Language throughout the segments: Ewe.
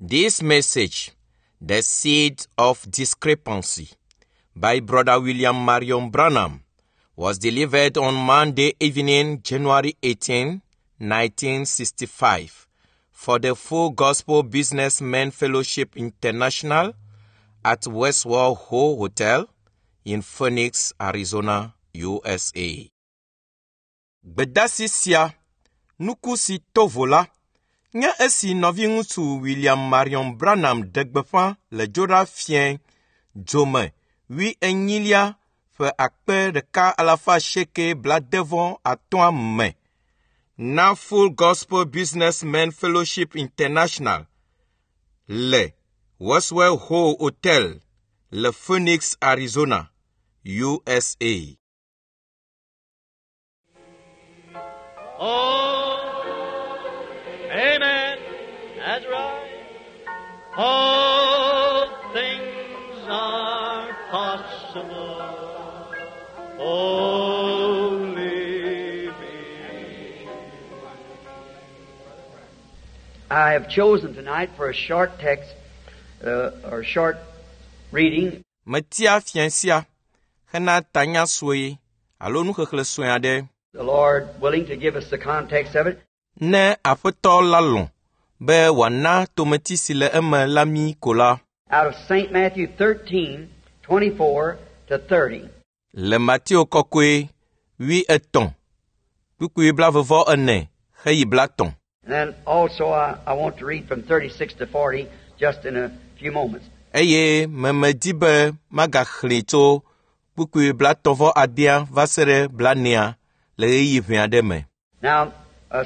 This message, The Seed of Discrepancy, by Brother William Marion Branham, was delivered on Monday evening, January 18, 1965, for the Full Gospel Businessmen Fellowship International at Westworld Ho Hotel in Phoenix, Arizona, USA. Gbedasi sia, nuku si to vo la, nye esi nɔviŋutsu William Marion Branham ɖe gbeƒã le Dzoɖa fiẽ dzome wuienyilia ƒe 1885 me na Full Gospel Businessmen Fellowship International le Westwell Ho Hotel le Phoenix, Arizona, USA. Oh, amen. That's right. All things are possible. Only believe. I have chosen tonight for a short text or short reading Metia fiẽ sia hena tanya sue alo nuxexlẽ sue aɖe. The Lord willing to give us the context of it. Ne Aƒetɔ la lɔ̃ be wòana tometi si le eme la mí ko la, Out of St. Matthew 13, 24 to 30. le Mateo kɔkɔe 33 kpukpui 24 heyi 30. And then also I want to read from 36 to 40 just in a few moments. Eye memedi be magaxlẽe tso kpukpui 36 va se ɖe 40 le ɣeyiɣi ʋɛ aɖe me. Now,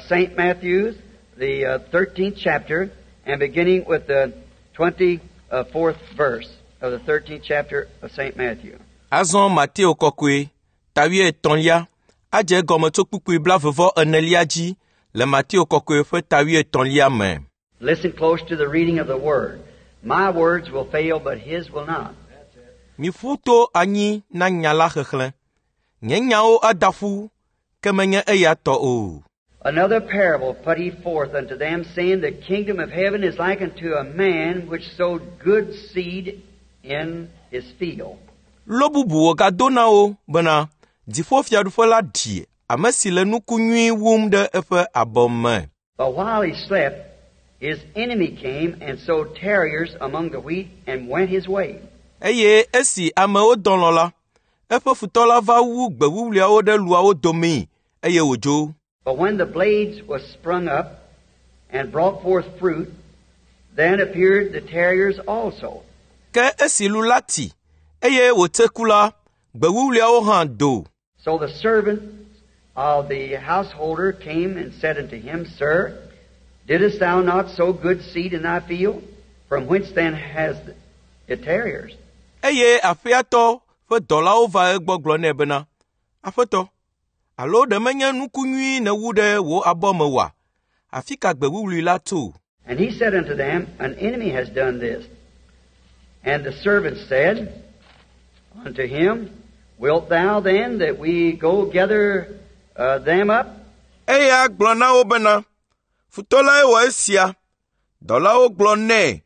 St. Matthew's, the 13th chapter, and beginning with the 24th verse of the 13th chapter of St. Matthew. Azɔ Mateo kɔkɔe ta wuietɔ̃lia adze egɔme tso kpukpui 24 dzi le Mateo kɔkɔe ƒe ta wuietɔ̃lia me. Listen close to the reading of the word. My words will fail, but his will not. Miƒu to anyi na nya la xexlẽ. Nye nyawo ada ƒu, ke menye eya tɔ o. Another parable put he forth unto them, saying, The kingdom of heaven is like unto a man which sowed good seed in his field. Lo bubu wògado na wo bena dziƒofiaɖuƒe la ɖi ame si le nuku nyui wum ɖe eƒe abɔ me. But while he slept, his enemy came and sowed tares among the wheat and went his way. Eye esi amewo dɔ lɔ̃ la, eƒe futɔ la va wu gbe wuwluiawo ɖe luawo domee eye wòdzo. But when the blades was sprung up and brought forth fruit, then appeared the tares also. Ke esi lu la ti eye wòtse ku la, gbe wuwluiawo hã do. So the servant of the householder came and said unto him, Sir, didst thou not sow good seed in thy field? From whence then has it tares? Eye aƒeatɔ ƒe dɔlawo va egbɔ gblɔ nɛ bena, Aƒetɔ, alo ɖe menye nuku nyui nèwu ɖe wò abɔ me oa? Afi ka gbe wuwlui la tso? And he said unto them, An enemy has done this. And the servants said unto him, Wilt thou then that we go gather them up? Eya gblɔ na wo bena, Futɔ lae wɔ esia. Dɔlawo gblɔ nɛ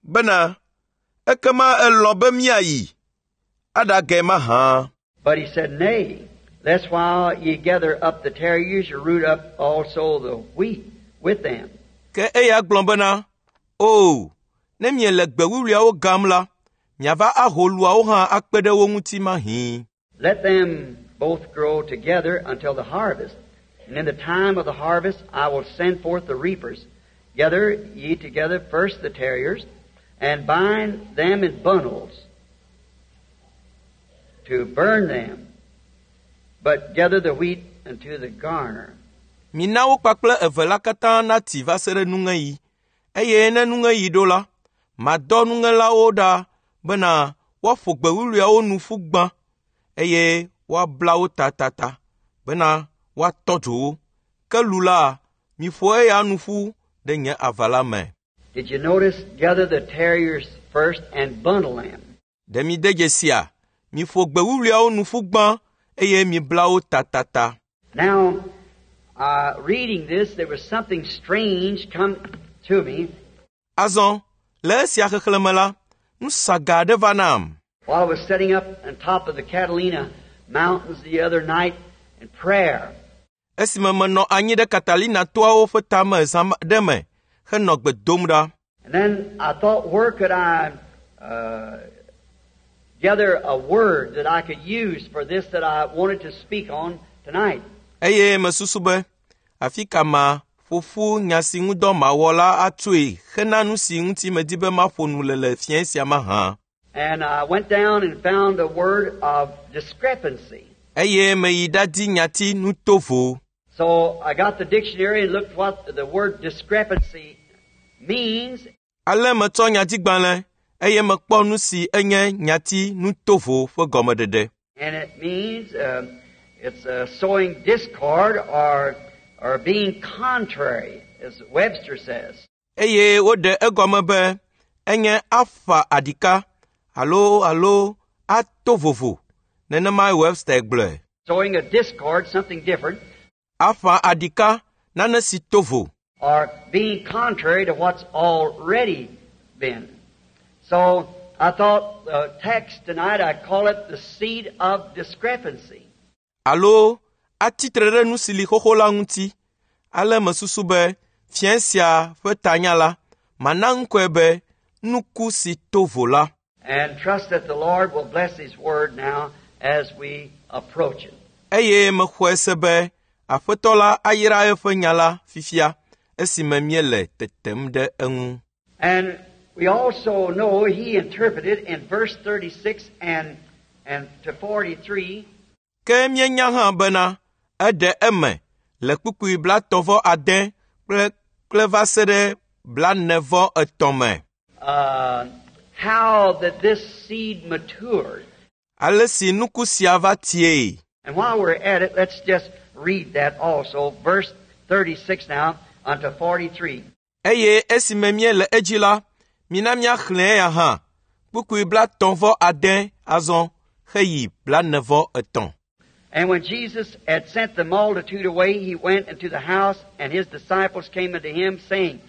bena, Ekema elɔ̃ be míayi aɖage mahã. But he said, Nay, lest while ye gather up the tares, you root up also the wheat with them. Ke eya gblɔ bena, O, ne miele gbe wuwluiawo gam la, miava aho luawo hã akpe ɖe wo ŋuti mahĩ. Let them both grow together until the harvest. And in the time of the harvest I will send forth the reapers. Gather ye together first the tares, and bind them in bundles to burn them, but gather the wheat unto the garner. Mina wo kpakple eve la katã nati va se ɖe nuŋeɣi. Eye ne nuŋeɣi ɖo la, madɔ nuŋelawo ɖa bena woaƒo gbe wuwluiawo nu ƒu gbã, eye woabla wo tatata bena woatɔ dzo wo. Ke lu la, miƒo eya nu ƒu ɖe nye aʋala me. Did you notice? Gather the tares first and bundle them. Ɖe mi de dzesia? Miƒo gbe wuwluiawo nu ƒu gbã, eye mibla wo tatata. Now, reading this, there was something strange come to me. Azɔ, Le esia xexlẽme la, nu saga aɖe va nam. While I was sitting up on top of the Catalina Mountains the other night in prayer, Esime menɔ anyi ɖe Catalina toawo ƒe tame zã ɖe me henɔ gbe dom ɖa. and then I thought, where could I gather a word that I could use for this that I wanted to speak on tonight? Eye mesusu be, afi ka ma ƒo ƒu nya si ŋudɔ mawɔ la atsoe hena nu si ŋuti medi be maƒo nu le le fiẽ sia mahã. And I went down and found a word of discrepancy. Eye meyi ɖadi nyati nutovo. So I got the dictionary and looked what the word discrepancy means, Ale metsɔ nyatigbalẽ eye mekpɔ nu si enye nyati nutovo ƒe gɔmeɖeɖe. and it means it's sowing discord or being contrary, as Webster says. Eye woɖe egɔme be enye aƒa aɖika alo ato vovo. Nenemae Webster gblɔe. Sowing a discord, something different, Aƒa aɖika nane si to vo. or being contrary to what's already been. So I thought the text tonight, I'd call it the seed of discrepancy. Alo atsitre ɖe nu si li xoxo la ŋuti. Ale mesusu be fiẽ sia ƒe tanya la, mana ŋkɔe be nuku si to vo la. And trust that the Lord will bless His Word now as we approach it. Eye mexɔe se be Aƒetɔ la ayra eƒe nya la fifia esime míele tetem ɖe eŋu. And we also know He interpreted in verse 36 and to 43 Ke míenya hã bena eɖe eme le kpukpui 36 kple va se ɖe 43 me. How that this seed matured. Ale si nuku sia va tiee. And while we're at it, let's just read that also, verse 36 now unto 43. Eye esime míele edzi la, mina míaxlẽe ya hã. Kpukpui 36 azɔ heyi 43. And when Jesus had sent the multitude away, he went into the house, and his disciples came unto him, saying,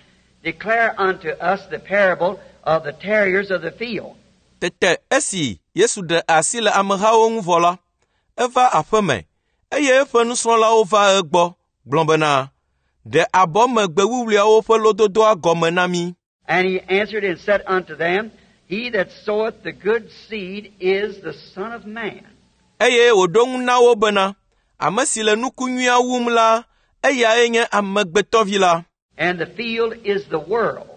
Declare unto us the parable of the tares of the field. Tete esi Yesu ɖe asi le amehawo ŋu vɔ la, eva aƒeme, eye eƒe nusrɔ̃lawo va egbɔ gblɔ bena, Ɖe abɔ me gbe wuwluiawo ƒe lododoa gɔme na mí. And he answered and said unto them, He that soweth the good seed is the Son of Man. Eye wòɖo ŋu na wo bena, ame si le nuku nyuia wum la, eyae nye amegbetɔvi la. And the field is the world.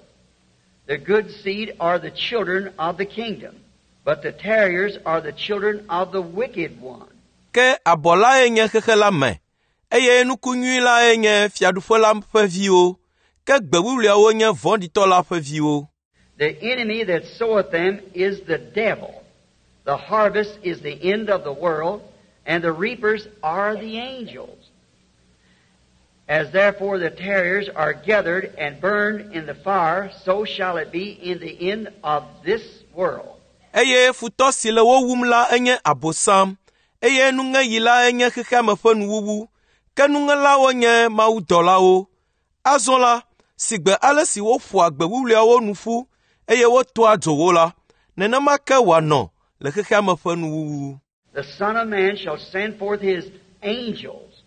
The good seed are the children of the kingdom, but the tares are the children of the wicked one. Ke abɔ lae nye xexe la me, eye nuku nyui lae nye fiaɖuƒe la ƒe viwo, ke gbe wuwluiawo nye vɔ̃ɖitɔ la ƒe viwo. The enemy that soweth them is the devil. The harvest is the end of the world, and the reapers are the angels. As therefore the tares are gathered and burned in the fire, so shall it be in the end of this world. Eye futɔ si le wo wum la enye Abosam, eye nuŋeɣi la enye xexeame ƒe nuwuwu, ke nuŋelawo nye mawudɔlawo. Azɔ la, sigbe ale si woƒoa gbe wuwluiawo nu ƒu, eye wotoa dzo wo la, nenema ke wòanɔ le xexeame ƒe nuwuwu. The Son of Man shall send forth his angels,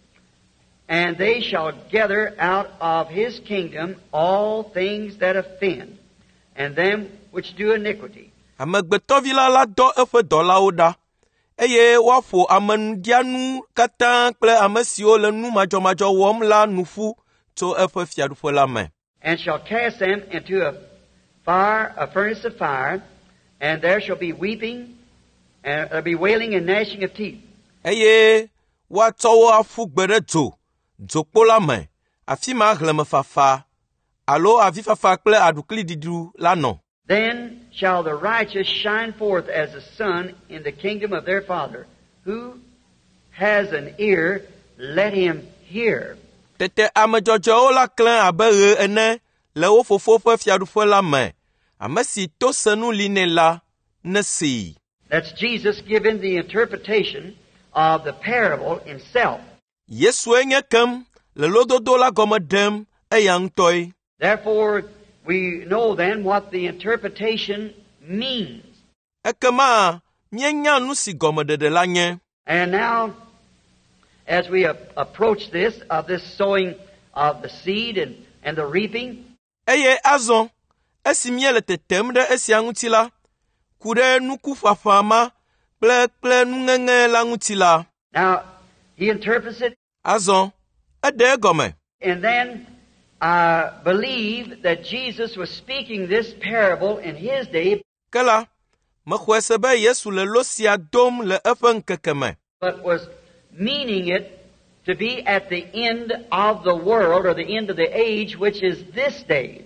and they shall gather out of his kingdom all things that offend, and them which do iniquity. Amegbetɔvi la la dɔ eƒe dɔlawo ɖa, eye woaƒo amenuɖianu katã kple ame siwo le nu madzɔmadzɔ wɔm la nu ƒu tso eƒe fiaɖuƒe la me. And shall cast them into a fire, a furnace of fire, and there shall be weeping, and there be wailing and gnashing of teeth. Eye woatsɔ wo aƒu gbe ɖe dzo, dzokpo la me, afi ma hlẽmefafa alo avifafa kple aɖukliɖiɖu la nɔ. Then shall the righteous shine forth as the sun in the kingdom of their Father. Who has an ear, let him hear. Tete ame dzɔdzɔewo la klẽ abe ɣe ene le wo fofo ƒe fiaɖuƒe la me. Ame si to senu li nɛ la, nesee. That's Jesus giving the interpretation of the parable himself. Yesue nye kem le lododo la gɔme ɖem eya ŋutɔe. Therefore, We know then what the interpretation means. Ekema míenya nu si gɔmeɖeɖe la nye. And now, as we approach this, of this sowing of the seed and the reaping, Eye azɔ, esi míele tetem ɖe esia ŋuti la, ku ɖe nukuƒaƒã ma kple nuŋeŋe la ŋuti la, now he interprets it, azɔ eɖe egɔme. and then I believe that Jesus was speaking this parable in his day, Ke la, mexɔe se be Yesu le lo sia dom le eƒe ŋkeke me, but was meaning it to be at the end of the world or the end of the age, which is this day.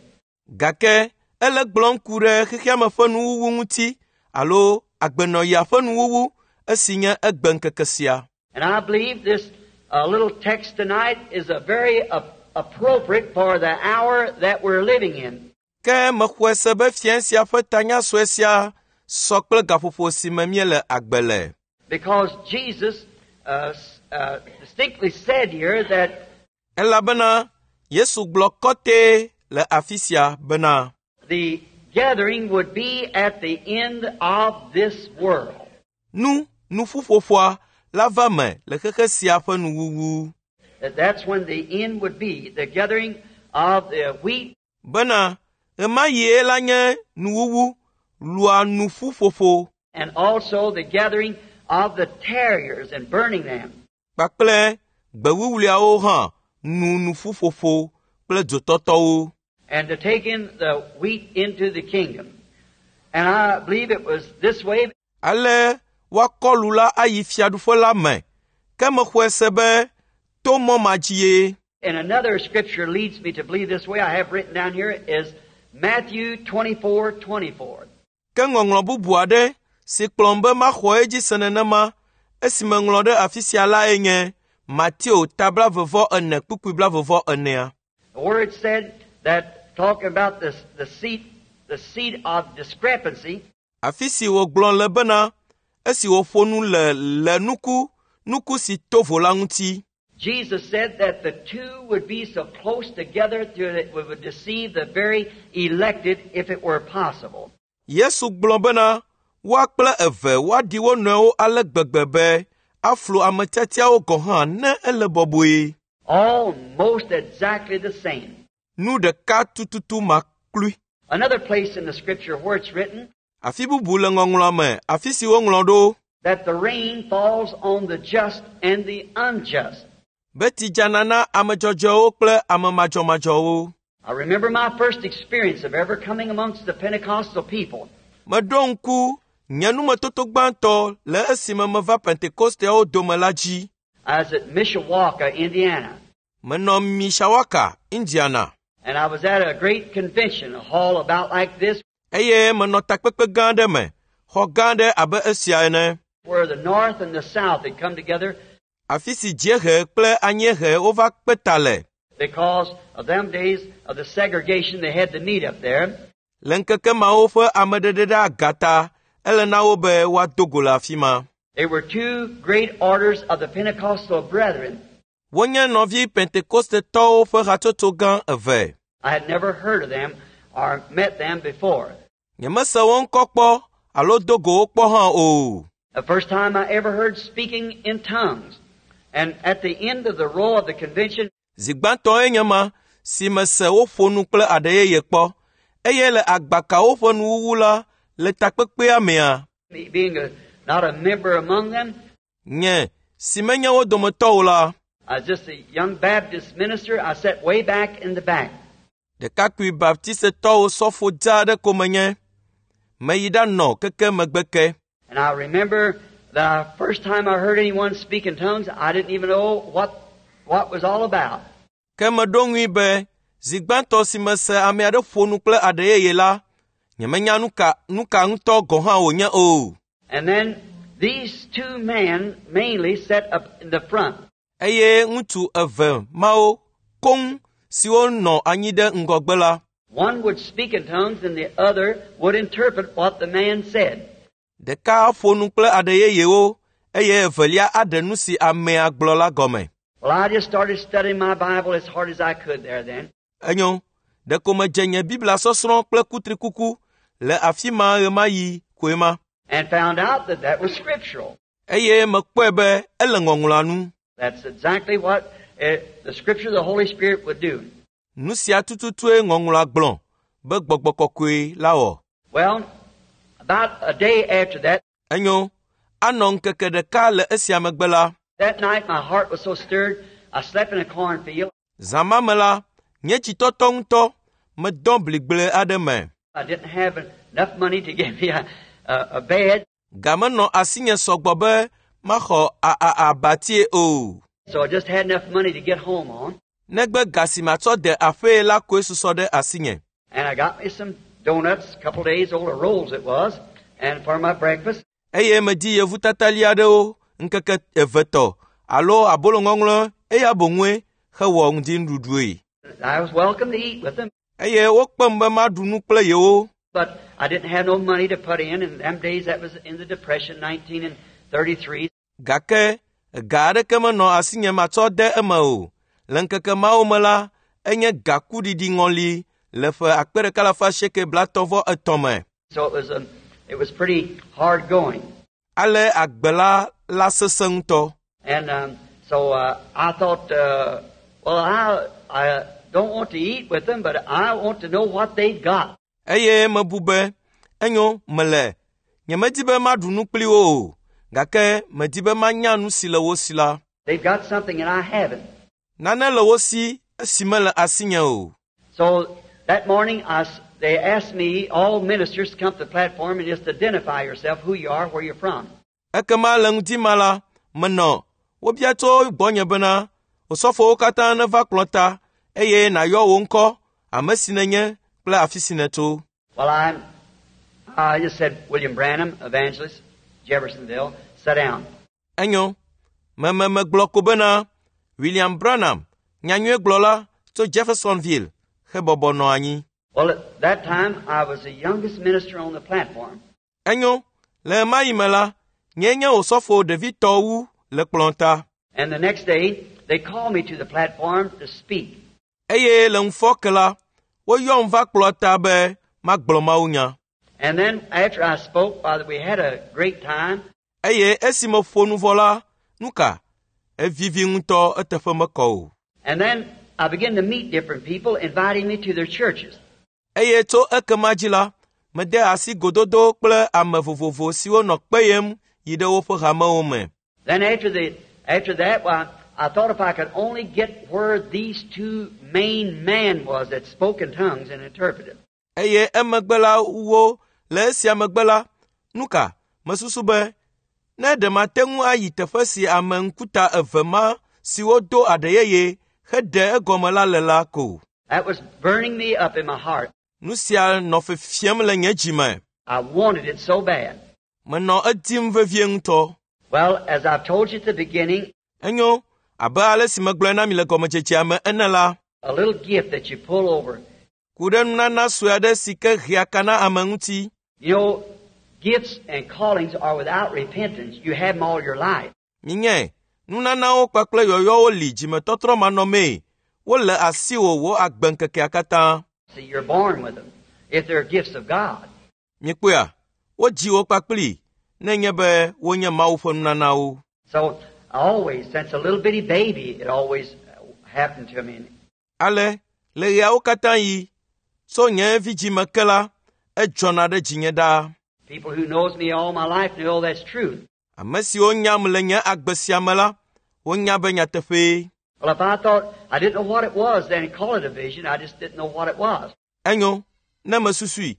Gake ele gblɔm ku ɖe xexeame ƒe nuwuwu ŋuti alo agbenɔɣia ƒe nuwuwu esi nye egbe ŋkeke sia. And I believe this little text tonight is a very appropriate for the hour that we're living in. Ke mexɔe se be fia sia ƒe tanya sue sia sɔ kple gaƒoƒo si me míele agbe le. Because Jesus distinctly said here that Elabena Yesu gblɔ kɔtɛ le afi sia bena the gathering would be at the end of this world. Nu nuƒuƒoƒoa la va me le xexe sia ƒe nuwuwu. That's when the end would be, the gathering of the wheat Bena ɣemaɣie la nye nuwuwu lua nuƒuƒoƒo and also the gathering of the tares and burning them. Kpakple gbewuwluawo hã nu nuƒuƒoƒo kple dzotɔtɔwo. And to take in the wheat into the kingdom. And I believe it was this way. Ale woakɔ lu la ayi fiaɖuƒe la me. Ke mexɔe se be to mɔ ma dzie. And another scripture leads me to believe this way I have written down here is Matthew 24:24. Ke ŋɔŋlɔ bubu aɖe si kplɔm be maxɔ edzi se nenema esi meŋlɔ ɖe afi sia lae nye Mateo ta 24 kpukpui 24. The word said that talking about this, the seed of discrepancy. Afi si wògblɔ le bena esi wòƒo nu le nuku si to vo la ŋuti. Jesus said that the two would be so close together that it would deceive the very elected if it were possible. Yesu gblɔ bena woa kple eve woaɖi wo nɔewo ale gbegbe be aflu ame tiatiawo gɔ̃ hã ne ele bɔbɔe. Almost exactly the same. Nu ɖeka tututu maklui. Another place in the scripture where it's written Afi bubu le ŋɔŋlɔa me, afi si woŋlɔ ɖo that the rain falls on the just and the unjust. Be tsi dzana na ame dzɔdzɔewo kple ame madzɔmadzɔwo. I remember my first experience of ever coming amongst the Pentecostal people. Meɖo ŋku nye numetoto gbãtɔ le esime meva Pentekosteawo dome la dzi. I was at Mishawaka, Indiana. Menɔ Mishawaka, Indiana. And I was at a great convention, a hall about like this. Eye menɔ takpekpe gã aɖe me, xɔ gã aɖe abe esia ene. Where the north and the south had come together. Afi si dziehe kple anyiehe wova kpe ta le. Because of them days of the segregation, they had to meet up there. Le ŋkeke mawo ƒe ameɖeɖe ɖe aga ta, ele na wo be woado go le afi ma. They were two great orders of the Pentecostal brethren. Wonye nɔvi Pentekostetɔwo ƒe hatsotso gã eve. I had never heard of them or met them before. Nyemese wo ŋkɔ kpɔ alo do go wo kpɔ hã o. The first time I ever heard speaking in tongues. And at the end of the row of the convention, Zi gbãtɔe nye ma si mese woƒo nu kple aɖe yeye kpɔ. Eye le agbakawo ƒe nuwuwu la le takpekpea mea, me being not a member among them, nye si menye wo dometɔ o la, I was just a young Baptist minister. I sat way back in the back. Ɖekakpui baptistetɔwo sɔfo dza aɖe ko menye. Meyi ɖanɔ keke megbe ke. And I remember the first time I heard anyone speak in tongues, I didn't even know what was all about. Ke meɖo ŋui be zi gbãtɔ si mese ame aɖe ƒo nu kple aɖe yeye la, nyemenya nu ka ŋutɔ gɔ̃ hã wònye o. And then these two men mainly sat up in the front. Eye ŋutsu eve mawo koŋ siwo nɔ anyi ɖe ŋgɔgbe la, One would speak in tongues and the other would interpret what the man said. Ɖeka ƒo nu kple aɖe yeyewo eye evelia aɖe nu si amea gblɔ la gɔme. Well, I just started studying my Bible as hard as I could there then. Enyo, Ɖeko medze nye Biblia sɔsrɔ̃ kple kutrikuku le afi ma ɣemaɣi koe ma. And found out that that was scriptural. Eye mekpɔe be ele ŋɔŋlɔa nu. That's exactly what the scripture of the Holy Spirit would do. Nu sia tututue ŋɔŋlɔa gblɔ be gbɔgbɔ kɔkɔe la wɔ. Well, about a day after that, Enyo, anɔ ŋkeke ɖeka le esia megbe la, that night my heart was so stirred, I slept in a cornfield. zã ma me la, nye dzitɔtɔ ŋutɔ medɔ bligble aɖe me. I didn't have enough money to give me a bed, Ga menɔ asinye sɔgbɔ be maxɔ abatie o. so I just had enough money to get home on. Negbe ga si matsɔ de aƒee la koe susɔ ɖe asinye. And I got me some donuts, a couple days old, or rolls it was, and for my breakfast. Eye medi yevutatali aɖewo ŋkeke eve tɔ alo abolo ŋɔŋlɔ eya boŋue hewɔ ŋdinuɖuɖue. I was welcome to eat with them, Eye wokpem be maɖu nu kple yewo. but I didn't have no money to put in. In them days, that was in the Depression, 1933. Gake ga aɖeke menɔ asinye matsɔ de eme o. Le ŋkeke mawo me la, enye gakuɖiɖi ŋɔli le ƒe 1833 me. So it was pretty hard going. Ale agbe la la sesẽ ŋutɔ. And so I thought, well, I don't want to eat with them, but I want to know what they've got. Eye mebu be, enyo mele, nyemedi be maɖu nu kpli wo o, gake medi be manya nu si le wo si la. They've got something and I haven't. Nane le wo si esi mele asinye o. So that morning, they asked me, all ministers, to come to the platform and just identify yourself, who you are, where you're from. Ekema le ŋdi ma la, menɔ wobia tso gbɔnye bena osɔfowo katã neva kplɔ ta eye nàyɔ wò ŋkɔ, ame si nènye kple afi si nètso. Well, I just said, William Branham, evangelist, Jeffersonville, sit down. Enyo, meme megblɔ ko bena William Branham, nyanyuiegblɔla tso Jeffersonville, hebɔbɔ nɔ anyi. Well, at that time, I was the youngest minister on the platform. Enyo, le ɣemaɣi me la, nyee nye osɔfo ɖevitɔ wu le kplɔ̃ ta. And the next day, they called me to the platform to speak. Eye le ŋufɔke la, woyɔm va kplɔ̃ ta be magblɔ mawunya. And then after I spoke, Father, we had a great time. Eye esi meƒo nu vɔ la, nu ka? Evivi ŋutɔ eteƒe mekɔ o. And then I began to meet different people, inviting me to their churches. Eye tso ekema dzi la, mede asi gododo kple ame vovovo siwo nɔ kpeyem yi ɖe woƒe hamewo me. Then after that, well, I thought if I could only get where these two main men was that spoke in tongues and interpreted. Eye emegbe la wo le esia megbe la, nu ka? Mesusu be ne ɖe mate ŋu ayi teƒe si ame ŋkuta eve ma siwo do aɖe yeye heɖe egɔme la le la ko. That was burning me up in my heart. Nu sia nɔ fefiem le nye dzi me. I wanted it so bad. Menɔ edim vevie ŋutɔ. Well, as I've told you at the beginning, Enyo, abe ale si megblɔe na mi le gɔmedzedzea me ene la, a little gift that you pull over. ku ɖe nunana sue aɖe si ke hea ka na ame ŋuti. You know, gifts and callings are without repentance. You have them all your life. Minye, nunanawo kpakple yɔyɔwo li dzimetɔtrɔ manɔmee. Wole asiwò wò agbeŋkekea katã. See, you're born with them, if they're gifts of God. Mikpɔea, wodzi wo kpakpli nenye be wonye Mawu ƒe nunanawo. So, always, since a little bitty baby, it always happened to me. Ale, le ɣeawo katã yi, tso nye vidzĩme ke la, edzɔna ɖe dzinye ɖaa. People who knows me all my life know that's true. Ame siwo nyam le nye agbe sia me la, wonya be nyateƒee. Well, if I thought I didn't know what it was, then call it a vision. I just didn't know what it was. Enyo, ne mesusui,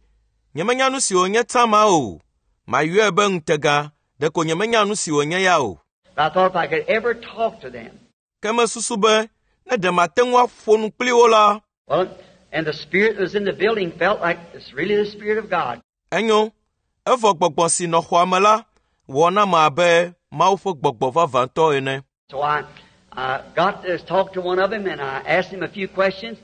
nyemenya nu si wònye tsã ma o. Mayɔe be ŋutega, ɖeko nyemenya nu si wònye ya o. But I thought if I could ever talk to them. Ke mesusu be, ne ɖe mate ŋu aƒo nu kpli wo la. Well, and the spirit that was in the building felt like it's really the Spirit of God. Enyo, evɔ gbɔgbɔ si nɔ xɔa me la wɔ nam abe Mawu ƒe gbɔgbɔ vavãtɔ ene. So I got to talk to one of them, and I asked him a few questions.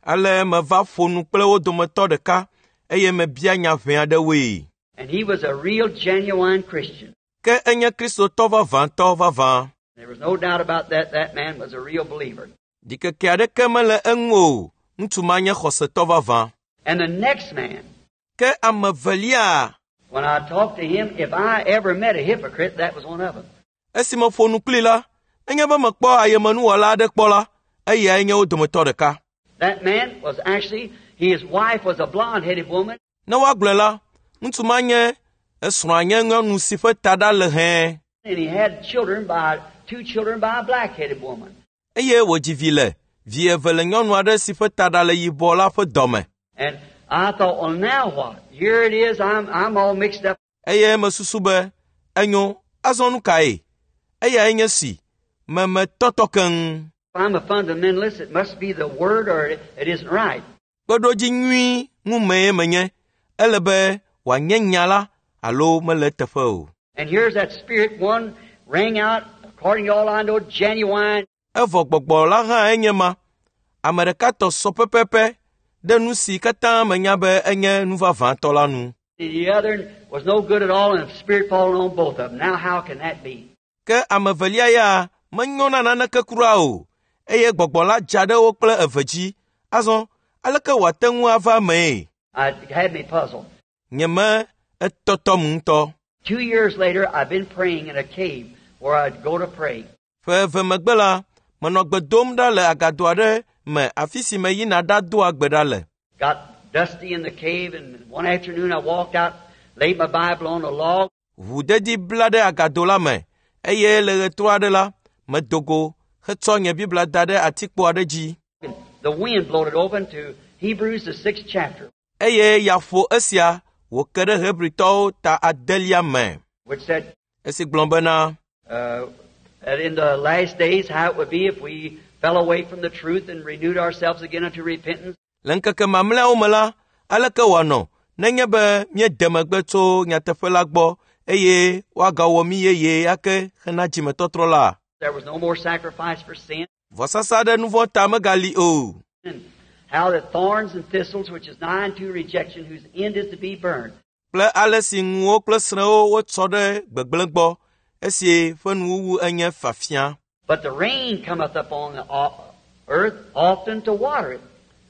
Ale meva ƒo nu kple wo dometɔ ɖeka eye mebia nya ʋɛ aɖewoe. And he was a real, genuine Christian. Ke enye Kristotɔ vavãtɔ vavã. There was no doubt about that. That man was a real believer. Ɖikeke aɖeke mele eŋu o Ŋutsu ma nye xɔsetɔ vavã. And the next man, Ke ame evelia, when I talked to him, if I ever met a hypocrite, that was one of them. esi meƒo nu kplii la, nenye be mekpɔ ayemenuwɔla aɖe kpɔ la, eyae nye wo dometɔ ɖeka. That man was actually, his wife was a blonde-headed woman, Ne woagblɔe la, ŋutsu ma nye esrɔ̃a nye nyɔnu si ƒe taɖa le hɛ̃ and he had children by, two children by a black-headed woman. eye wòdzi vi le vi eve le nyɔnu aɖe si ƒe taɖa le yibɔ la ƒe dɔme. And I thought, well, now what? Here it is. I'm all mixed up. Eye mesusu be, enyo, azɔ nu kae? Eyae nye si, memetɔtɔ keŋ. If I'm a fundamentalist, it must be the Word or it isn't right. Kpeɖodzi nyui ŋumee menye. Ele be wòanye nya la alo mele eteƒe o. And here's that spirit one rang out, according to all I know, genuine. Evɔ gbɔgbɔ la hã enye ma. Ame ɖeka tɔ sɔ pɛpɛpɛ ɖe nu si katã menya be enye nu vavãtɔ la nu. The other was no good at all, and the spirit falling on both of them. Now, how can that be? Ke ame evelia ya menyo na naneke kura o, eye gbɔgbɔ la dza ɖe wo kple eve dzi. Azɔ, aleke wòate ŋu ava emee? It had me puzzled. Nye me etɔtɔm ŋutɔ. 2 years later, I've been praying in a cave where I'd go to pray. Ƒe eve megbe la, menɔ gbe dom ɖa le agado aɖe me afi si meyina ɖadoa gbe ɖa le. Got dusty in the cave, and one afternoon I walked out, laid my Bible on a log. Ʋudedi bla ɖe agado la me eye le ɣetrɔ aɖe la, medo go hetsɔ nye Biblia da ɖe atikpo aɖe dzi. And the wind blowed it open to Hebrews, the 6th chapter, Eye ya ƒo esia wòke ɖe Hebritɔwo ta adelia me. which said, Esi gblɔ bena, that in the last days how it would be if we fell away from the truth and renewed ourselves again unto repentance. Le ŋkeke mamlɛawo me la, aleke wòanɔ nenye be míede megbe tso nyateƒe la gbɔ eye woagawɔ mí yeye ake hena dzimetɔtrɔ la? There was no more sacrifice for sin. Vɔsasa ɖe nu vɔ̃ ta megali o. And how that thorns and thistles, which is nigh unto rejection, whose end is to be burned. Kple ale si ŋuwo kple srẽwo wotsɔ ɖe gbegblẽ gbɔ, esi ƒe nuwuwu enye fafia. But the rain cometh upon the earth often to water it,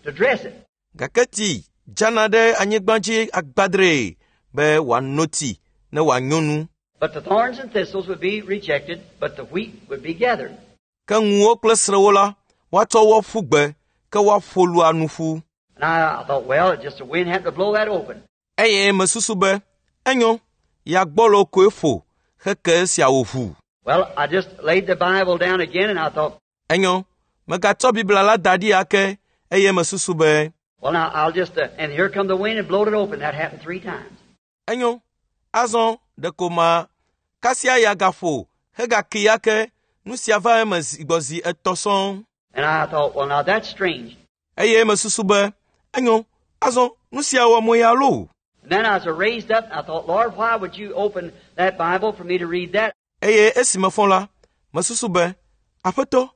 to dress it. Gake tsi dzana ɖe anyigba dzi agbadree be wòano tsi ne wòanyo nu. But the thorns and thistles would be rejected, but the wheat would be gathered. Ke ŋuwo kple srẽwo la, woatsɔ wo ƒu gbe, ke woaƒo lua nu ƒu. And I thought, well, just the wind happened to blow that open. Eye mesusu be, enyo, ya gbɔlo koe ƒo heke esia wòʋu. Well, I just laid the Bible down again, and I thought, Enyo, megatsɔ Biblia la da ɖi ake, eye mesusu be, well, now I'll just, and here come the wind and blowed it open. That happened 3 times. Enyo, azɔ ɖeko ma kasia ya gaƒo hegaki ake, nu sia va eme zi gbɔ zi etɔ̃ sɔŋ. And I thought, well, now that's strange. Eye mesusu be, enyo, azɔ nu sia wɔ mo ya loo. And then I was raised up, and I thought, Lord, why would you open that Bible for me to read that? Eye esi mefɔ la, mesusu be, Aƒetɔ,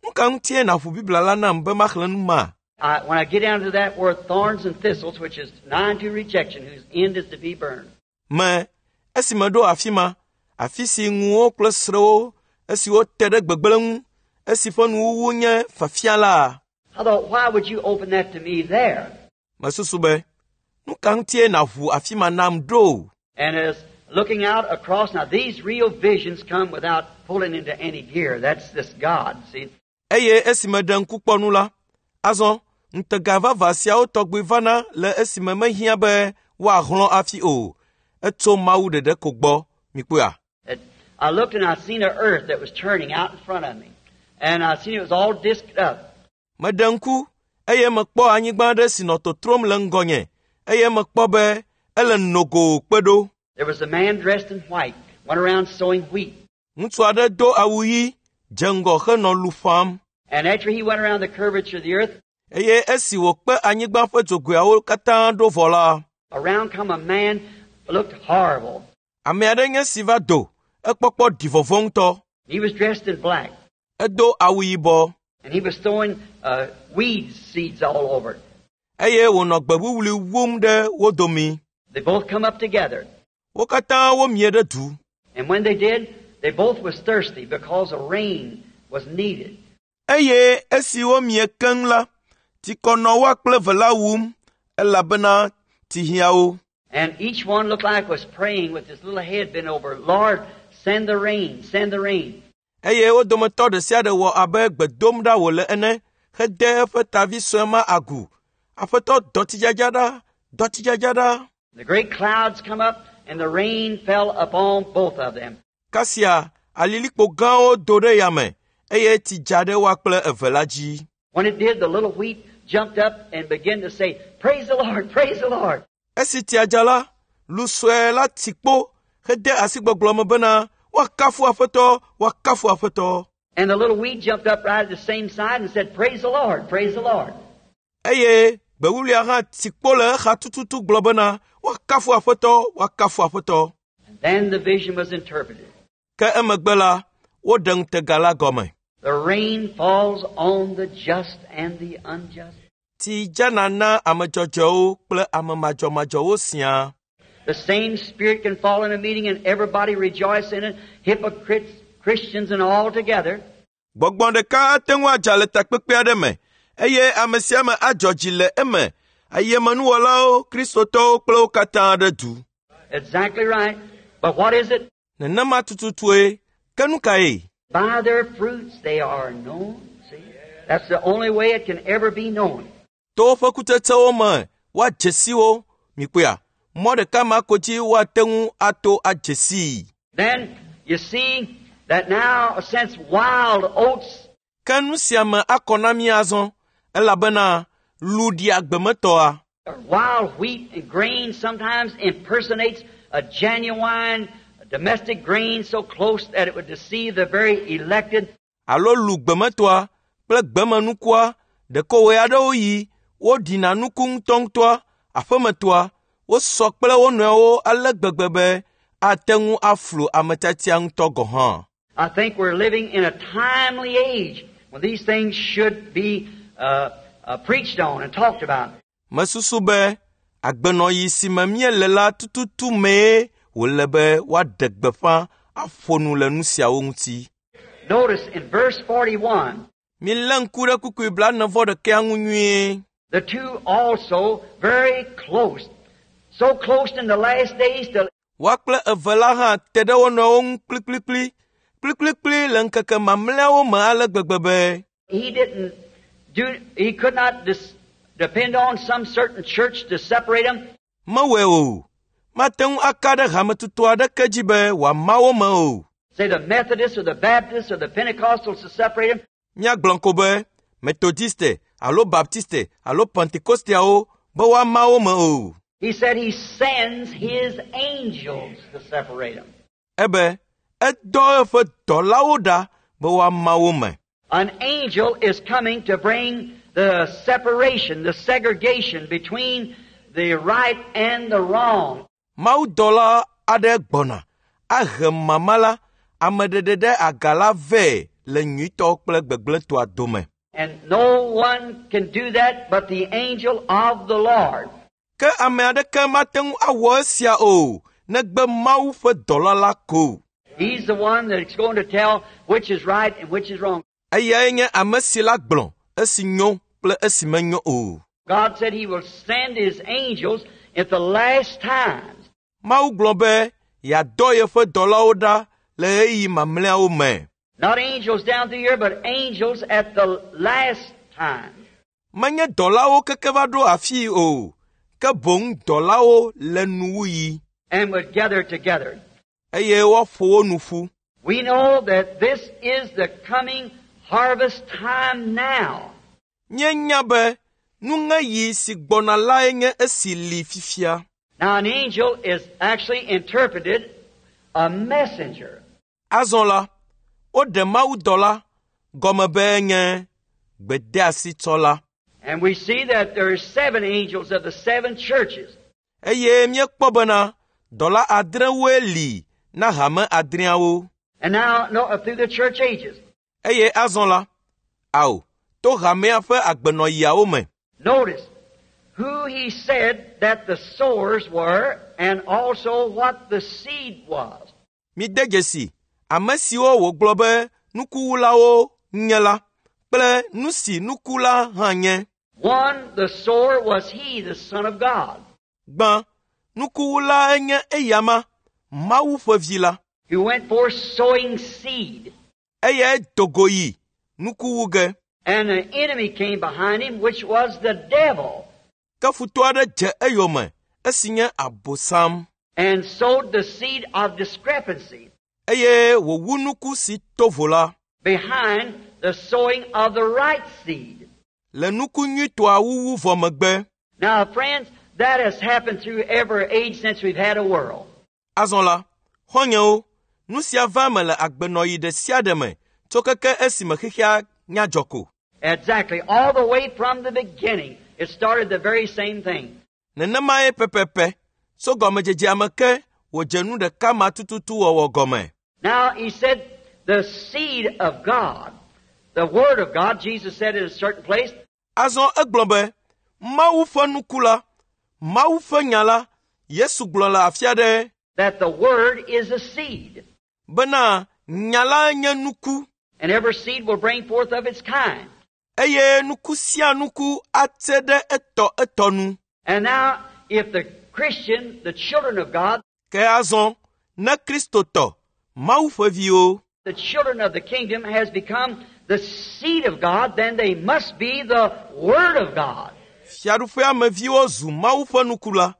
nu ka ŋutie nàʋu Biblia la nam be maxlẽ nu ma? When I get down to that word thorns and thistles, which is nigh unto rejection, whose end is to be burned. Me, esi meɖo afi ma, afi si ŋuwo kple srẽwo, esiwo te ɖe gbegblẽ ŋu, esi ƒe nuwuwu nye fafia la. I thought, why would you open that to me there? Mesusu be, nu ka ŋutie nàʋu afi ma nam ɖo? And as looking out across, now these real visions come without pulling into any gear. That's this God, see. Eye esi meɖe ŋku kpɔ nu la, azɔ ŋutega vavã siawo tɔgbi vana le esime mehiã be woahlɔ̃ afi o. Etso Mawu ɖeɖe ko gbɔ. Mikpɔea? I looked and I seen an earth that was turning out in front of me. And I seen it was all disked up. Meɖe ŋku eye mekpɔ anyigba aɖe si nɔ totrom le ŋgɔnye eye mekpɔ be ele nogo kpe ɖo. There was a man dressed in white, went around sowing wheat. Ŋutsu aɖe do awu ɣi, dze ŋgɔ henɔ lu ƒãm. And after he went around the curvature of the earth, Eye esi wòkpe anyigba ƒe dzogoeawo katã ɖo vɔ la, around come a man looked horrible. Ame aɖe nye si va do, ekpɔkpɔ ɖi vɔvɔ̃ ŋutɔ. He was dressed in black. Edo awu yibɔ. And he was throwing weed seeds all over. Eye wònɔ gbe wuwlui wum ɖe wo domi. They both come up together. Wo katã womie ɖe du. And when they did, they both was thirsty because a rain was needed. Eye esi womie keŋ la, Tsikɔ nɔ woa kple eve la wum elabena tsi hiã wo. And each one looked like was praying with his little head bent over. Lord, send the rain, send the rain. Eye wo dometɔ ɖe sia ɖe wɔ abe gbe dom ɖa wòle ene hede eƒe tavi sue ma agu. Aƒetɔ dɔ tsidzadza ɖa, dɔ tsidzadza ɖa. The great clouds come up and the rain fell upon both of them. Kasia alilikpo gãwo do ɖe yame eye tsi dza ɖe woa kple eve la dzi. When it did, the little wheat jumped up and began to say, Praise the Lord, praise the Lord. Esi tsia dza la, lu sue la tsi kpo hede asi gbɔgblɔ me bena woakafu Aƒetɔ, woakafu Aƒetɔ. And the little wheat jumped up right at the same side and said, Praise the Lord, praise the Lord. Eye gbe wuwluia hã tsi kpo le exa tututu gblɔ bena woakafu Aƒetɔ, woakafu Aƒetɔ. And then the vision was interpreted. Ke emegbe la, woɖe ŋutega la gɔme. The rain falls on the just and the unjust. Tsi dzana na ame dzɔdzɔewo kple ame madzɔmadzɔwo siaa. The same Spirit can fall in a meeting and everybody rejoice in it, hypocrites, Christians, and all together. Gbɔgbɔ ɖeka ate ŋu adza le takpekpe aɖe me eye ame sia ame adzɔ dzi le eme. Ayemenuwɔlawo, kristotɔwo kple wo katã ɖe du. Exactly right. But what is it? Nenema tututue. Ke nu kae? By their fruits they are known. See? That's the only way it can ever be known. To woƒe kutsetsewo me woadze si wo. Mikpɔea, mɔ ɖeka ma ko dzi woate ŋu ato adze sii. Then you see that now, since wild oats Ke nu sia me akɔ na mí azɔ elabena lu ɖia gbemetɔa. or wild wheat and grain sometimes impersonates a genuine domestic grain so close that it would deceive the very elected. alo lu gbemetɔa kple gbemenukua ɖeko ɣe aɖewo yi woɖina nuku ŋutɔŋutɔa aƒemetɔa wosɔ kple wo nɔewo ale gbegbe be ate ŋu aflu ame tiatia ŋutɔ gɔ̃ hã. I think we're living in a timely age when these things should be preached on and talked about. Mesusu be agbenɔɣi si me míele la tututu mee wòle be woaɖe gbeƒã aƒo nu le nu siawo ŋuti. Notice in verse 41, Milé ŋku ɖe kpukpui blaene-vɔ-ɖekɛa ŋu nyuie. the two also very close, so close in the last days till Woa kple eve la hã te ɖe wo nɔewo ŋu kplikplikpli, kplikplikpli le ŋkeke mamlɛawo me ale gbegbe be he didn't do, he could not depend on some certain church to separate them. mewɔe o. Mate ŋu aka ɖe hametutu aɖeke dzi be wòama wo me o. Say the Methodists or the Baptists or the Pentecostals to separate them. Míagblɔ ko be Methodiste alo Baptiste alo Pentekosteawo be woama wo me o. He said he sends his angels to separate them. Ebe edɔ eƒe dɔlawo ɖa be woama wo me. An angel is coming to bring the separation, the segregation between the right and the wrong. Mawudɔla aɖe gbɔna ahe mama la, ameɖeɖe ɖe aga la vɛ le nyuitɔ kple gbegblẽtɔa dome. And no one can do that but the angel of the Lord. Ke ame aɖeke mate ŋu awɔ esia o, negbe Mawu ƒe dɔla la ko. He's the one that's going to tell which is right and which is wrong. Eyae nye ame si la gblɔ esi nyo kple esi menyo o. God said He will send His angels at the last times. Mawu gblɔ be yeadɔ yeƒe dɔlawo ɖa le ɣeyiɣi mamlɛawo me. Not angels down through here, but angels at the last time. Menye dɔlawo keke va ɖo afii o, ke boŋ dɔlawo le nuwuɣi And would gather together. eye woaƒo wo nu ƒu. We know that this is the coming harvest time now. Míenya be nuŋeɣi si gbɔna lae nye esi li fifia. Now, an angel is actually interpreted a messenger. Azɔ la, woɖe mawudɔla gɔme be nye gbedeasitsɔla. And we see that there are 7 angels of the 7 churches. Eye míekpɔ bena dɔla adrewoe li na hame adreawo. And now, no, through the church ages. Eye azɔ la, ao, to hamea ƒe agbenɔɣiawo me. Notice who he said that the sowers were and also what the seed was. Mide dzesi ame siwo wògblɔ be nukuwulawo nye la kple nu si nuku la hã nye. One, the sower was he, the Son of God, Gbã, nukuwulae nye eyama, Mawu ƒe vi la. who went forth sowing seed. Eyae do go yi nuku wu ge. And the enemy came behind him, which was the devil, Ke futɔ aɖe dze eyome, esi nye Abosam, and sowed the seed of discrepancy eye wòwu nuku si to vo la behind the sowing of the right seed. le nuku nyuitɔa wuwu vɔ megbe. Now, friends, that has happened through every age since we've had a world. Azɔ la, xɔ̃nyewo, nu sia va eme le agbenɔɣi ɖe sia ɖe me tso keke esime xexea nya dzɔ ko. Exactly. All the way from the beginning, it started the very same thing. Nenemae pɛpɛpɛ tso gɔmedzedzea me ke wòdze nu ɖeka ma tututu wɔwɔ gɔme. Now, he said, the seed of God, the Word of God, Jesus said in a certain place, Azɔ egblɔ be, Mawu ƒe nuku la, Mawu ƒe nya la, Yesu gblɔ le afi aɖe that the Word is a seed, bena nya la nye nuku and every seed will bring forth of its kind. eye nuku sia nuku ate ɖe etɔ etɔ nu. And now, if the Christian, the children of God, Ke azɔ, ne Kristotɔ, Mawu ƒe viwo, the children of the kingdom has become the seed of God, then they must be the Word of God. Fiaɖuƒea me viwo zu Mawu ƒe nuku la,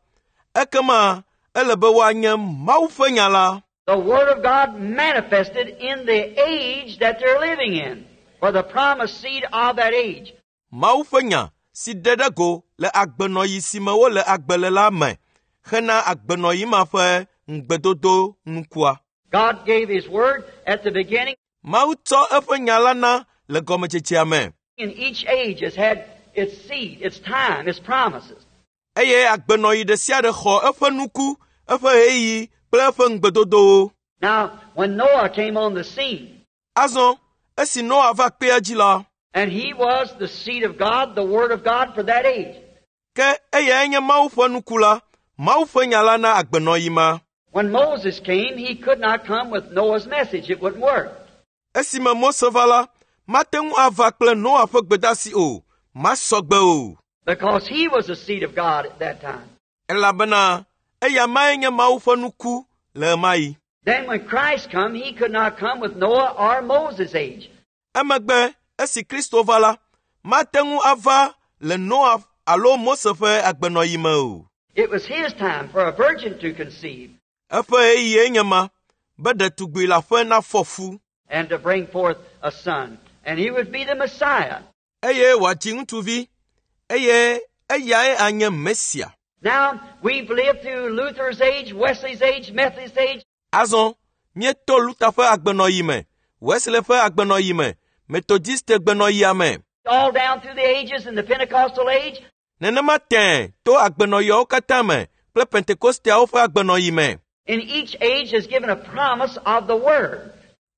ekema ele be woanye Mawu ƒe nya la. The Word of God manifested in the age that they're living in, for the promised seed of that age. Mawu ƒe nya si ɖe ɖe go le agbenɔɣi si me wole agbe le la me hena agbenɔɣi ma ƒe ŋugbedodo nukua. God gave His Word at the beginning, Mawu tsɔ eƒe nya la na le gɔmedzedzea me and each age has had its seed, its time, its promises. eye agbenɔɣi ɖe sia ɖe xɔ eƒe nuku, eƒe ɣeyiɣi kple eƒe ŋugbedodowo. Now, when Noah came on the scene, Azɔ, esi Noa va kpea dzi la, and he was the seed of God, the Word of God for that age. ke eyae nye Mawu ƒe nuku la, Mawu ƒe nya la na agbenɔɣi ma. When Moses came, he could not come with Noah's message. It wouldn't work. Esime Mose va la, mate ŋu ava kple Noa ƒe gbedeasi o, masɔ gbe o. Because he was the seed of God at that time. Elabena eya mae nye Mawu ƒe nuku le ɣemaɣi. Then when Christ come, he could not come with Noah or Moses' age. Emegbe esi Kristo va la, mate ŋu ava le Noa alo Mose ƒe agbenɔɣi me o. It was his time for a virgin to conceive Eƒe ɣeyiɣie nye ma be ɖetugbi leaƒe nafɔ fu and to bring forth a son. And he would be the Messiah. eye wòadzi ŋutsuvi eye eyae anye Mesia. Now, we've lived through Luther's age, Wesley's age, Methodist age, Azɔ míeto Luther ƒe agbenɔɣi me, Wesley ƒe agbenɔɣi me, Methodiste gbenɔɣia me. all down through the ages in the Pentecostal age. Nenema tẽe to agbenɔɣiawo katã me kple Pentekosteawo ƒe agbenɔɣi me. And each age has given a promise of the Word.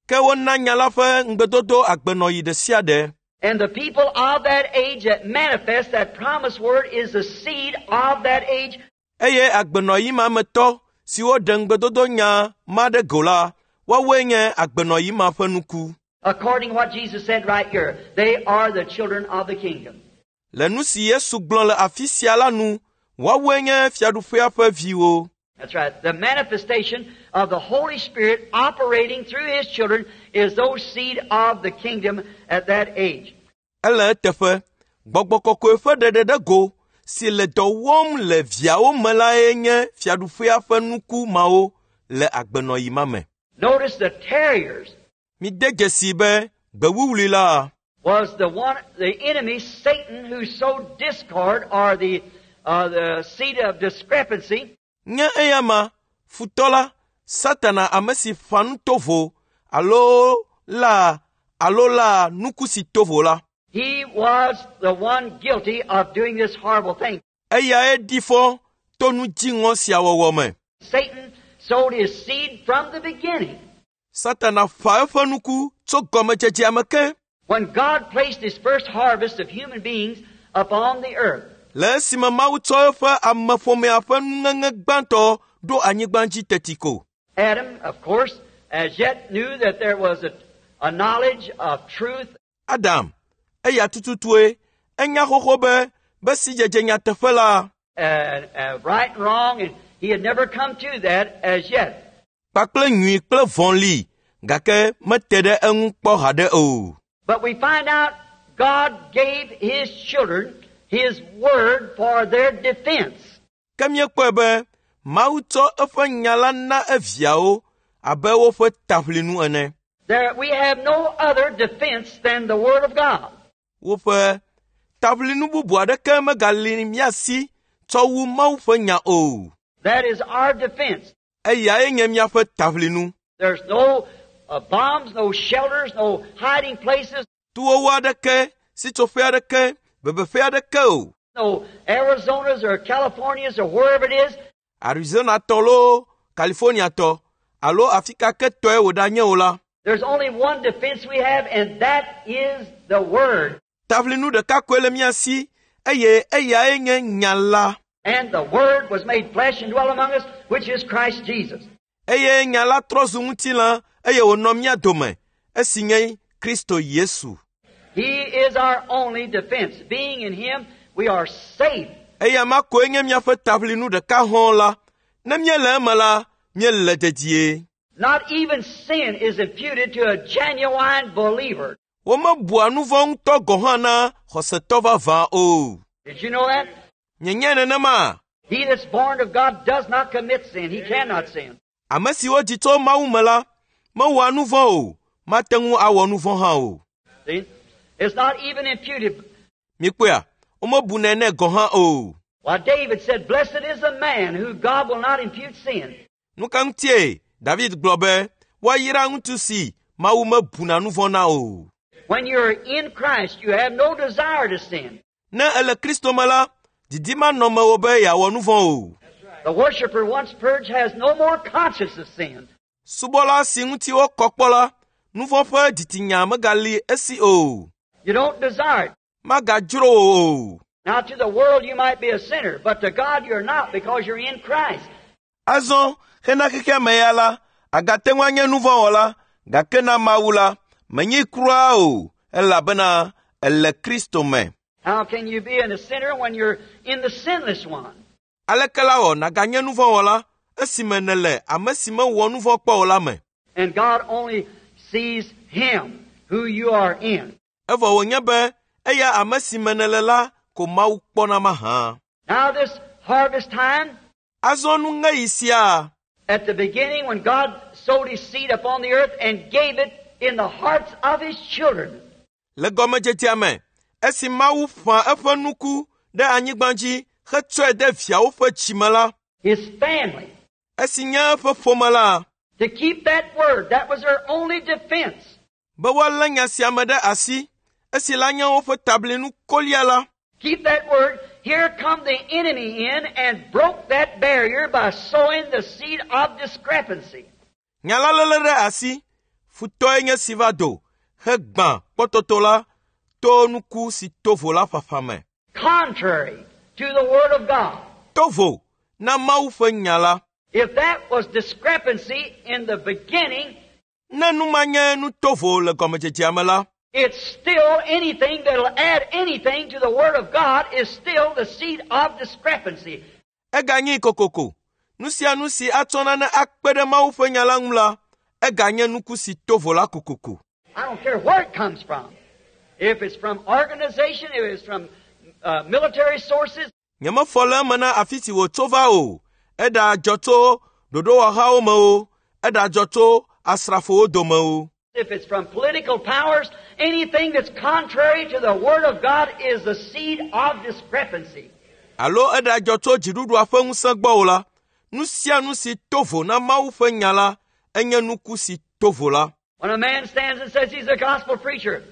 Ke wona nya la ƒe ŋugbedodo agbenɔɣi ɖe sia ɖe. And the people of that age that manifest that promised word is the seed of that age. Eye agbenɔɣi ma me tɔ siwo ɖe ŋugbedodo nya ma ɖe go la, woawoe nye agbenɔɣi ma ƒe nuku. According to what Jesus said right here, they are the children of the kingdom. Le nu si Yesu gblɔ le afi sia la nu, woawoe nye fiaɖuƒea ƒe viwo. That's right. The manifestation of the Holy Spirit operating through His children is those seed of the kingdom at that age. Ele eteƒe, gbɔgbɔ kɔkɔe ƒe ɖeɖe ɖe go si le dɔ wɔm le viawo me lae nye fiaɖuƒea ƒe nuku mawo le agbenɔɣi ma me. Notice the terriers Mide dzesi be gbewuwlui la was the one, the enemy, Satan, who sowed discord or the, uh, the seed of discrepancy. nye eya ma futɔ la, Satana ame si ƒã nu tovo alo la alo la nuku si tovo la. He was the one guilty of doing this horrible thing. Eyae ɖi fɔ to nu dziŋɔ sia wɔwɔ me. Satan sowed his seed from the beginning. Satana ƒã eƒe nuku tso gɔmedzedzea me ke. When God placed his first harvest of human beings upon the earth, Le esime Mawu tsɔ eƒe ameƒomea ƒe nuŋeŋe gbãtɔ ɖo anyigba dzi teti ko. Adam, of course, as yet knew that there was a, a knowledge of truth Adam, eya tututue, enya xoxo be be sidzedze nyateƒe la and right and wrong, and he had never come to that as yet. kpakple nyui kple vɔ̃ li gake mete ɖe eŋu kpɔ haɖe o. But we find out God gave His children His Word for their defense. Ke míekpɔe be Mawu tsɔ eƒe nya la na eviawo abe woƒe taʋlinu ene. There, we have no other defense than the Word of God. Woƒe taʋlinu bubu aɖeke megali mía si tsɔ wu Mawu ƒe nya o. That is our defense. Eyae nye míaƒe taʋlinu. There's no bombs, no shelters, no hiding places, Tuwowo aɖeke, sitsoƒe aɖeke, bebeƒe aɖeke o. no Arizonas or Californias or wherever it is. Arizonatɔ loo, Californiatɔ alo afi ka ke tɔe wòɖanye o la, There's only one defense we have, and that is the Word. taʋlinu ɖeka koe le mía si eye eyae nye nya la. And the Word was made flesh and dwelt among us, which is Christ Jesus. Eye nya la trɔ zu ŋutilã eye wònɔ mía dome, esi nye Kristo Yesu. He is our only defense. Being in Him, we are safe. Eya ma koe nye míaƒe taʋlinu ɖeka hɔ̃ la. Ne míele eme la, míele dedie. Not even sin is imputed to a genuine believer. Womebua nu vɔ̃ ŋutɔ gɔ̃ hã na xɔsetɔ vavã o. Did you know that? Nyenye nenema? He that's born of God does not commit sin. He cannot sin. Ame siwo dzi tso Mawu me la, mewɔa nu vɔ̃ o, mate ŋu awɔ nu vɔ̃ hã o. See? It's not even imputed. Mikpɔea, womebunɛ nɛ gɔ̃ hã o. Why, David said, Blessed is the man who God will not impute sin. Nu ka ŋutie David gblɔ be woayra ŋutsu si Mawu mebuna nu vɔ̃ na o. When you're in Christ, you have no desire to sin. Ne ele Kristo me la, didi manɔ mewò be yeawɔ nu vɔ̃ o. The worshiper once purged has no more conscience of sin. Subɔla si ŋuti wokɔ kpɔ la, nu vɔ̃ ƒe dzitsinya megali esi o. You don't desire it. Magadzro wò o. Now, to the world you might be a sinner, but to God you're not because you're in Christ. Azɔ hena xexea me ya la, agate ŋu anye nu vɔ̃ wɔla, gake na Mawu la, menyi kura o, elabena ele Kristo me. How can you be in a sinner when you're in the sinless one? Aleke la wɔ nàganye nu vɔ̃ wɔla esime nèle ame si mewɔ nu vɔ̃ kpɔ o la me? And God only sees Him who you are in. Evɔ wònye be eya ame si me nèle la ko Mawu kpɔna mahã. Now, this harvest time, Azɔ nuŋeɣi sia, at the beginning when God sowed His seed upon the earth and gave it in the hearts of His children, le gɔmedzedzea me, esi Mawu ƒã eƒe nuku ɖe anyigba dzi hetsɔe de viawo ƒe dzime la, His family, esi nye eƒe ƒome la, to keep that word, that was their only defense. be woalé nya sia me ɖe asi, esi la nye woƒe tablinu kolia la, Keep that word. Here come the enemy in and broke that barrier by sowing the seed of discrepancy. nya la léle ɖe asi, futɔe nye si va do hegbã kpɔtɔtɔ la to nuku si to vo la ƒaƒã me. Contrary to the Word of God. To vo na Mawu ƒe nya la. If that was discrepancy in the beginning, Ne nu ma nye nu tovo le gɔmedzedzea me la, it's still anything that'll add anything to the Word of God is still the seed of discrepancy. eganyi kokoko. Nu sia nu si atsɔ nane akpe ɖe Mawu ƒe nya la ŋu la, eganye nuku si to vo la kokoko. I don't care where it comes from. If it's from organization, if it's from military sources, Nyemefɔ le eme na afi si wòtso va o. Eɖadzɔ tso ɖoɖowɔhawo me o, eɖadzɔ tso asrafowo dome o. if it's from political powers, anything that's contrary to the Word of God is the seed of discrepancy. Alo eɖadzɔ tso dziɖuɖua ƒe ŋusẽ gbɔ o la, nu sia nu si to vo na Mawu ƒe nya la, enye nuku si to vo la. When a man stands and says he's a gospel preacher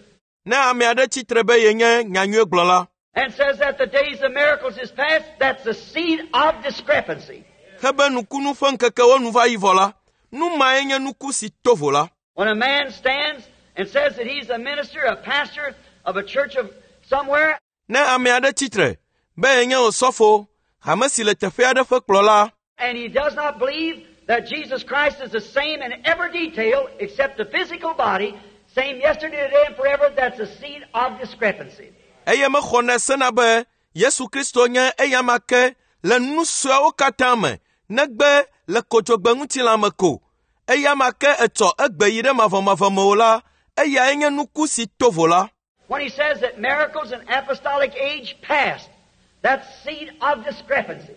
Ne ame aɖe tsitre be yenye nyanyuiegblɔla, and says that the days of miracles is past, that's the seed of discrepancy. hebe nukunu ƒe ŋkekewo nu va yi vɔ la, nu mae nye nuku si to vo la. When a man stands and says that he's a minister, a pastor of a church of somewhere, Ne ame aɖe tsitre be yenye osɔfo, hame si le teƒe aɖe ƒe kplɔla, and he does not believe that Jesus Christ is the same in every detail except the physical body, same yesterday, today, and forever, that's a seed of discrepancy. eye mexɔnɛ sena be Yesu Kristo nye eyama ke le nu sueawo katã me negbe le kodzogbe ŋutilã me ko. Eyama ke etsɔ egbe yi ɖe mavɔmavɔ me o la, eyae nye nuku si to vo la. When he says that miracles and apostolic age past, that seed of discrepancy.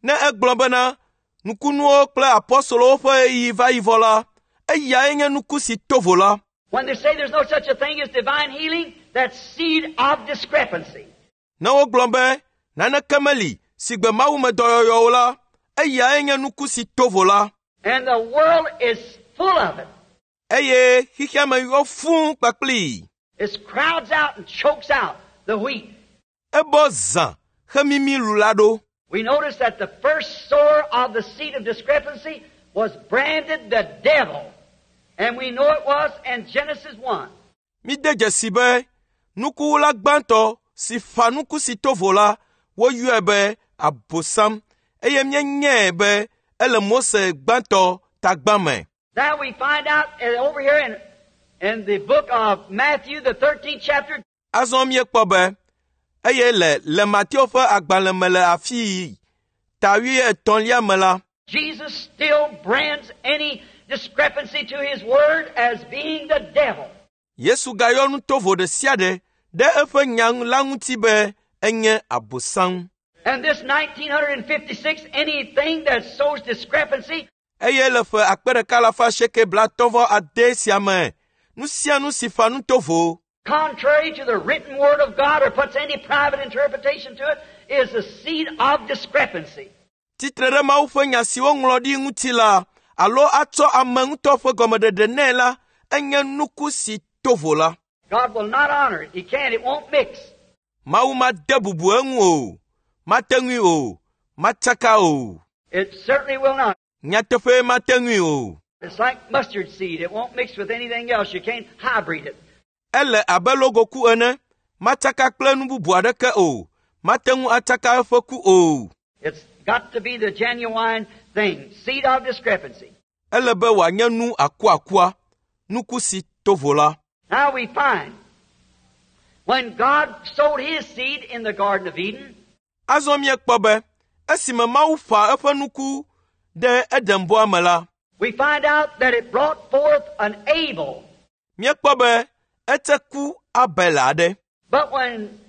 Ne egblɔ bena nukunuwo kple apɔstolowo ƒe ɣeyiɣi va yi vɔ la, eyae nye nuku si to vo la. When they say there's no such a thing as divine healing, that seed of discrepancy. Ne wogblɔ be naneke meli si gbe mawumedɔyɔyɔ o la, eyae nye nuku si to vo la. And the world is full of it. Eye xexea me yɔ fũu kpakplii. It crowds out and chokes out the wheat. Ebɔ zã hemimi lu la ɖo. We notice that the first sower of the seed of discrepancy was branded the devil. And we know it was in Genesis 1. Míde dzesi be nukuwula gbãtɔ si ƒã nuku si to vo la, woyɔe be Abosam eye míenyae be ele Mose gbãtɔ tagbã me. Now we find out over here in the book of Matthew, the 13th chapter, Azɔ míekpɔ be eye le le Mateo ƒe agbalẽ me le afii ta wuietɔ̃lia me la, Jesus still brands any discrepancy to his word as being the devil. Yesu gayɔ nu tovo ɖe sia ɖe ɖe eƒe nya la ŋuti be enye Abosam. And this 1956, anything that sows discrepancy Eye le ƒe akpe ɖeka alafa asieke blaatɔ̃ vɔ ade sia me, nu sia nu si ƒã nu tovo contrary to the written word of God or puts any private interpretation to it is the seed of discrepancy. tsitre ɖe Mawu ƒe nya si woŋlɔ ɖi ŋuti la alo atsɔ ame ŋutɔ ƒe gɔmeɖeɖe nɛ la, enye nuku si to vo la. God will not honor it. He can't. It won't mix. Mawu made bubu eŋu o, mate ŋui o, matsaka o. It certainly will not. Nyateƒe mate ŋui o. It's like mustard seed. It won't mix with anything else. You can't hybrid it. Ele abe logoku ene, matsaka kple nu bubu aɖeke o, mate ŋu atsaka eƒe ku o. It's got to be the genuine thing. Seed of discrepancy. Ele be wòanye nu akuakua, nuku si to vo la. Now we find when God sowed His seed in the Garden of Eden, Azɔ míekpɔ be esime Mawu ƒã eƒe nuku ɖe Edenbɔa me la, we find out that it brought forth an Abel. míekpɔ be ete ku Abel aɖe. But when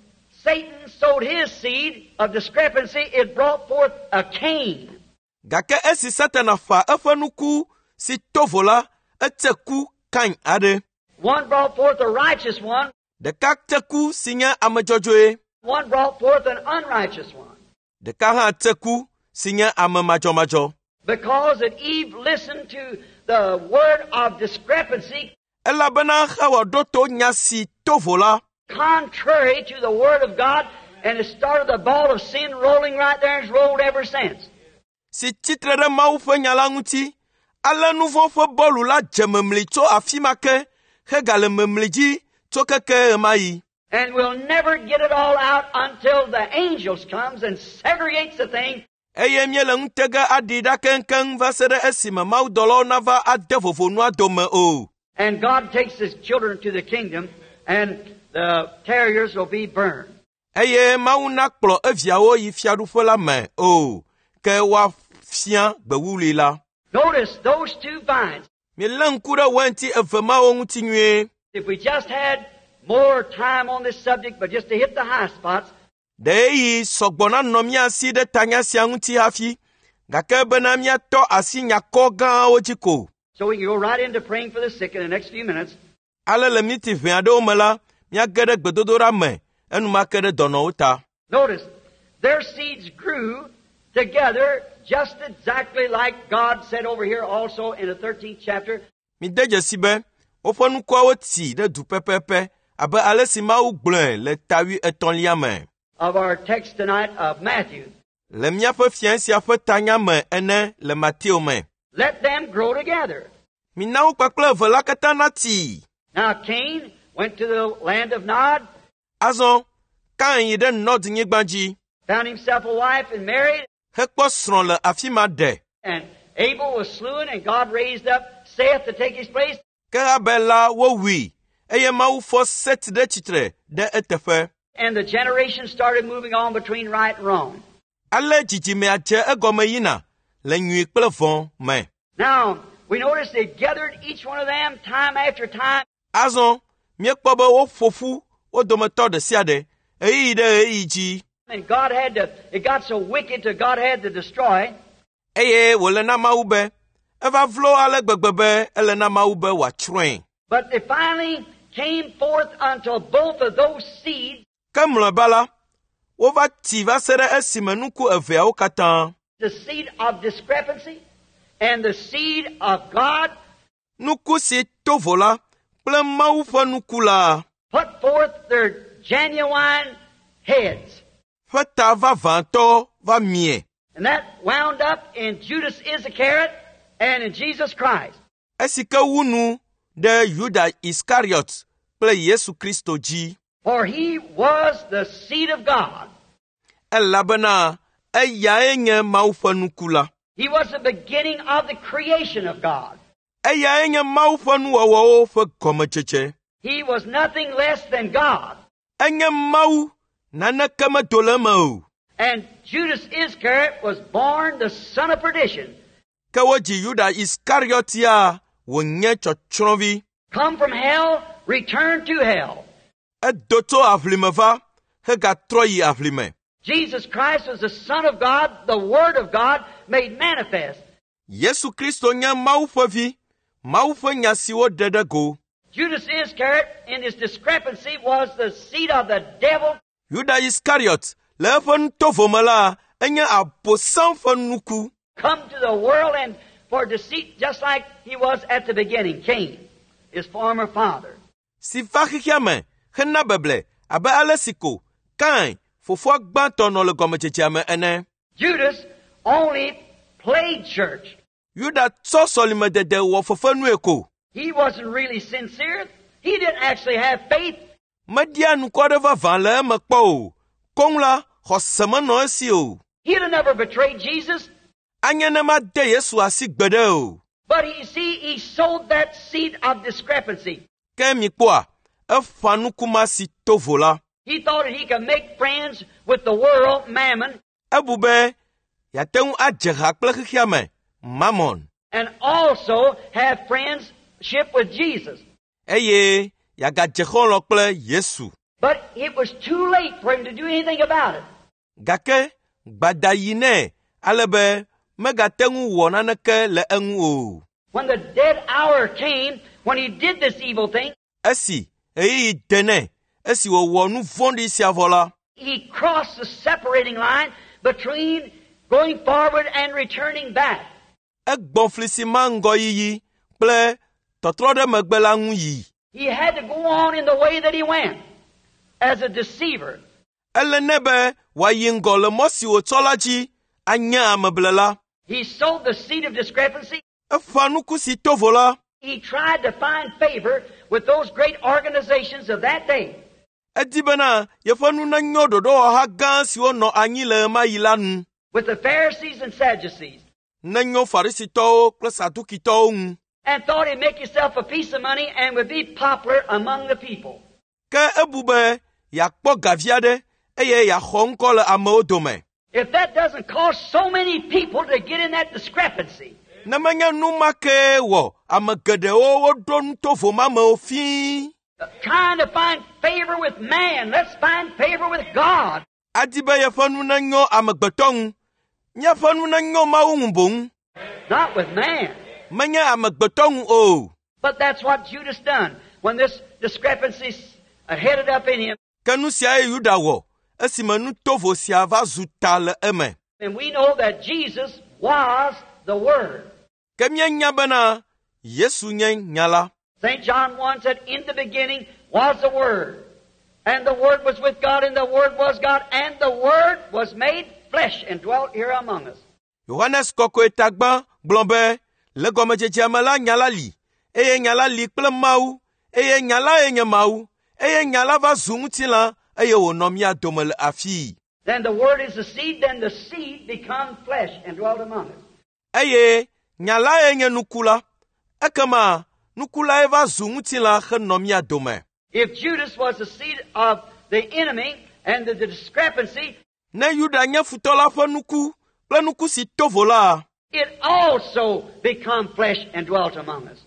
Satan sowed his seed of discrepancy, it brought forth a Cain. Gake esi Satana ƒã eƒe nuku si to vo la, ete ku Kain aɖe. One brought forth a righteous one, Ɖeka te ku si nye ame dzɔdzɔe, one brought forth an unrighteous one. ɖeka hã te ku si nye ame madzɔmadzɔ. Because that Eve listened to the word of discrepancy Elabena Xawa ɖo to nya si to vo la, contrary to the word of God, and it started the ball of sin rolling right there and it's rolled ever since. si tsitre ɖe Mawu ƒe nya la ŋuti. Ale nu vɔ̃ ƒe bɔlu la dze memli tso afi ma ke hegale memli dzi tso keke ɣemaɣi. And we'll never get it all out until the angels comes and segregates the thing Eye míele ŋutega aɖi ɖa keŋkeŋ va se ɖe esime mawudɔlawo nava ade vovo nua dome o. and God takes his children to the kingdom and the terriers will be burned. Eye Mawu nakplɔ eviawo yi fiaɖuƒe la me o, ke woafia gbewuli la. Notice those two vines. Milé ŋku ɖe wainti eve mawo ŋuti nyuie. If we just had more time on this subject, but just to hit the high spots, Ɖe ɣeyiɣi sɔgbɔ nanɔ mía si ɖe tanya sia ŋuti hafi, gake bena míatɔ asi nyakɔ gãwo dzi ko. so we can go right into praying for the sick in the next few minutes. Ale le miniti ʋɛ aɖewo me la, míage ɖe gbedodoɖa me enumake ɖe dɔnɔwo ta. Notice, their seeds grew together just exactly like God said over here also in the 13th chapter. Mide dzesi be woƒe nukuawo tsi ɖe du pɛpɛpɛ abe ale si Mawu gblɔe le ta wuietɔ̃lia me. Of our text tonight of Matthew. Le míaƒe fia sia ƒe tanya me ene le Mateo me. Let them grow together. Mina wo kpakple eve la katã natsi. Now Cain went to the land of Nod, Azɔ Kain yi ɖe Nɔd nyigba dzi found himself a wife and married, hekpɔ srɔ̃ le afi ma ɖe. and Abel was slain, and God raised up Seth to take his place. Ke Abel la wowui eye Mawu fɔ Set ɖe tsitre ɖe eteƒe. And the generation started moving on between right and wrong. Ale dzidzimea dze egɔme yina le nyui kple vɔ̃ me. Now, we notice they gathered each one of them time after time. Azɔ míekpɔ be woƒo ƒu wo dometɔ ɖe sia ɖe ɣeyiɣi ɖe ɣeyiɣi dzi. And God had to, it got so wicked till God had to destroy. Eye wòle na Mawu be eva vlo ale gbegbe be ele na Mawu be wòatsrɔ̃e. But they finally came forth until both of those seeds, Ke mlɔeba la, wova tsi va se ɖe esime nuku eveawo katã, the seed of discrepancy and the seed of God, nuku si to vo la kple Mawu ƒe nuku la put forth their genuine heads. ƒe ta vavãtɔ va mie. And that wound up in Judas Iscariot and in Jesus Christ. Esi ke wu nu ɖe Yuda Iskariot kple Yesu Kristo dzi. For he was the seed of God. Elabena eyae nye Mawu ƒe nuku la. He was the beginning of the creation of God. Eyae nye Mawu ƒe nuwɔwɔwo ƒe gɔmedzedze. He was nothing less than God. Enye Mawu, naneke medo le eme o. And Judas Iscariot was born the son of perdition, Ke wodzi Yuda Iskariot ya wònye tsɔtsrɔ̃vi. come from hell, returned to hell. Edo tso aʋlime va hegatrɔ yi aʋlime. Jesus Christ was the Son of God, the Word of God made manifest. Yesu Kristo nye Mawu ƒe vi, Mawu ƒe nya si woɖe ɖe go. Judas Iscariot, in his discrepancy, was the seed of the devil. Yuda Iskariot le eƒe nutovo me la, enye Abosam ƒe nuku. Come to the world and for deceit, just like he was at the beginning, Cain, his former father. Si va xexea me hena beble abe ale si ko Kain, fofoa gbãtɔ nɔ le gɔmedzedzea me ene. Judas only played church. Yuda tsɔ sɔlimedede wɔ fefenue ko. He wasn't really sincere. He didn't actually have faith. Meɖia nukua ɖe vavã le eme kpɔ o. Koŋ la, xɔse menɔ esi o. He'd have never betrayed Jesus. Anye ne made Yesu asi gbeɖe o. But you see, he sowed that seed of discrepancy. Ke mikpɔa, eƒã nuku ma si to vo la. He thought that he could make friends with the world, mammon, Ebu be yeate ŋu adze ha kple xexea me, Mammon, and also have friendship with Jesus. Eye yeagadze xɔlɔ̃ kple Yesu. But it was too late for him to do anything about it. Gake gbada yi nɛ ale be megate ŋu wɔ naneke le eŋu o. When the dead hour came, when he did this evil thing, Esi ɣeyiɣi de nɛ, esi wòwɔ nu vɔ̃ɖi sia vɔ la, he crossed the separating line between going forward and returning back. Egbɔ fli si ma ŋgɔyiyi kple tɔtrɔ ɖe megbe la ŋu yi. He had to go on in the way that he went as a deceiver. Ele nɛ be wòayi ŋgɔ le mɔ si wòtsɔ la dzi anye ameblela. He sowed the seed of discrepancy. Eƒã nuku si to vo la. He tried to find favor with those great organizations of that day. Edi bena yeƒe nu nenyo ɖoɖowɔha gã siwo nɔ anyi le ɣemaɣi la nu. With the Pharisees and Sadducees. Nenyo Farisitɔwo kple Sadukitɔwo ŋu. And thought he'd make himself a piece of money and would be popular among the people. Ke ebu be yeakpɔ gavi aɖe eye yeaxɔ ŋkɔ le amewo dome. If that doesn't cause so many people to get in that discrepancy. Ne menye nu ma kee wɔ ame geɖewo woɖo nutovo ma mewo fii. Trying to find favor with man. Let's find favor with God. Adi be yeƒe nu nenyo amegbetɔ ŋu. Míaƒe nu nenyo Mawu ŋu boŋ. Not with man. Menye amegbetɔ ŋu o. But that's what Judas done when this discrepancy headed up in him. Ke nu siae Yuda wɔ esime nutovo sia va zu ta le eme. And we know that Jesus was the Word. Ke míenya bena Yesu nye nya la. St. John 1 said, In the beginning was the Word, and the Word was with God, and the Word was God, and the Word was made flesh and dwelt here among us. Yohanes Kɔkɔe tagbã gblɔ be, le gɔmedzedzea me la nya la li, eye nya la li kple Mawu, eye nya lae nye Mawu, eye nya la va zu ŋutilã, eye wònɔ mía dome le afii. Then the Word is the seed, then the seed become flesh and dwelt among us. Eye nya lae nye nuku la, ekema nuku lae va zu ŋutilã henɔ mía dome. If Judas was the seed of the enemy and the discrepancy, Ne Yuda nye futɔ la ƒe nuku kple nuku si to vo la, it also become flesh and dwelt among us.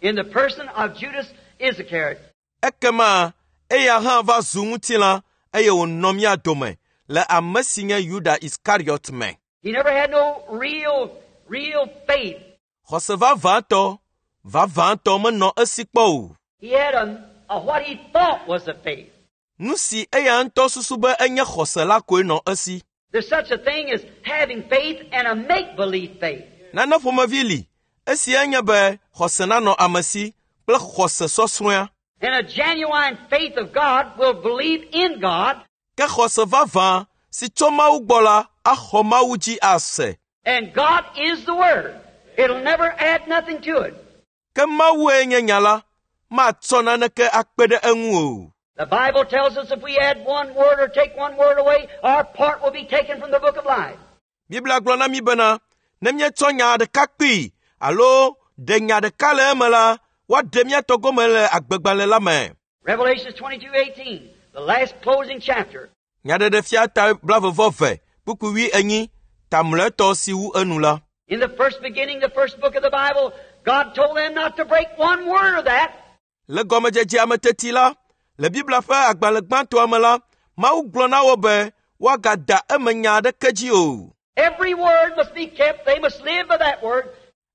In the person of Judas Iscariot. Ekema eya hã va zu ŋutilã eye wònɔ mía dome le ame si nye Yuda Iskariɔt me. He never had no real, real faith. Xɔse vavãtɔ, vavãtɔ menɔ esi kpɔ o. He had a what he thought was a faith. Nu si eya ŋutɔ susu be enye xɔse la koe nɔ esi. There's such a thing as having faith and a make-believe faith. Nane ƒomevi li, esi enye be xɔse nanɔ ame si kple xɔse sɔsrɔ̃a. And a genuine faith of God will believe in God. Ke xɔse vavã si tso Mawu gbɔ la axɔ Mawu dzi ase. And God is the Word. It'll never add nothing to it. Ke Mawue nye nya la, matsɔ naneke akpe ɖe eŋu o. The Bible tells us if we add one word or take one word away, our part will be taken from the book of life. Biblia gblɔ na mí bena, ne míetsɔ nya ɖeka kpee alo ɖe nya ɖeka le eme la, woaɖe mía tɔ gome le agbegbalẽ la me. Revelation 22:18, the last closing chapter. Nyaɖeɖefia ta 22 kpukpui 20 ta mlɔetɔ si wu enu la. In the first beginning, the first book of the Bible, God told them not to break one word of that. Le gɔmedzedzea me teti la, le Biblia ƒe agbalẽ gbãtɔa me la, Mawu gblɔ na wo be woagada eme nya aɖeke dzi o. Every word must be kept. They must live by that word.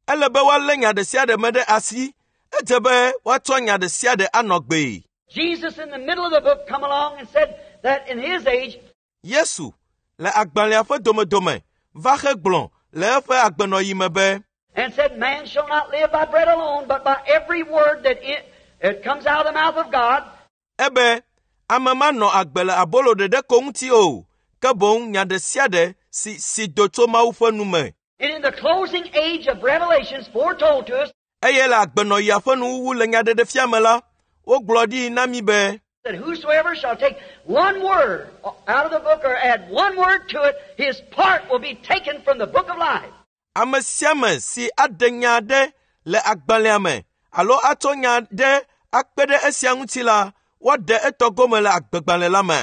Ele be woalé nya ɖe sia ɖe me ɖe asi. Edze be woatsɔ nya ɖe sia ɖe anɔ gbee. Jesus in the middle of the book come along and said that in his age, Yesu le agbalẽa ƒe domedome va hegblɔ le eƒe agbenɔyi me be, and said, Man shall not live by bread alone, but by every word that it comes out of the mouth of God. Ebe, ame manɔ agbe le abolo ɖeɖe ko ŋuti o, ke boŋ nya ɖe sia ɖe si si do tso Mawu ƒe nu me. And in the closing age of Revelations foretold to us Eye le agbenɔyia ƒe nuwuwu le nyaɖeɖefia me la, wogblɔ ɖi na mí be, that whosoever shall take one word out of the book or add one word to it, his part will be taken from the book of life. Ame sia ame si aɖe nya aɖe le agbalẽa me alo atsɔ nya ɖe akpe ɖe esia ŋuti la, woaɖe etɔ gome le agbegbalẽ la me.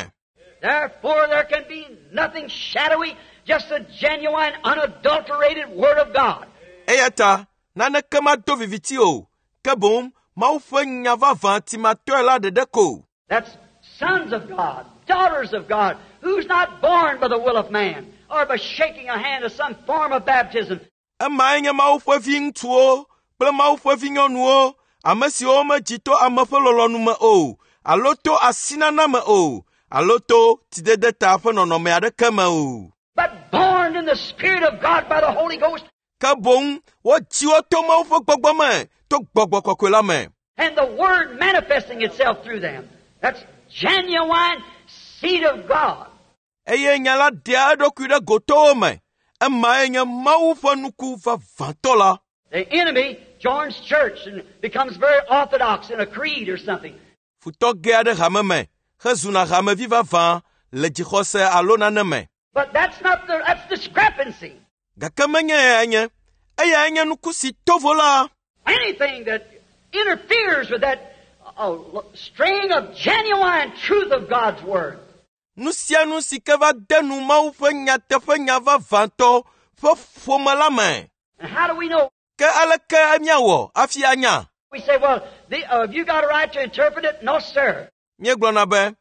Therefore there can be nothing shadowy, just a genuine, unadulterated Word of God. Eya ta naneke mado viviti o, ke boŋ Mawu ƒe nya vavã timatɔe la ɖeɖe ko. That's sons of God, daughters of God, who's not born by the will of man or by shaking a hand of some form of baptism. Emae nye Mawu ƒe viŋutsuwo kple Mawu ƒe vinyɔnuwo, ame siwo medzi to ame ƒe lɔlɔ̃nu me o, alo to asinana me o, alo to tsidede ta ƒe nɔnɔme aɖeke me o. But born in the Spirit of God by the Holy Ghost. Ke boŋ wodzi wo to Mawu ƒe gbɔgbɔ me, to gbɔgbɔ kɔkɔe la me. And the Word manifesting itself through them. That's genuine seed of God. Eye nya la ɖea eɖokui ɖe gotowo me. Emae nye Mawu ƒe nuku vavãtɔ la. The enemy joins church and becomes very orthodox in a creed or something. Futɔ gea ɖe hame me hezuna hamevi vavã le dzixɔse alo nane me. But that's not the, that's discrepancy. Gake menye eyae nye. Eyae nye nuku si to vo la. Anything that interferes with that string of genuine truth of God's Word. Nu sia nu si ke va de nu Mawu ƒe nyateƒe nya vavãtɔ ƒe ƒome la me. And how do we know? Ke aleke míawɔ hafi anya? We say, well, have you got a right to interpret it? No, sir. Míegblɔna be,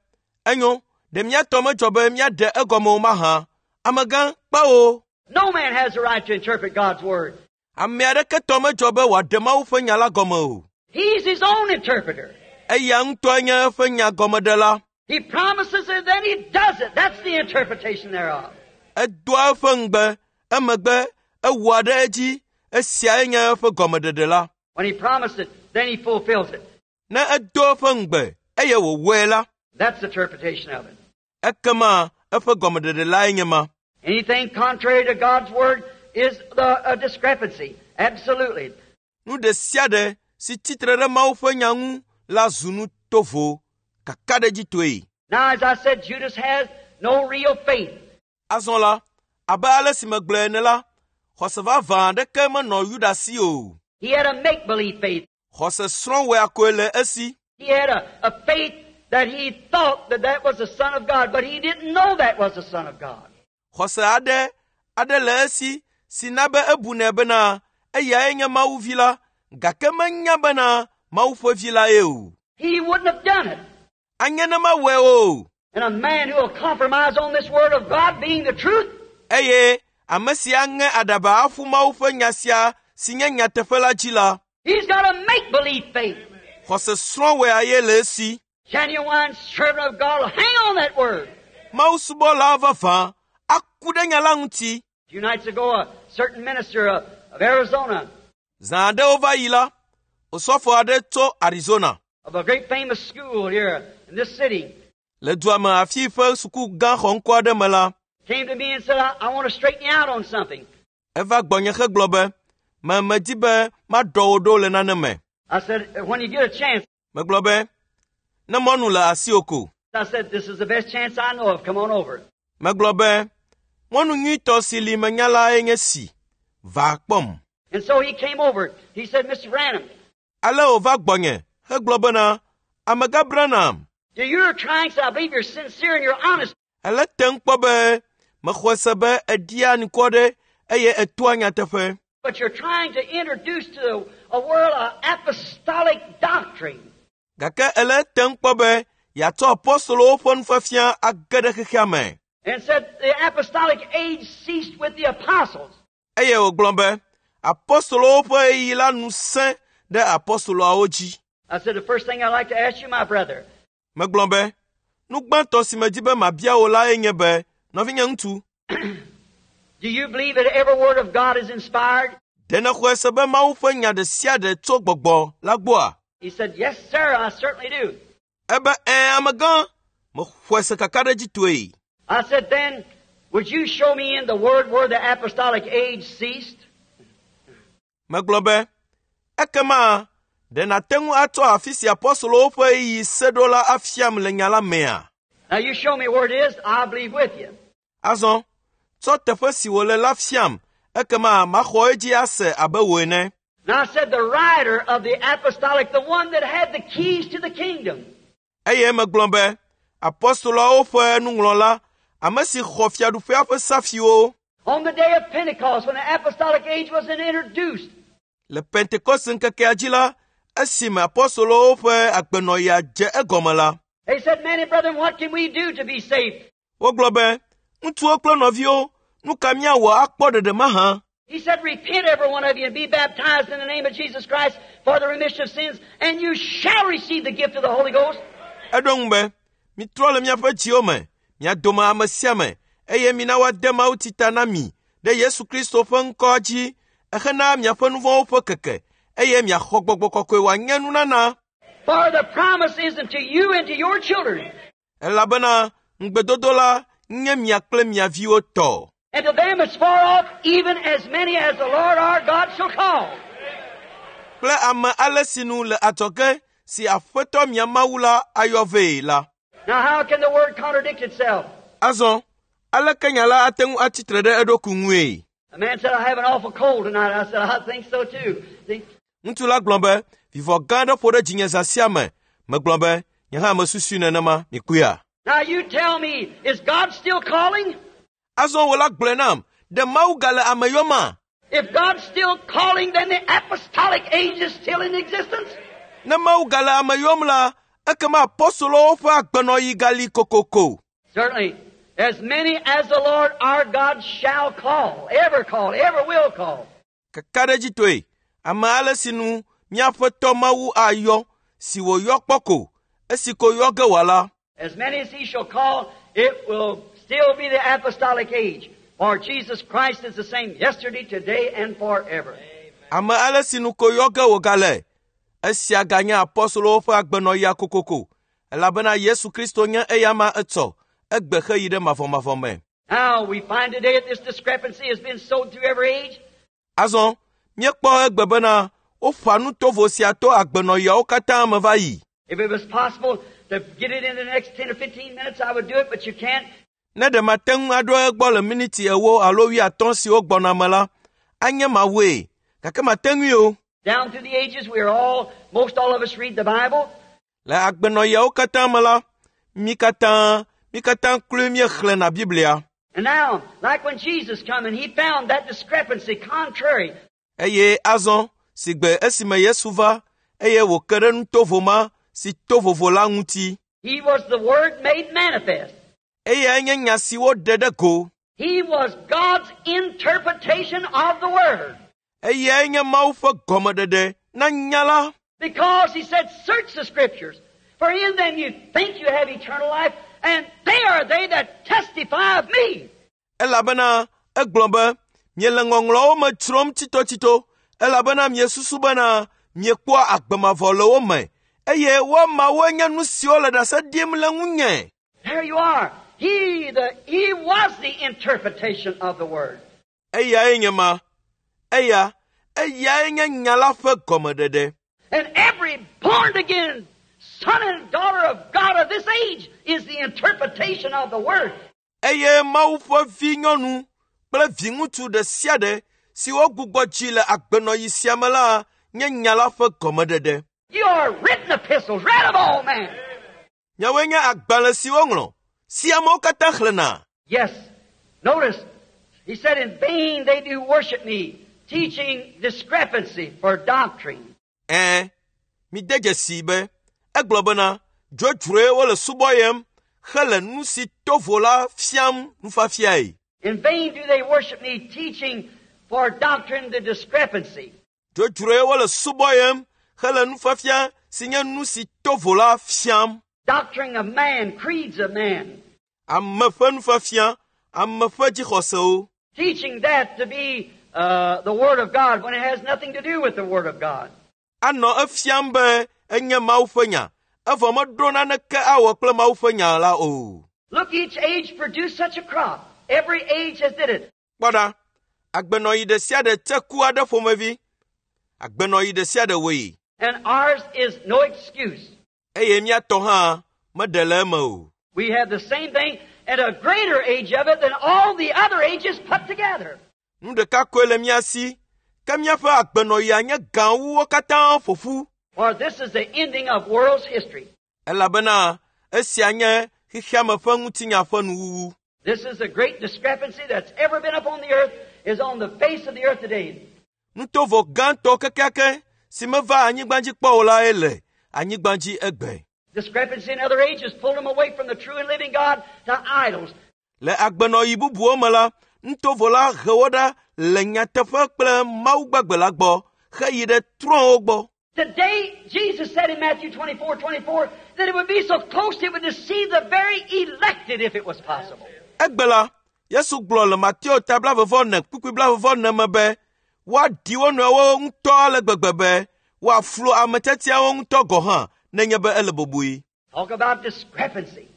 enyo, ɖe mía tɔ medzɔ be míaɖe egɔme o mahã? Amegã, kpewo. No man has a right to interpret God's Word. Ame aɖeke tɔ medzɔ be wòaɖe Mawu ƒe nya la gɔme o. He's his own interpreter. Eya ŋutɔe nye eƒe nya gɔmeɖela. He promises it, then he does it. That's the interpretation thereof. Edoa eƒe ŋugbe, emegbe ewɔa ɖe edzi. Esiae nye eƒe gɔmeɖeɖe la. When he promised it, then he fulfills it. Ne edo eƒe ŋugbe eye wòwɔe la, That's the interpretation of it. Ekema eƒe gɔmeɖeɖe lae nye ma. Anything contrary to God's Word is a discrepancy. Absolutely. Nu ɖe sia ɖe si tsitre ɖe Mawu ƒe nya ŋu la zu nu tovo kakaɖedzitɔe. Now, as I said, Judas has no real faith. Azɔ la, abe ale si megblɔe ene la, xɔse vavã aɖeke menɔ Yuda si o. He had a make-believe faith. Xɔse srɔ̃wɔea koe le esi. He had a faith that he thought that that was the Son of God, but he didn't know that was the Son of God. Xɔse aɖe aɖe le esi si na be ebunɛ bena eyae nye Mawu vi la, gake menya bena Mawu ƒe vi lae o. He wouldn't have done it. Anye ne mawɔe o. And a man who will compromise on this Word of God being the truth, Eye ame si aŋe aɖaba aƒu Mawu ƒe nya sia si nye nyateƒe la dzi la, he's got a make-believe faith. xɔse srɔ̃wɔe ye le esi. Genuine servant of God will hang on that Word. Mawu subɔla vavã aku ɖe nya la ŋuti. A few nights ago, a certain minister of Arizona, Zã aɖewo va yi la, osɔfo aɖe tso Arizona of a great famous school here in this city, le dua me afi ƒe suku gã xɔŋkɔ aɖe me la, came to me and said, I want to straighten you out on something. eva gbɔnye hegblɔ be, me medi be maɖɔ wò ɖo le nane me. I said, when you get a chance, Megblɔ be, ne mɔnu le asiwò ko. I said, this is the best chance I know of. Come on over. Megblɔ be, mɔnu nyuitɔ si li menya lae nye si, va kpɔm. And so he came over. He said, Mr. Branham, Ale wòva gbɔnye hegblɔ bena, amegã Branham, you're trying, so I believe you're sincere and you're honest. ele tem kpɔ be mexɔe se be eɖia nukɔ ɖe eye etoa nyateƒe. But you're trying to introduce to the, a world an apostolic doctrine. Gake ele tem kpɔ be yeatsɔ apɔstolowo ƒe nufiafia age ɖe xexea me. And said the apostolic age ceased with the apostles. Eye wògblɔ be apɔstolowo ƒe ɣeyiɣi la nu sẽ ɖe apɔstoloawo dzi. I said, the first thing I'd like to ask you, my brother, Megblɔ be, nu gbãtɔ si medi be mabia wò lae nye be, nɔvinye ŋutsu, do you believe that every word of God is inspired? ɖe nèxɔe se be Mawu ƒe nya ɖe sia ɖe tso gbɔgbɔ la gbɔa? He said, yes, sir, I certainly do. Ebe ɛ̃ amegã, mexɔe se kakaɖedzitɔe. I said, then, would you show me in the word where the apostolic age ceased? Megblɔ be, ekema ɖe nàte ŋu atsɔ afi si apɔstolowo ƒe ɣeyiɣi se ɖo la afiam le nya la mea? Now you show me where it is, I'll believe with you. Azɔ, tsɔ teƒe si wòle la fiam, ekema maxɔ edzi ase abe wò ene. And I said, the writer of the apostolic, the one that had the keys to the kingdom, Eye megblɔ be, apɔstoloawo ƒe nuŋlɔla, ame si xɔ fiaɖuƒea ƒe safiwo on the day of Pentecost, when the apostolic age was introduced, le Pentekoste ŋkekea dzi la, esime apɔstolowo ƒe agbenɔɣia dze egɔme la, they said, many brethren, what can we do to be saved? wogblɔ be, ŋutsuwo kple nɔviwo, nu ka míawɔ akpɔ ɖeɖe mahã? He said, repent every one of you and be baptized in the name of Jesus Christ for the remission of sins, and you shall receive the gift of the Holy Ghost. Eɖo ŋu be, mitrɔ le miaƒe dziwo me, mia dome ame sia ame, eye mina woade mawutsi ta na mi ɖe Yesu Kristo ƒe ŋkɔa dzi hena miaƒe nu vɔ̃wo ƒe keke, eye miaxɔ gbɔgbɔ kɔkɔe wòanye nunana. For the promise is unto you and to your children, Elabena ŋugbedodo la nye mia kple mia viwo tɔ. and to them as far off, even as many as the Lord our God shall call. Kple ame ale sinu le adzɔge si Aƒetɔ mia Mawu la ayɔ vee la. Now how can the word contradict itself? Azɔ, aleke nya la ate ŋu atsitre ɖe eɖokui ŋue? A man said, I have an awful cold tonight. I said, I think so too. See? Ŋutsu la gblɔ be, vivɔ gã aɖe ƒo ɖe dzinye zã sia me. Megblɔ be, nye hã mesusui nenema, mikpɔea? Now you tell me, is God still calling? Azɔ wò la gblɔe nam, ɖe Mawu gale ame yɔma? If God's still calling, then the apostolic age is still in existence. Ne Mawu gale ame yɔm la, ekema apɔstolowo ƒe agbenɔɣi gali kokoko. Certainly, as many as the Lord our God shall call, ever call, ever will call. Kakaɖedzitɔe, ame ale sinu míaƒe tɔ Mawu ayɔ, si wòyɔ kpɔ ko, esi ko yɔ ge wòala. As many as he shall call, it will still be the apostolic age. For Jesus Christ is the same yesterday, today, and forever. Ame ale sinu ko yɔ ge wògale. Esia ganye apɔstolowo ƒe agbenɔɣia kokoko, elabena Yesu Kristo nye eyama etsɔ, egbe heyi ɖe mavɔmavɔ me. Now we find today that this discrepancy has been sowed through every age. Azɔ, míekpɔ egbe bena woƒã nu tovo sia to agbenɔɣiawo katã me va yi. If it was possible to get it in the next 10 or 15 minutes, I would do it, but you can't. Ne ɖe mate ŋu aɖo egbɔ le miniti ewo alo wuiatɔ̃ siwo gbɔna me la, anye mawɔe, gake mate ŋui o. Down through the ages, we are all, most all of us read the Bible. Le agbenɔɣiawo katã me la, mí katã, mí katã kloe míexlẽna Biblia. And now, like when Jesus come and he found that discrepancy contrary, Eye azɔ, si gbe esime Yesu va, eye wòke ɖe nutovo ma si to vovo la ŋuti. he was the Word made manifest. Eyae nye nya si woɖe ɖe go. He was God's interpretation of the Word. Eyae nye Mawu ƒe gɔmeɖeɖe na nya la. Because he said, search the Scriptures, for in them you think you have eternal life, and they are they that testify of me. Elabena egblɔ be, miele ŋɔŋlɔawo me dzrom tsitotsito, elabena miesusu bena miekpɔa agbe mavɔ le wo me, eye woamawoe nye nu siwo le ɖase ɖim le ŋunye. There you are. He, the, he was the interpretation of the Word. Eyae nye ma. Eya, eyae nye nya la ƒe gɔmeɖeɖe. And every born again son and daughter of God of this age is the interpretation of the Word. Eye Mawu ƒe vinyɔnu kple viŋutsu ɖe sia ɖe si wogbugbɔ dzi le agbenɔɣi sia me la nye nya la ƒe gɔmeɖeɖe. You are written epistles, read of all men. Miawoe nye agbalẽ si woŋlɔ, si amewo katã xlẽna. Yes. Notice, he said, in vain they do worship me, teaching discrepancy for doctrine. Ɛ̃, mide dzesii be egblɔ bena dzodzroe wole subɔyem hele nu si to vo la fiam nufiafiae. In vain do they worship me, teaching for doctrine the discrepancy. Dzodzroe wole subɔyem hele nufiafia si nye nu si to vo la fiam. Doctrine of man, creeds of man. Ame ƒe nufiafia, ame ƒe dzixɔsewo. Teaching that to be the Word of God when it has nothing to do with the Word of God. Anɔ efiam be enye Mawu ƒe nya, evɔ meɖo naneke awɔ kple Mawu ƒe nya la o. Look, each age produced such a crop. Every age has did it. Kpɔ ɖa, agbenɔɣi ɖe sia ɖe tse ku aɖe ƒomevi. Agbenɔɣi ɖe sia ɖe wɔe. And ours is no excuse. Eye mía tɔ hã meɖe le eme o. We have the same thing and a greater age of it than all the other ages put together. Nu ɖeka koe le mía si, ke míaƒe agbenɔɣia nye gã wu wo katã ƒo ƒu. For this is the ending of world's history. Elabena esia nye xexeame ƒe ŋutinya ƒe nuwuwu. This is the great discrepancy that's ever been upon the earth, is on the face of the earth today. Nutovo gãtɔ kekeake si meva anyigba dzi kpɔ o lae le anyigba dzi egbe. Discrepancy in other ages pulled them away from the true and living God to idols. Le agbenɔɣi bubuwo me la, nutovo la he wo ɖa le nyateƒe kple Mawu gbagbe la gbɔ heyi ɖe trɔ̃wo gbɔ. Today, Jesus said in Matthew 24, 24, that it would be so close it would deceive the very elected if it was possible. Egbe la, Yesu gblɔ le Mateo ta blaeve-vɔ-ene kpukpui blaeve-vɔ-ene me be woaɖi wo nɔewo ŋutɔ ale gbegbe be woaflu ame tiatiawo ŋutɔ gɔ̃ hã nenye be ele bɔbɔe. Talk about discrepancy.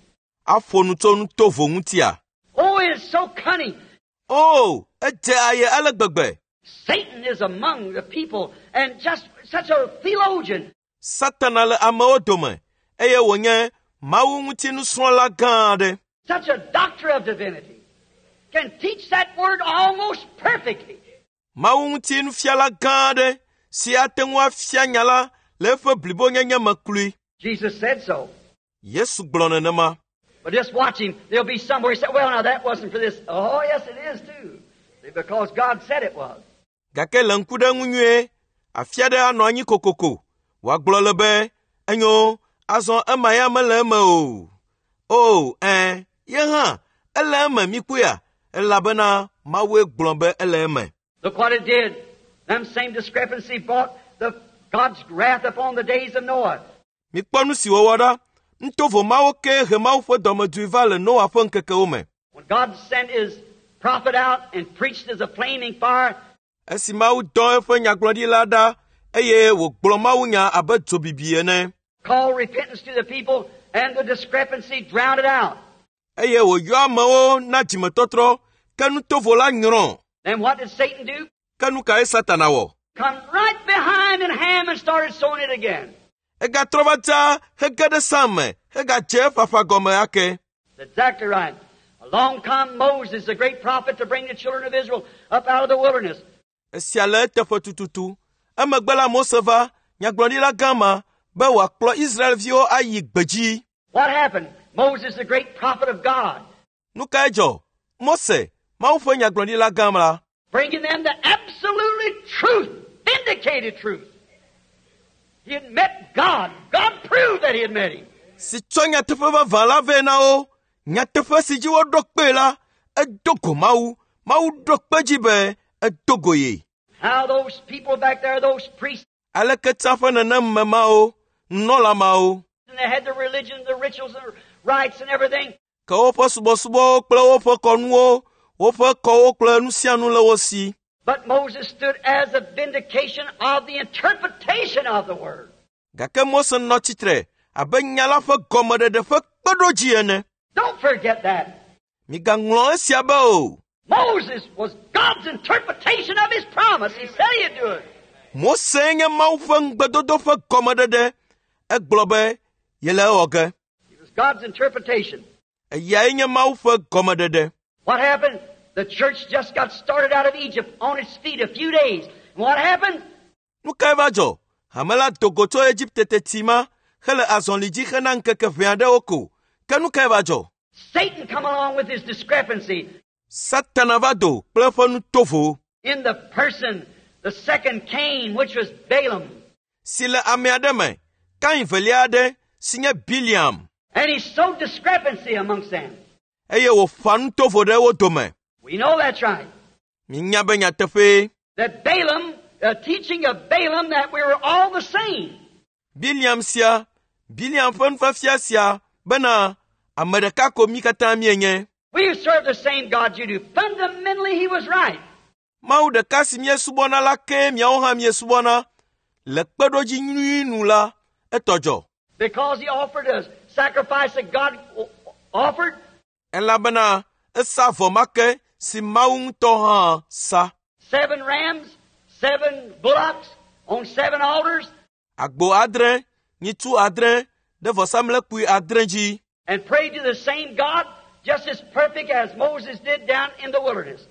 Aƒo nu tso nutovo ŋutia. Oh, it is so cunning. O, edze aye ale gbegbe. Satan is among the people and just such a theologian. Satana le amewo dome eye wònye Mawu ŋuti nusrɔ̃la gã aɖe. Such a doctor of divinity can teach that word almost perfectly. Mawu ŋuti nufiala gã aɖe si ate ŋu afia nya la le eƒe blibonyenye me kloe. Jesus said so. Yesu gblɔ nenema. But just watch him. There'll be somewhere he said, well, now that wasn't for this. Oh, yes, it is too. Because God said it was. Gake le ŋku ɖe ŋu nyuie, afi aɖe anɔ anyi kokoko. Wòagblɔ le be, enyo, azɔ ema ya mele eme o. O, ɛ̃, ye hã, ele eme mikpɔea, elabena Mawue gblɔ be ele eme. Look what it did. Them same discrepancy brought the God's wrath upon the days of Noah. Mikpɔ nu si wòwɔ ɖa. Nutovo mawo kee he Mawu ƒe dɔmedzoe va le Noa ƒe ŋkekewo me. When God sent his prophet out and preached as a flaming fire, Esi Mawu dɔ eƒe nyagblɔɖila ɖa eye wògblɔ mawunya abe dzobibi ene. called repentance to the people, and the discrepancy drowned it out. Eye wòyɔ amewo na dzimetɔtrɔ, ke nutovo la nyrɔ. Then what did Satan do? Ke nu kae Satana wɔ? Come right behind and Ham and started sowing it again. Egatrɔ va dza hege ɖe Sam me hegadze eƒaƒã gɔme ake. That's exactly right. Along come Moses, the great prophet, to bring the children of Israel up out of the wilderness. Esia le eteƒe tututu. Emegbe la Mose va, nyagblɔɖila gã ma, be wòakplɔ Israelviwo ayi gbedzi. What happened? Moses, the great prophet of God, Nu kae dzɔ? Mose, Mawu ƒe nyagblɔɖila gã la, bringing them the absolutely truth, vindicated truth. He had met God. God proved that he had met him. si tsɔ nyateƒe vavã la vɛ na wo, nyateƒe si dzi woɖo kpee la, edo go Mawu. Mawu ɖo kpe dzi be edo go ye. How those people back there, those priests, Aleke tsã ƒe nenem me mawo, nunɔla mawo, and they had the religion, the rituals, and the rites and everything. ke woƒe subɔsubɔwo kple woƒe kɔnuwo, woƒe kɔwo kple nu sia nu le wo si. But Moses stood as a vindication of the interpretation of the word. Gake Mose nɔ tsitre abe nya la ƒe gɔmeɖeɖe ƒe kpeɖodzi ene. Don't forget that. Migaŋlɔ esia be o. Moses was God's interpretation of his promise. He said he'd do it. Mose nye Mawu ƒe ŋugbedodo ƒe gɔmeɖeɖe. Egblɔ be yele ewɔ ge. It was God's interpretation. Eyae nye Mawu ƒe gɔmeɖeɖe. What happened? The church just got started out of Egypt on its feet a few days. And what happened? Nu kae va dzɔ? Hame la do go tso Egipte teti ma hele azɔli dzi hena ŋkeke ʋɛ aɖewo ko. Ke nu kae va dzɔ? Satan come along with his discrepancy Satana va do kple eƒe nu tovo in the person, the second Cain, which was Balaam. si le ame aɖe me, Kain velia aɖe si nye Biliam, And he sowed discrepancy amongst them. eye wòƒã nu tovo ɖe wo dome. We know that's right. Minya be nyateƒee. That Balaam, the teaching of Balaam that we were all the same. Biliam sia, Biliam ƒe nufiafia sia bena ame ɖeka ko mí katã míenye. We serve the same God you do. Fundamentally, he was right. Mawu ɖeka si míesubɔna la kee miawo hã miesubɔna. Le kpeɖodzi nyui nu la, etɔ dzɔ. Because he offered a sacrifice that God offered, Elabena esa vɔ ma ke si Mawu ŋutɔ hã sa. seven rams, seven bullocks on seven altars, Agbo adre, nyitsu adre ɖe vɔsamlekpui adre dzi and prayed to the same God just as perfect as Moses did down in the wilderness.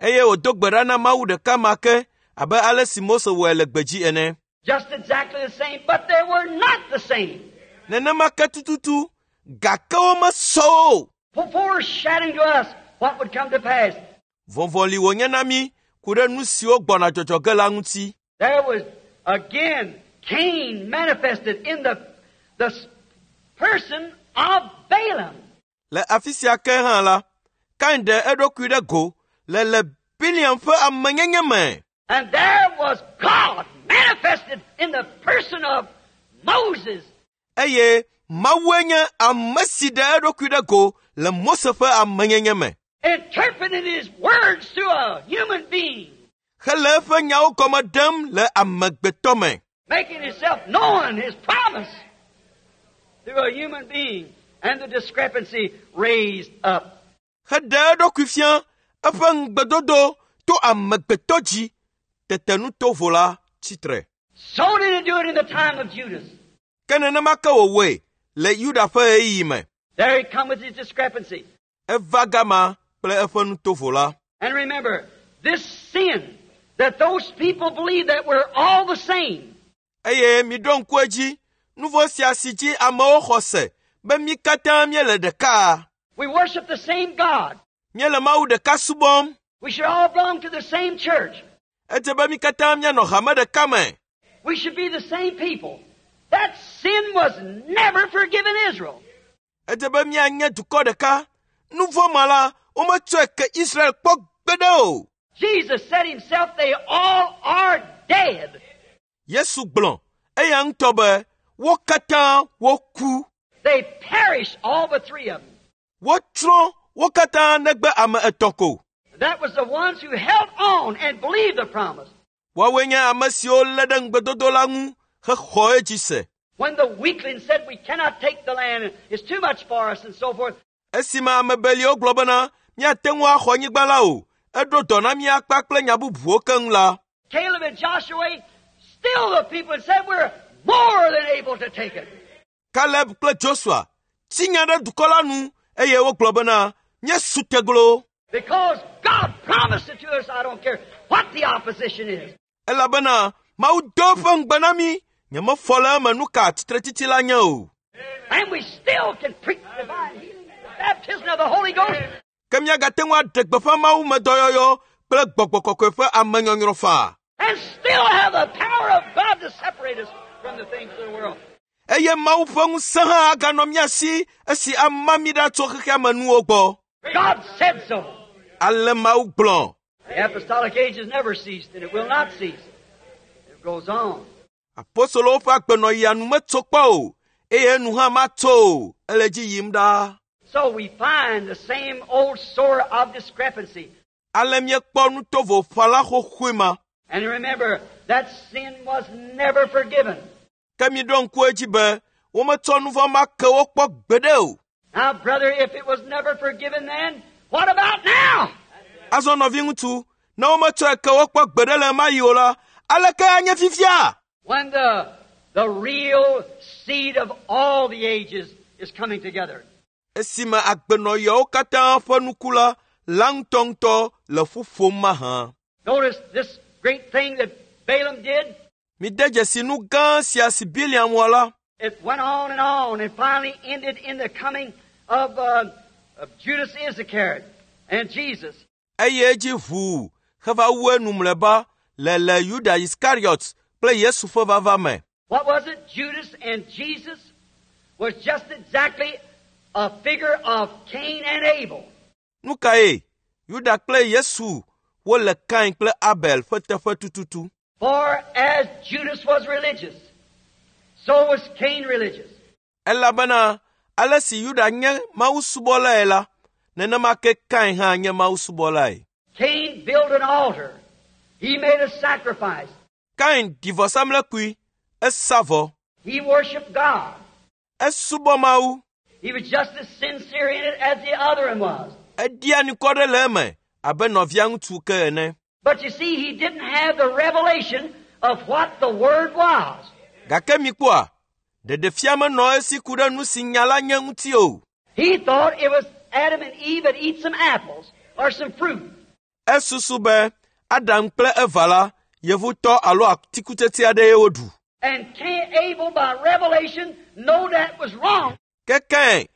eye wòdo gbe ɖa na Mawu ɖeka ma ke abe ale si Mose wɔe le gbedzi ene. Just exactly the same, but they were not the same. Nenema ke tututu, gake womesɔ o. For foreshadowing to us what would come to pass. Vɔvɔli wònye na mí ku ɖe nu siwo gbɔna dzɔdzɔ ge la ŋuti. There was again Cain manifested in the, the person of Balaam. Le afi sia ke hã la, Kain ɖe eɖokui ɖe go le le Biliam ƒe amenyenye me. And there was God manifested in the person of Moses. Eye Mawue nye ame si ɖe eɖokui ɖe go le Mose ƒe amenyenye me. interpreting his words to a human being, Hele eƒe nyawo gɔme ɖem le amegbetɔ me. making himself known, his promise, through a human being, and the discrepancy raised up. Heɖe eɖokui fia eƒe ŋugbedodo to amegbetɔ dzi. Tete nu tovo la tsitre. So did he do it in the time of Judas. Ke nenema ke wòwɔe le Yuda ƒe ɣeyiɣi me. There he come with his discrepancy. Eva gama kple eƒe nu tovo la. And remember, this sin that those people believed that we're all the same, Eye miɖo ŋku edzi, nu vɔ̃ sia si dzi amewo xɔ se be mí katã míele ɖeka. we worship the same God, Míele Mawu ɖeka subɔm. we should all belong to the same church, Edze be mí katã míanɔ hame ɖeka me. we should be the same people. That sin was never forgiven Israel. Edze be míanye dukɔ ɖeka. Nu vɔ̃ ma la, wometsɔe ke Israel kpɔ gbeɖe o. Jesus said himself, they all are dead. Yesu gblɔ eya ŋutɔ be wo katã woku. They perished, all but three of them. Wotsrɔ̃ wo katã negbe ame etɔ̃ ko. That was the ones who held on and believed the promise. Woawoe nye ame siwo lé ɖe ŋugbedodo la ŋu hexɔ edzi se. When the weaklings said we cannot take the land, it's too much for us, and so forth, Esime ame beliwo gblɔ bena míate ŋu axɔ anyigba la o, eɖo dɔ na mí akpa kple nya bubuwo keŋ la. Caleb and Joshua, still the people said we're more than able to take it. Kaleb kple Joshua tsi nya ɖe dukɔ la nu eye wogblɔ bena míesu teglo Because God promised it to us, I don't care what the opposition is. elabena Mawu do eƒe ŋugbe na mí. Nyemefɔ le eme nu ka tsitretsitsi la nye o. And we still can preach divine healing and the baptism of the Holy Ghost. Ke míagate ŋu aɖe gbeƒã Mawu me dɔyɔyɔ kple gbɔgbɔ kɔkɔe ƒe amenyɔnyrɔ faa. And still have the power of God to separate us from the things of the world. Eye Mawu ƒe ŋusẽ hã aganɔ mía si esi ama mí ɖa tso xexea me nuwo gbɔ. God said so. Ale Mawu gblɔ. The apostolic age has never ceased, and it will not cease. It goes on. Apostolowo ƒe agbenɔɣia nu metso kpɔ o, eye nu hã matso o, ele dzi yim ɖaa. So we find the same old sore of discrepancy. Ale míekpɔ nutovoƒãla xoxoe ma. And remember, that sin was never forgiven. Ke miɖo ŋku edzi be wometsɔ nu vɔ̃ ma ke wo kpɔ gbeɖe o. Now, brother, if it was never forgiven then, what about now? Azɔ nɔviŋutsu, ne wometsɔe ke wo kpɔ gbeɖe le ɣemaɣi o la, aleke anye fifia? When the real seed of all the ages is coming together. Esime agbenɔɣiawo katã ƒe nuku la la ŋutɔŋutɔ le ƒu ƒom mahã. Notice this great thing that Balaam did. Mide dzesi nu gã sia si Biliam wɔ la. It went on and on and finally ended in the coming of Judas Iscariot and Jesus. Eye edzi ʋuu heva wu enu mlɔeba le le Yuda Iskariot kple Yesu ƒe vava me. What was it? Judas and Jesus was just exactly a figure of Cain and Abel. Nu kae? Yuda kple Yesu wole Kain kple Abel ƒe teƒe tututu. For as Judas was religious, so was Cain religious. Elabena ale si Yuda nye mawusubɔlae la, nenema ke Kain hã nye mawusubɔlae. Cain built an altar. He made a sacrifice. Kain ɖi vɔsamlekpui, esa vɔ. He worshiped God. Esubɔ Mawu. He was just as sincere in it as the other one was. Eɖia nukɔ ɖe le eme abe nɔvia ŋutsu ke ene. But you see, he didn't have the revelation of what the Word was. Gake mikpɔa, ɖeɖefia menɔ esi ku ɖe nu si nya la nye ŋuti o. He thought it was Adam and Eve had eat some apples or some fruit. Esusu be Adam kple Eva la, yevutɔ alo atikutsetse aɖee woɖu. And Cain, Abel, by revelation, know that was wrong. Ke Kain,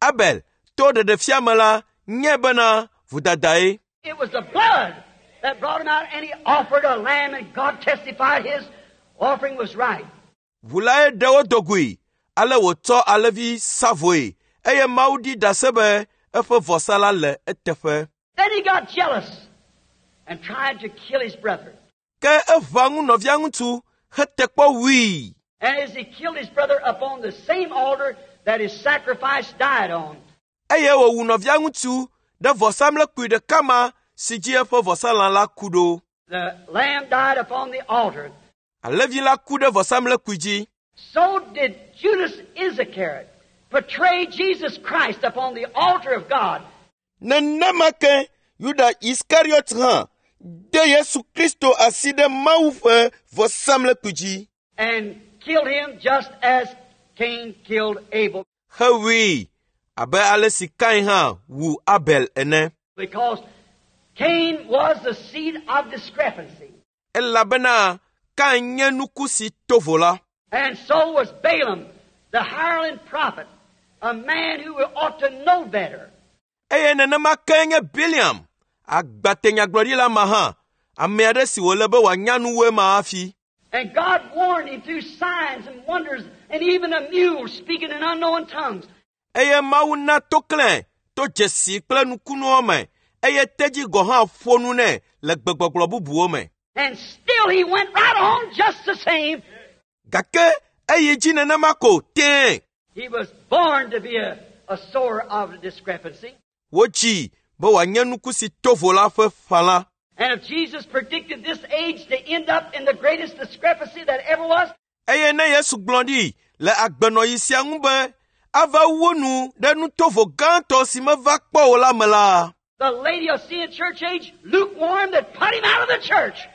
Abel, to ɖeɖefia me la, nye bena vodadae. It was the blood that brought him out, and he offered a lamb, and God testified his offering was right. Ʋu lae ɖe wo dogoe, ale wòtsɔ alẽvi sa vɔe, eye Mawu ɖi ɖase be eƒe vɔsa la le eteƒe. Then he got jealous and tried to kill his brother. Ke eʋã ŋu nɔvia ŋutsu hete kpɔ wui. And as he killed his brother upon the same altar that his sacrifice died on, Eye wòwu nɔvia ŋutsu ɖe vɔsamlekpui ɖeka ma si dzi eƒe vɔsalã la ku ɖo. the lamb died upon the altar. Alẽvi la ku ɖe vɔsamlekpui dzi. So did Judas Iscariot betray Jesus Christ upon the altar of God. Nenema ke Yuda Iskariot hã de Yesu Kristo asi ɖe Mawu ƒe vɔsamlekpui dzi and killed him just as Cain killed Abel. hewui abe ale si Kain hã wu Abel ene. Because Cain was the seed of discrepancy. Elabena Kain nye nuku si to vo la. And so was Balaam, the hireling prophet, a man who ought to know better. Eye nenema ke nye Biliam, agbatenyagblɔɖila ma hã, ame aɖe si wòle be wòanya nu wu ema hafi. And God warned him through signs and wonders and even a mule speaking in unknown tongues. Eye Mawu na toklẽ to dzesi kple nukunuwo me, eye tedzi gɔ̃ hã ƒo nu nɛ le gbegbɔgblɔ bubuwo me. And still he went right on just the same. Gake eyi dzi nenema ko tẽe. He was born to be a sower of discrepancy. Wodzi be wòanye nuku si to vo la ƒe ƒãla. And if Jesus predicted this age to end up in the greatest discrepancy that ever was, Eye ne Yesu gblɔ ɖi le agbenɔɣi sia ŋu be ava wu nu ɖe nutovo gãtɔ si meva kpɔ o la me la, the Laodicean church age, lukewarm, that put him out of the church.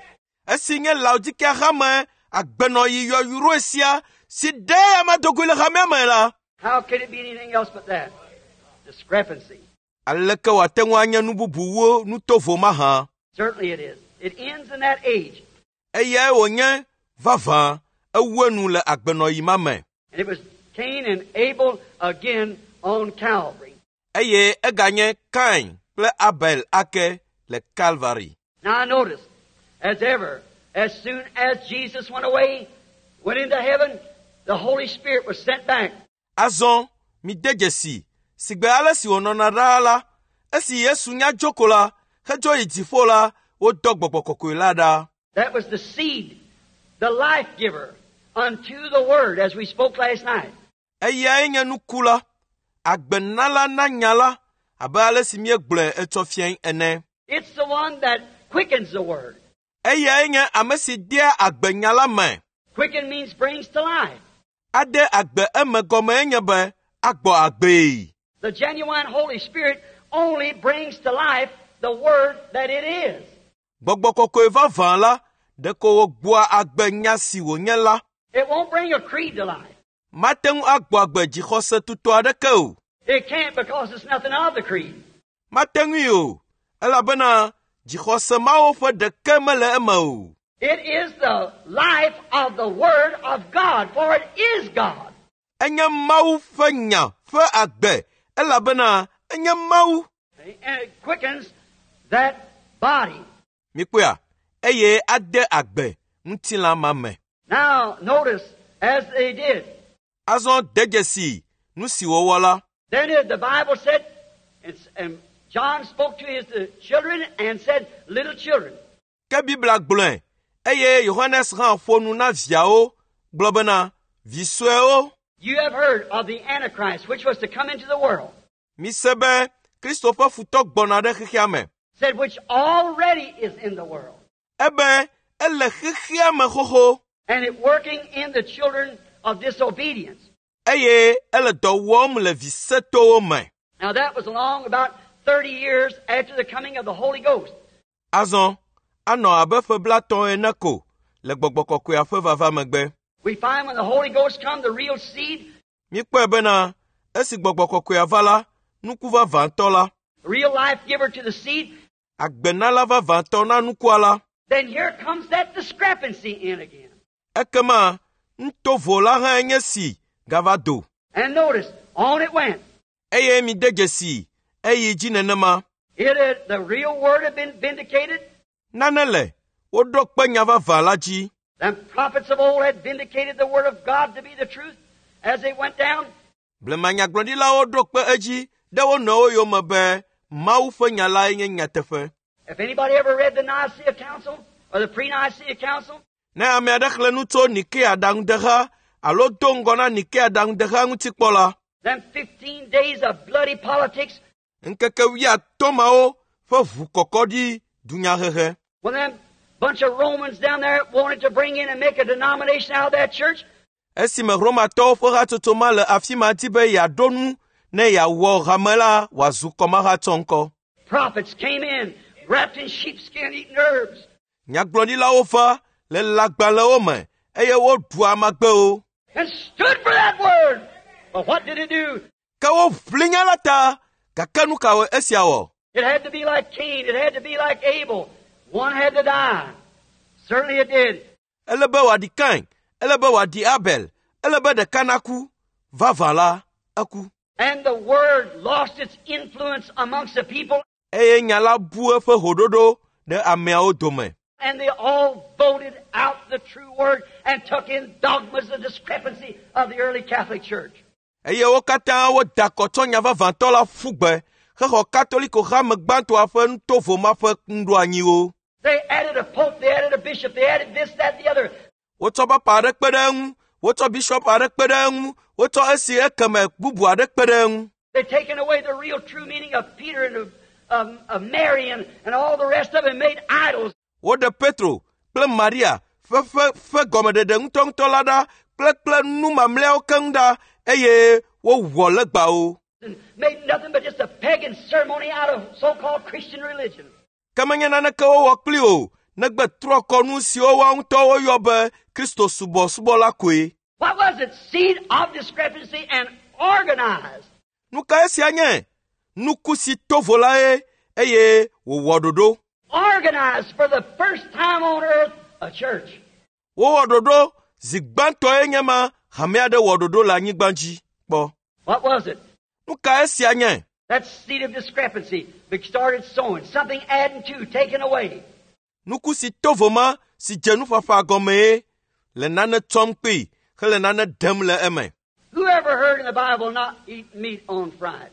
esi nye Laodikea hame agbenɔɣi yɔyrɔe sia si ɖe ame dogoe le hamea me la, How could it be anything else but that? Discrepancy. aleke wòate ŋu anye nu bubuwo nutovo mahã? Certainly it is. It ends in that age. Eyae wònye vavã. Ewu enu le agbenɔɣi ma me. And it was Cain and Abel again on Calvary. Eye eganye Kain kple Abel ake le Kalvari. Now notice, as ever, as soon as Jesus went away, went into heaven, the Holy Spirit was sent back. Azɔ mide dzesi sigbe ale si wònɔna ɖaa la, esi Yesu nya dzo ko la, hedzo yi dziƒo la, wodɔ gbɔgbɔ kɔkɔe la ɖa. That was the seed, the life giver, unto the Word, as we spoke last night. Eyae nye nuku la, agbenala na nya la, abe ale si míegblɔe etsɔ fiae ene. It's the one that quickens the Word. Eyae nye ame si dea agbe nya la me. Quicken means brings to life. Ade agbe eme gɔmee nye be agbɔ agbee. The genuine Holy Spirit only brings to life the Word that it is. Gbɔgbɔ kɔkɔe vavã la, ɖeko wògbɔa agbe nya si wònye la. It won't bring a creed to life. Mate ŋu agbɔ agbe dzixɔse tutɔ aɖeke o. It can't because it's nothing of the creed. Mate ŋui o, elabena dzixɔse mawo ƒe ɖeke mele eme o. It is the life of the Word of God, for it is God. Enye Mawu ƒe nya ƒe agbe, elabena enye Mawu. And it quickens that body. Mikpɔea, eye ade agbe ŋutilã ma me. Now, notice, as they did. Azɔ de dzesi nu si wòwɔ la. Then it- the Bible said, and, and John spoke to his children and said, Little children, Ke Biblia gblɔe eye Yohanes hã ƒo nu na viawo gblɔ bena, Vi suewo, you have heard of the Antichrist, which was to come into the world. mise be Kristo ƒe futɔ gbɔna ɖe xexea me. Said, which already is in the world. Ebe ele xexea me xoxo And it working in the children of disobedience. eye ele dɔ wɔm le vi setowo me. Now that was along about 30 years after the coming of the Holy Ghost. Azɔ anɔ abe ƒe blatɔ̃ ene ko le gbɔgbɔ kɔkɔea ƒe vava megbe. We find when the Holy Ghost come, the real seed, Míkpɔe bena esi gbɔgbɔ kɔkɔea va la, nuku vavãtɔ la, the real life giver to the seed, agbenala vavãtɔ na nukua la, then here comes that discrepancy in again. ekema nutovo la hã nye si gava do. And notice, on it went. Eye mide dzesi eyi dzi nenema. It had, the real word had been vindicated. Nane le woɖo kpe nya vavã la dzi. The prophets of old had vindicated the word of God to be the truth as they went down. Blema nyagblɔɖilawo ɖo kpe edzi ɖe wo nɔewo yome be Mawu ƒe nya lae nye nyateƒe. If anybody ever read the Nicaea Council or the pre-Nicaea Council, Ne ame aɖe xlẽ nu tso Nikea ɖaŋudeha alo do ŋgɔ na Nikea ɖaŋudeha ŋuti kpɔ la, them 15 days of bloody politics, ŋkeke wuiatɔ̃ mawo ƒe ʋukɔkɔ ɖi dunyahehe. when them bunch of Romans down there wanted to bring in and make a denomination out of that church, Esime Romatɔwo ƒe hatsotso ma le afi ma di be yeaɖo nu ne yeawɔ hame la wòazu kɔmahatsɔŋkɔ. prophets came in wrapped in sheepskin eating herbs. Nyagblɔɖilawo va le lãgbalẽwo me eye woɖua amagbewo. and stood for that word. But what did it do? Ke woʋli nya la ta, gake nu kawoe esia wɔ? It had to be like Cain. It had to be like Abel. One had to die. Certainly it did. Ele be wòaɖi Kain, ele be wòaɖi Abel, ele be ɖeka naku. Vavã la, eku. And the word lost its influence amongst the people, Eye nya la bu eƒe hoɖoɖo ɖe ameawo dome. and they all voted out the true word and took in dogmas of discrepancy of the early Catholic Church. Eye wo katã woda akɔ tsɔ nya vavãtɔ la ƒu gbe hexɔ Katoliko hame gbãtɔa ƒe nutovo ma ƒe nuɖoanyiwo. They added a pope, they added a bishop, they added this, that, the other. Wotsɔ papa aɖe kpe ɖe eŋu, wotsɔ bishɔp aɖe kpe ɖe eŋu, wotsɔ esi ekeme bubu aɖe kpe ɖe eŋu. They'd taken away the real true meaning of Peter and of, of, of Mary and, and all the rest of it and made idols. Woɖe Petro kple Maria ƒe ƒe ƒe gɔmeɖeɖe ŋutɔŋutɔ la ɖa kple kple nu mamlɛawo keŋ ɖa eye wowɔ legbawo. And made nothing but just a pagan ceremony out of so-called Christian religion. Ke menye naneke wowɔ kpli o, negbe trɔ kɔnu siwo woa ŋutɔ woyɔ be Kristo subɔsubɔ la koe. What was it? Seed of discrepancy and organized. Nu ka esia nye? Nuku si tovo la ye eye wòwɔ ɖoɖo. Organized for the first time on earth, a church. Wowɔ ɖoɖo Zi gbãtɔe nye ma hame aɖe wɔ ɖoɖo le anyigba dzi kpɔ. What was it? Nu ka esia nye? That seed of discrepancy that started sowing, something adding to, taking away. Nuku si to vo ma si dze nuƒaƒã gɔmee le nane tsɔm kpee hele nane ɖem le eme. Who ever heard in the Bible not eat meat on Friday?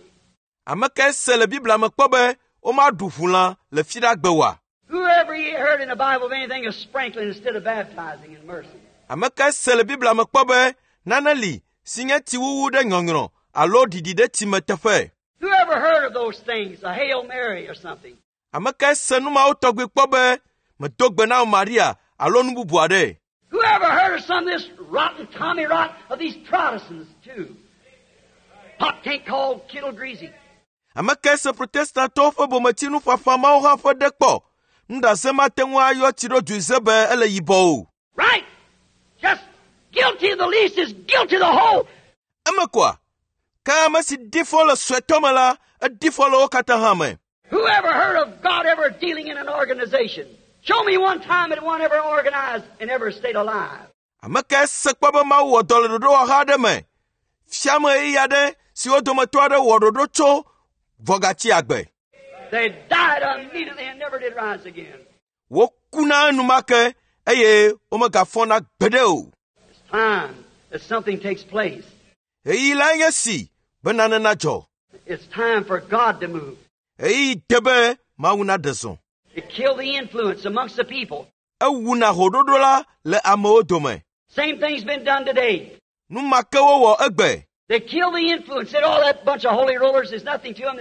Ame kae se le Biblia me kpɔ be womaɖu ʋulã le Fiɖagbe oa? Who ever heard in the Bible of anything of sprinkling instead of baptizing in mercy? Ame kae se le Biblia me kpɔ be nane li si nye tsiwuwu ɖe nyɔnyrɔ alo ɖiɖi ɖe tsi me teƒe? Who ever heard of those things, a Hail Mary or something? Ame kae se nu mawo tɔgbi kpɔ be medo gbe na Maria alo nu bubu aɖe? Who ever heard of some of this rotten Tommy rot of these Protestants too? Pot can't call kettle greasy. Ame kae se Protestantɔwo ƒe bometsinuƒaƒã mawo hã ƒe ɖe kpɔ? Nuɖaze mate ŋu ayɔ tsi ɖo dui ze be ele yibɔ o. Right! Just guilty of the least is guilty of the whole. Eme koa? Ke ame si ɖi fɔ le suetɔ me la, eɖi fɔ le wo katã hã me. Who ever heard of God ever dealing in an organization? Show me one time that one ever organized and ever stayed alive. Ame kae se kpɔ be Mawu wɔ dɔ le ɖoɖowɔha aɖe me? Fia me ɣeyiɣi aɖe si wo dometɔ aɖe wɔ ɖoɖo tso vɔ gatsi agbe. They died immediately and never did rise again. Wokuna enumake eye womegafɔna gbeɖe o. It's time that something takes place. Ɣeyiɣi lae nye si be nane nadzɔ. It's time for God to move. Ɣeyiɣi de be Mawu naɖe zɔ. To kill the influence amongst the people. Ewuna hoɖoɖo la le amewo dome. Same thing's been done today. Nu ma ke wowɔ egbe. They kill the influence. Said, oh, that bunch of holy rollers is nothing to them.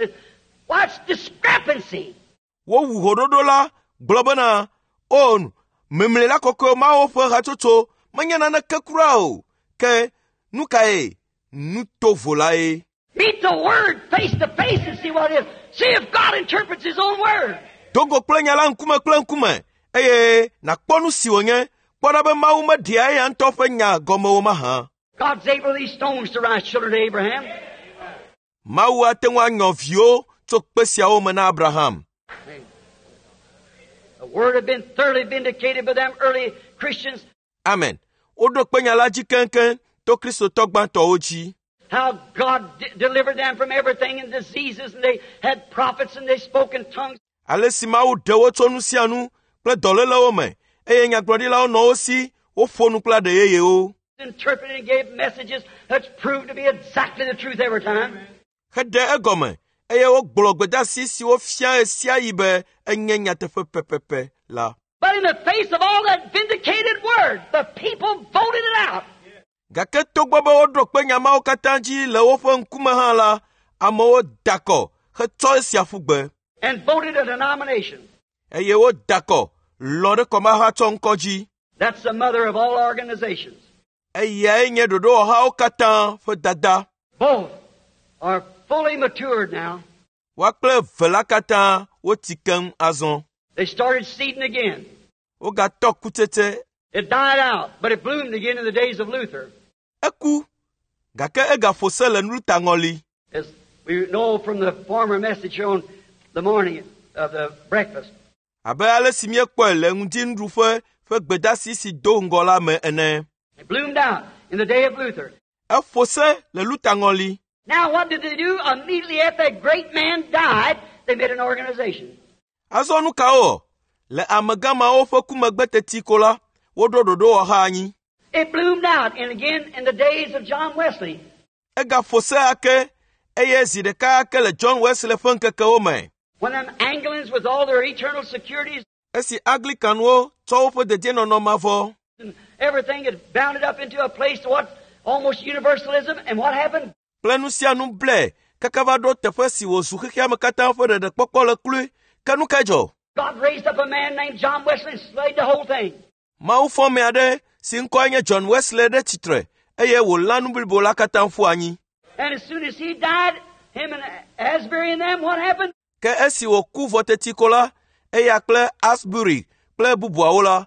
What's discrepancy? Wowu hoɖoɖo la gblɔ bena o memlela kɔkɔe mawo ƒe hatsotso menye naneke kura o. Ke nu kae? Nu tovo lae. Meet the Word face to face and see what it is. See if God interprets His own Word. Do go kple nya la ŋkume kple ŋkume eye nàkpɔ nu si wònye. Kpɔ ɖa be Mawu meɖea eya ŋutɔ ƒe nya gɔme o mahã. God's able these stones to rise children to Abraham. Mawu ate ŋu anyɔ viwo tso kpe siawo me na Abraham. The Word had been thoroughly vindicated by them early Christians. Amen. Woɖo kpe nya la dzi keŋkeŋ to Kristotɔ gbãtɔwo dzi. How God delivered them from everything and diseases, and they had prophets and they spoke in tongues. Ale si Mawu ɖe wo tso nu sia nu kple dɔlélewo me eye nyagblɔɖilawo nɔ wo si woƒo nu kple aɖe yeyewo. Interpreted and gave messages that's proved to be exactly the truth every time. Heɖe egɔme eye wogblɔ gbedeasi siwo fia ɣe sia ɣi be enye nyateƒe pɛpɛpɛ la. But in the face of all that vindicated word, the people voted it out. Gake togbɔ be woɖo kpe nya mawo katã dzi le woƒe ŋkume hã la, amewo da kɔ hetsɔ esia ƒu gbe. And voted a denomination. Eye woda kɔ lɔ̃ ɖe kɔmahatsɔ ŋkɔ dzi. That's the mother of all organizations. Eyae nye ɖoɖowɔhawo katã ƒe dada. Both are fully matured now. Woa kple eve la katã wotsi keŋ azɔ. They started seeding again. Wogatɔ kutsetse. It died out, but it bloomed again in the days of Luther. Eku, gake egaƒo se le Luther ŋɔli. As we know from the former message here on the morning of the breakfast. Abe ale si míekpɔe le ŋdinuɖuƒe ƒe gbedeasi si do ŋgɔ la me ene. It bloomed out in the day of Luther. Eƒo se le Luther ŋɔli. Now what did they do? Immediately after that great man died, they made an organization. Azɔ nu ka wowɔ? Le amegã mawo ƒe ku megbe teti ko la, woɖo ɖoɖowɔha anyi. It bloomed out, and again in the days of John Wesley. Egaƒo se ake eye zi ɖeka ake le John Wesley ƒe ŋkekewo me. When them Anglicans with all their eternal securities Esi Anglicanwo tsɔ woƒe dedienɔnɔ mavɔ and everything had bounded up into a place to what almost universalism, and what happened? Kple nu sia nu blɛ kaka va ɖo teƒe si wòzu xexea me katã ƒe ɖeɖekpɔkpɔ le kloe. Ke nu kae dzɔ? God raised up a man named John Wesley and slayed the whole thing. Mawu fɔ ame aɖe si ŋkɔe nye John Wesley ɖe tsitre eye wòlã nu blibo la katã ƒu anyi. And as soon as he died, him and Asbury and them, what happened? Ke esi wòku vɔ teti ko la, eya kple Asbury kple bubuawo la,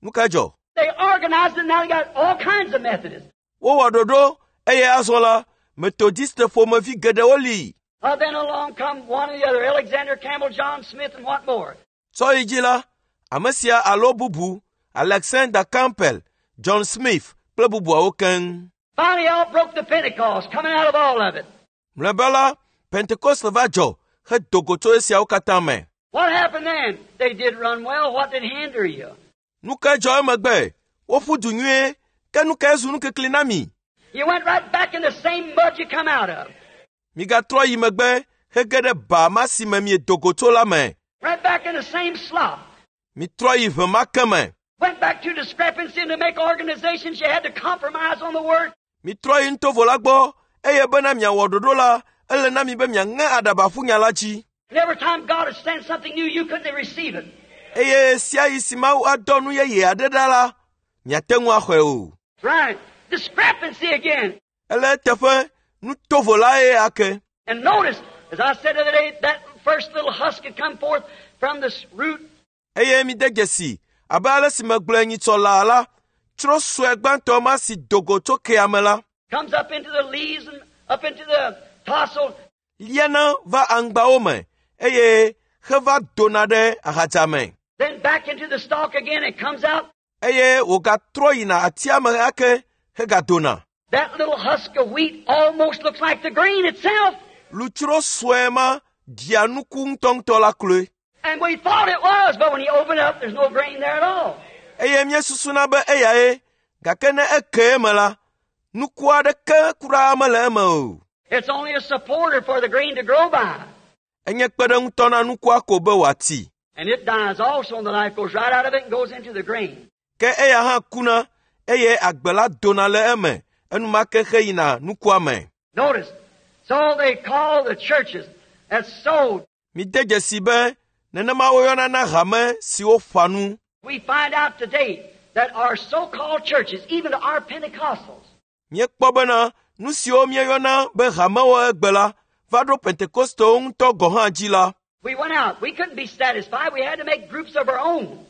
nu kae dzɔ? They organized it, and now they got all kinds of Methodists. Wowɔ ɖoɖo eye azɔ la, Methodiste ƒomevi geɖewo li. Then along come one or the other, Alexander Campbell, John Smith, and what more? Tsɔ yi dzi la, ame sia alo bubu, Alexander Campbell, John Smith kple bubuawo keŋ. Finally, out broke the Pentecost, coming out of all of it. Mlɔeba la, Pentekoste va dzɔ hedo go tso esiawo katã me. What happened then? They did run well. What did hinder you? Nu kae dzɔ emegbe? Woƒu du nyuie, ke nu kae zu nukikli na mi? You went right back in the same mud you come out of. Migatrɔ yi megbe hege ɖe ba ma si me miedo go tso la me. Right back in the same slop. Mitrɔ yi ʋe ma ke me. Went back to discrepancy and to make organizations you had to compromise on the word. Mitrɔ yi nutovo la gbɔ eye bena miawɔ ɖoɖo la, ele na mi be miaŋe aɖaba ƒu nya la dzi. And every time God would send something new, you couldn't receive it. Eye sia yi si Mawu adɔ nu yeye aɖe ɖa la, miate ŋu axɔe o. Right. Discrepancy again. Ele eteƒe nutovo lae ake. And notice, as I said the other day, that first little husk had come forth from this root. Eye mide dzesi abe ale si megblɔe nyitsɔ laa la, tsro sue gbãtɔ ma si do go tso kea me la, Comes up into the leaves and up into the tassel, liana va aŋgbawo me eye heva dona ɖe ahadza me. then back into the stalk again and comes out. Eye wògatrɔ yina atia me ake hegadona. That little husk of wheat almost looks like the grain itself. Lutsro sue ma ɖia nuku ŋutɔŋutɔ la kloe. And we thought it was, but when you open it up, there's no grain there at all. Eye míesusuna be eyae, gake ne eke eme la, nuku aɖeke kura mele eme o. It's only a supporter for the grain to grow by. Enye kpeɖeŋutɔ na nukua ko be wòati. And it dies also, and the life goes right out of it and goes into the grain. Ke eya hã kuna eye agbe la dona le eme enumake heyina nukua me. Notice, so they call the churches that sowed. Mide dzesi be nenema woyɔna na hame siwo ƒã nu. We find out today that our so-called churches, even our Pentecostals, Míekpɔ bena nu siwo míeyɔna be hamewo egbe la va ɖo Pentekostewo ŋutɔ gɔ̃ hã dzi la, we went out. We couldn't be satisfied. We had to make groups of our own.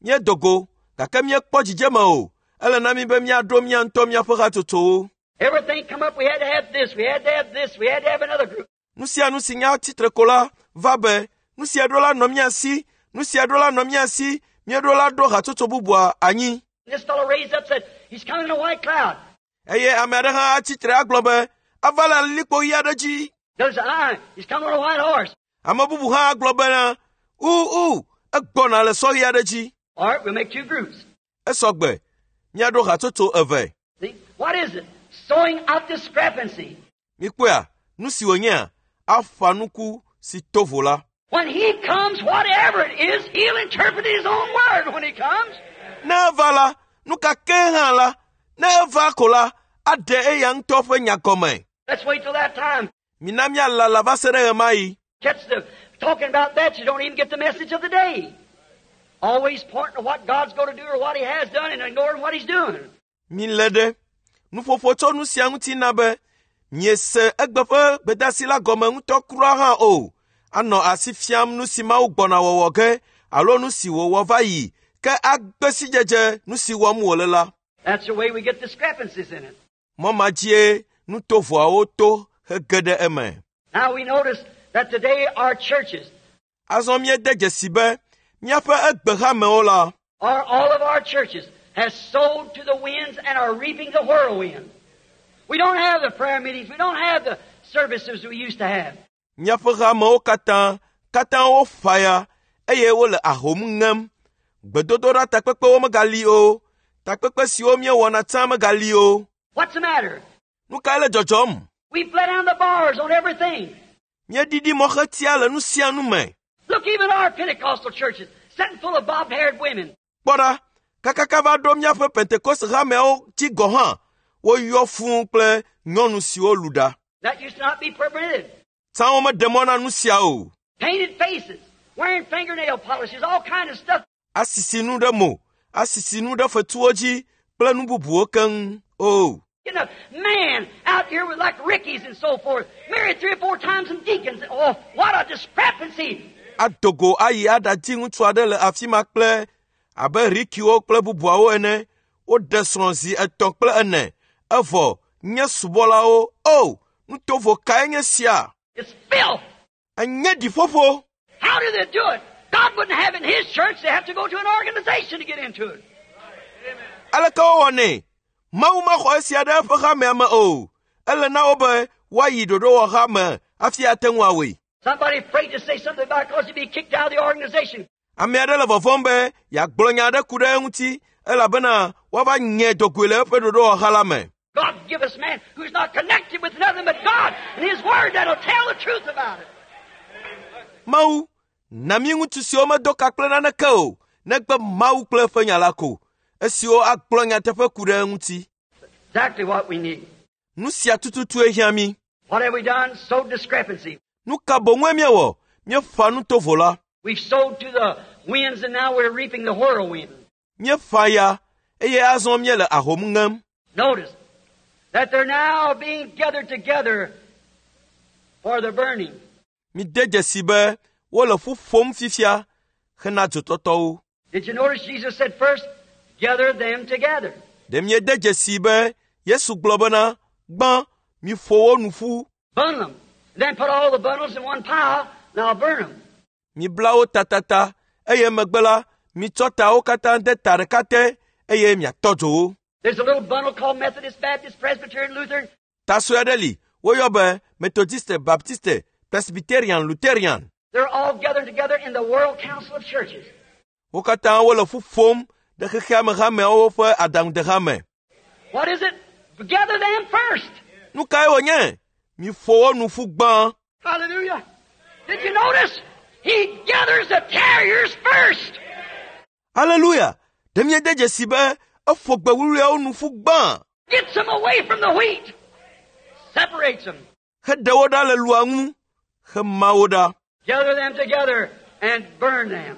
míedo go gake míekpɔ dzidzeme o. Ele na mí be míaɖo mía ŋutɔ míaƒe hatsotsowo. Everything come up, we had to have this, we had to have this, we had to have another group. Nu sia nu si nya tsitre ko la va be nu sia ɖo la nɔ mía si, nu sia ɖo la nɔ mía si, míeɖo la ɖo hatsotso bubua anyi. And this fellow raised up said, he's coming in a white cloud. Eye ame aɖe hã atsitre agblɔ be ava le alilikpo ɣi aɖe dzi. There's ah, he's coming on a white horse. Ame bubu hã agblɔ bena uu egbɔna le sɔ ɣi aɖe dzi. All right, we'll make two groups. Esɔ gbe míaɖo hatsotso eve. See? What is it? Sowing of discrepancy. Mikpɔea nu si wònyea aƒã nuku si to vo la. When he comes, whatever it is, he'll interpret his own word when he comes. Ne eva la, nu ka ke hã la, ne eva ko la, aɖe eya ŋutɔ ƒe nya gɔme. Let's wait till that time. Mina míalala va se ɖe ɣemaɣi. Catch the talking about that, you don't even get the message of the day. Always pointing to what God's going to do or what he has done and ignoring what he's doing. Milé ɖe nuƒoƒo tso nu sia ŋuti na be miese egbe ƒe gbedeasi la gɔme ŋutɔ kura hã o. Anɔ asi fiam nu si Mawu gbɔna wɔwɔ ge alo nu si wòwɔ va yi ke agbe sidzedze nu si wɔm wòle la. That's the way we get discrepancies in it. Mɔ ma dzie nutovoawo to hege ɖe eme. Now we notice that today our churches, Azɔ míede dzesi be míaƒe egbehamewo la, or all of our churches, has sowed to the winds and are reaping the whirlwind. We don't have the prayer meetings. We don't have the services we used to have. míaƒe hamewo katã katã wofa ya eye wole ahom ŋem. Gbedodoɖa takpekpewo megali o. Takpekpe siwo míewɔna tsã megali o. What's the matter? Nu kae le dzɔdzɔm? We've let down the bars on everything. Míeɖiɖi mɔxetia le nu sia nu me. Look, even our Pentecostal churches, sitting full of bob-haired women. Kpɔ ɖa, kakaka va ɖo míaƒe Pentekoste hameawo dzi gɔ̃ hã, woyɔ fũu kple nyɔnu siwo lu ɖa. That used to not be permitted. Tsã womeɖe mɔ na nu sia o. Painted faces, wearing fingernail polishes, all kind of stuff. Asisi nu ɖe mo, asisi nu ɖe fetuwo dzi kple nu bubuwo keŋ o. You know, man out here with like Rickies and so forth, married 3 or 4 times and deacons. Oh, what a discrepancy! Ado go ayi aɖadi ŋutsu aɖe le afi ma kple abe Rikiwo kple bubuawo ene. Woɖe srɔ̃ zi 3 kple 4. Evɔ nye subɔlawo. O, nutovo kae nye sia? It's filth. Enye ɖiƒoƒo. How do they do it? God wouldn't have it in His church. They have to go to an organization to get into it. Aleke wowɔnɛ? Mawu mexɔ esia ɖe eƒe hamea me o. Ele na wo be woayi ɖoɖowɔha me hafi ate ŋu awɔe. Somebody afraid to say something about it because he'd be kicked out of the organization. Ame aɖe le vɔvɔ̃m be yeagblɔ nya aɖe ku ɖe eŋuti elabena woava nye dɔgoe le eƒe ɖoɖowɔha la me. God give us man who's not connected with nothing but God and His Word that'll tell the truth about it. Mawu, na mí ŋutsu siwo medo ka kple naneke o, negbe Mawu kple eƒe nya la ko, esiwo agblɔ nyateƒe ku ɖe eŋuti. Exactly what we need. Nu sia tututue hiã mí. What have we done? Sowed discrepancy. Nu ka boŋue míewɔ? Míeƒã nu tovo la. We've sowed to the winds and now we're reaping the whirlwind. Míeƒã ya eye azɔ míele ahom ŋem. Notice that they're now being gathered together for the burning. Mide dzesi be wole ƒu ƒom fifia hena dzotɔtɔwo. Did you notice Jesus said first, gather them together? Ɖe miede dzesi be Yesu gblɔ bena, gbã, miƒo wo nu ƒu, Bundle them. Then put all the bundles in one pile, and I'll burn them. mibla wo tatata, eye megbe la, mitsɔ tawo katã de ta ɖeka te eye miatɔ dzo wo. There's a little bundle called Methodist, Baptist, Presbyterian, Lutheran. Ta sue aɖe li, woyɔ be Methodiste, Baptiste, Presbyterian, Lutherian. They're all gathered together in the World Council of Churches. Wo katã wole ƒu ƒom ɖe xexea me hameawo ƒe aɖaŋudeha me. What is it? Gather them first. Nu kae wònye? Miƒo wo nu ƒu gbã. Hallelujah. Did you notice? He gathers the terriers first. Aleluya! Ɖe miede dzesi be eƒo gbe wuwluiawo nu ƒu gbã Gets them away from the wheat. Separates them. heɖe wo ɖa le lua ŋu hema wo ɖa. Gather them together and burn them.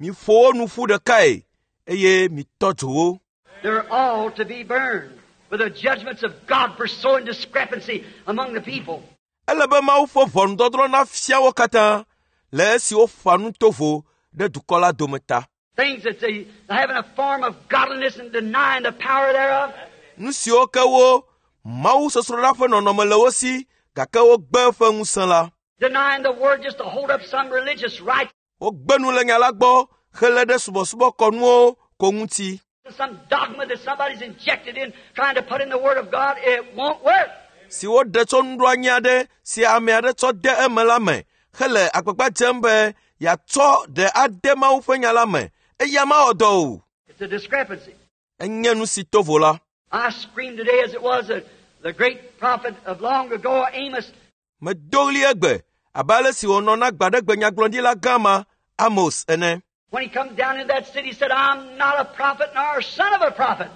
Miƒo wo nu ƒu ɖekae eye mitɔ dzo wo. They're all to be burned with the judgments of God for sowing discrepancy among the people. Ele be Mawu ƒe ʋɔnudɔdrɔ̃ nafia wo katã le esi woƒã nu tovo ɖe dukɔ la dome ta. Things that they having a form of godliness and denying the power thereof. Nu siwo ke wo Mawu sɔsrɔ̃ɖa ƒe nɔnɔme le wo si gake wogbe eƒe ŋusẽ la. Denying the word just to hold up some religious right, Wogbe nu le nya la gbɔ helé ɖe subɔsubɔkɔnuwo ko ŋuti. some dogma that somebody's injected in, trying to put in the word of God. It won't work. si woɖe tso nuɖoanyi aɖe si ame aɖe tsɔ de eme la me hele agbagba dzem be yeatsɔ ɖe ade Mawu ƒe nya la me eya mawɔ dɔ o. It's a discrepancy. Enye nu si tovo la. I screamed today as it was the great prophet of long ago, Amos. Medo ɣli egbe abe ale si wònɔ na gbaɖegbe nyagblɔɖila gã ma Amos ene. When he come down in that city, he said, I'm not a prophet nor a son of a prophet.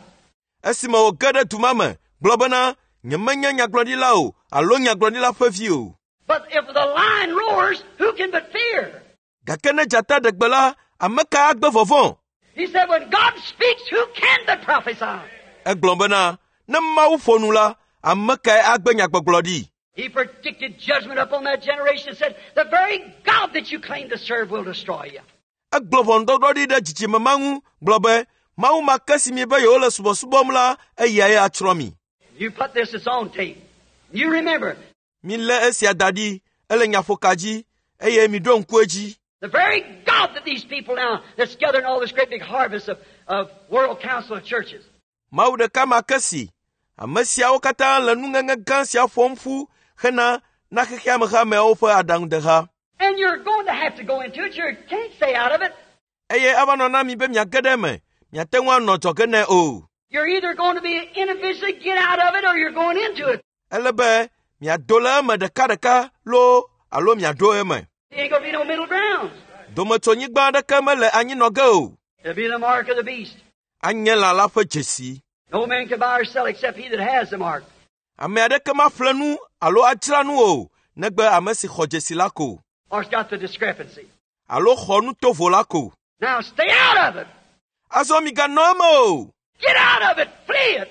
Esime wòge ɖe du ma me gblɔ bena nyemenye nyagblɔɖila o alo nyagblɔɖila ƒe vi o. But if the lion roars, who can but fear? Gake ne dzata ɖe gbe la, ame ka agbe vɔvɔ̃? He said, when God speaks, who can but prophesy? Egblɔ bena ne Mawu ƒo nu la, ame kae agbe nyagbɔgblɔ ɖi? He predicted judgment upon that generation and said, the very God that you claim to serve will destroy you. Egblɔ ʋɔnudɔdrɔ̃ ɖi ɖe dzidzime ma ŋu gblɔ be Mawu ma ke si mi be yewole subɔsubɔm la, eyae atsrɔ̃ mi. You put this as on tape. You remember, Milé esia da ɖi, ele nyaƒoka dzi eye miɖo ŋku edzi. the very God that these people now that's gathering all this great big harvest of World Council of Churches. Mawu ɖeka ma ke si ame siawo katã le nuŋeŋe gã sia ƒom ƒu hena na xexea me hameawo ƒe aɖaŋudeha. And you're going to have to go into it. You can't stay out of it. Eye ava nɔ na mi be miage ɖe eme, miate ŋu anɔ dzɔge nɛ o. You're either going to be individually get out of it or you're going into it. Ele be miado le eme ɖekaɖeka loo alo miaɖo eme. There ain't going to be no middle ground. Dometsonyigba aɖeke mele anyinɔ ge o. It'll be the mark of the beast. Anye lã la ƒe dzesi. No man can buy or sell except he that has the mark. Ame aɖeke maƒle nu alo adzra nu o, negbe ame si xɔ dzesi la ko Or it's got the discrepancy. alo xɔ nu tovo la ko. Now stay out of it. Azɔ miganɔ eme o. Get out of it. Flee it.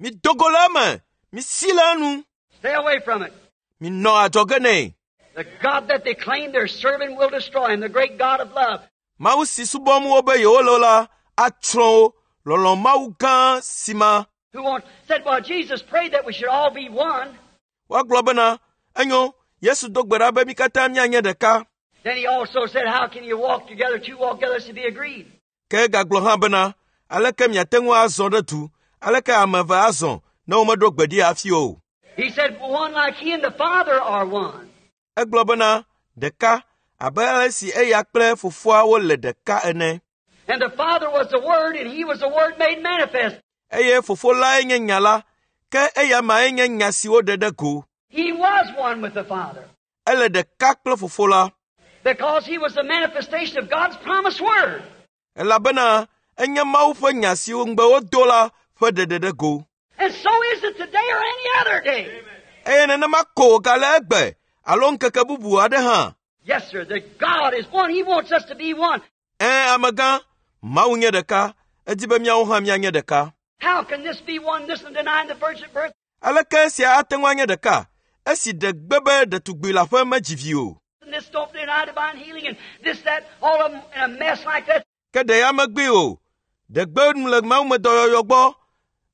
Mido go le eme, misi le enu, Stay away from it. minɔ adzɔge nɛ. The God that they claim they're serving will destroy him, the great God of love. Mawu si subɔm wo be yewole la atsrɔ̃ wo. Lɔlɔ̃ Mawu gã si ma. Who wants, said, well, Jesus prayed that we should all be one. Woagblɔ bena, enyo, Yesu do gbe ɖa be mí katã míanye ɖeka. Then he also said, how can you walk together, two walk together, to be agreed? Ke egagblɔ hã bena, Aleke miate ŋu azɔ ɖe du? Aleke ame eve azɔ ne womeɖo gbe ɖi hafi o? He said, One like he and the Father are one. Egblɔ bena, ɖeka abe ale si eya kple fofoa wole ɖeka ene. And the Father was the Word, and he was the Word made manifest. Eye fofo lae nye nya la, ke eya mae nye nya si woɖe ɖe go. He was one with the Father Ele ɖeka kple fofo la, because he was the manifestation of God's promised Word. elabena enye Mawu ƒe nya si ŋugbe wodo la ƒe ɖeɖe ɖe go. And so is it today or any other day. Eye nenema ko wògale egbe alo ŋkeke bubu aɖe hã. Yes, sir, that God is one. He wants us to be one. Ẽ, amegã, Mawu nye ɖeka, edi be míawo hã míanye ɖeka. How can this be one, this and denying the virgin birth? Aleke esia ate ŋu anye ɖeka esi ɖe gbe be ɖetugbi leaƒe medzi vi o? And this don't deny divine healing and this, that, all of them in a mess like that. Ke ɖe ya megbee o. Ɖe gbe nu le mawumedɔyɔyɔ gbɔ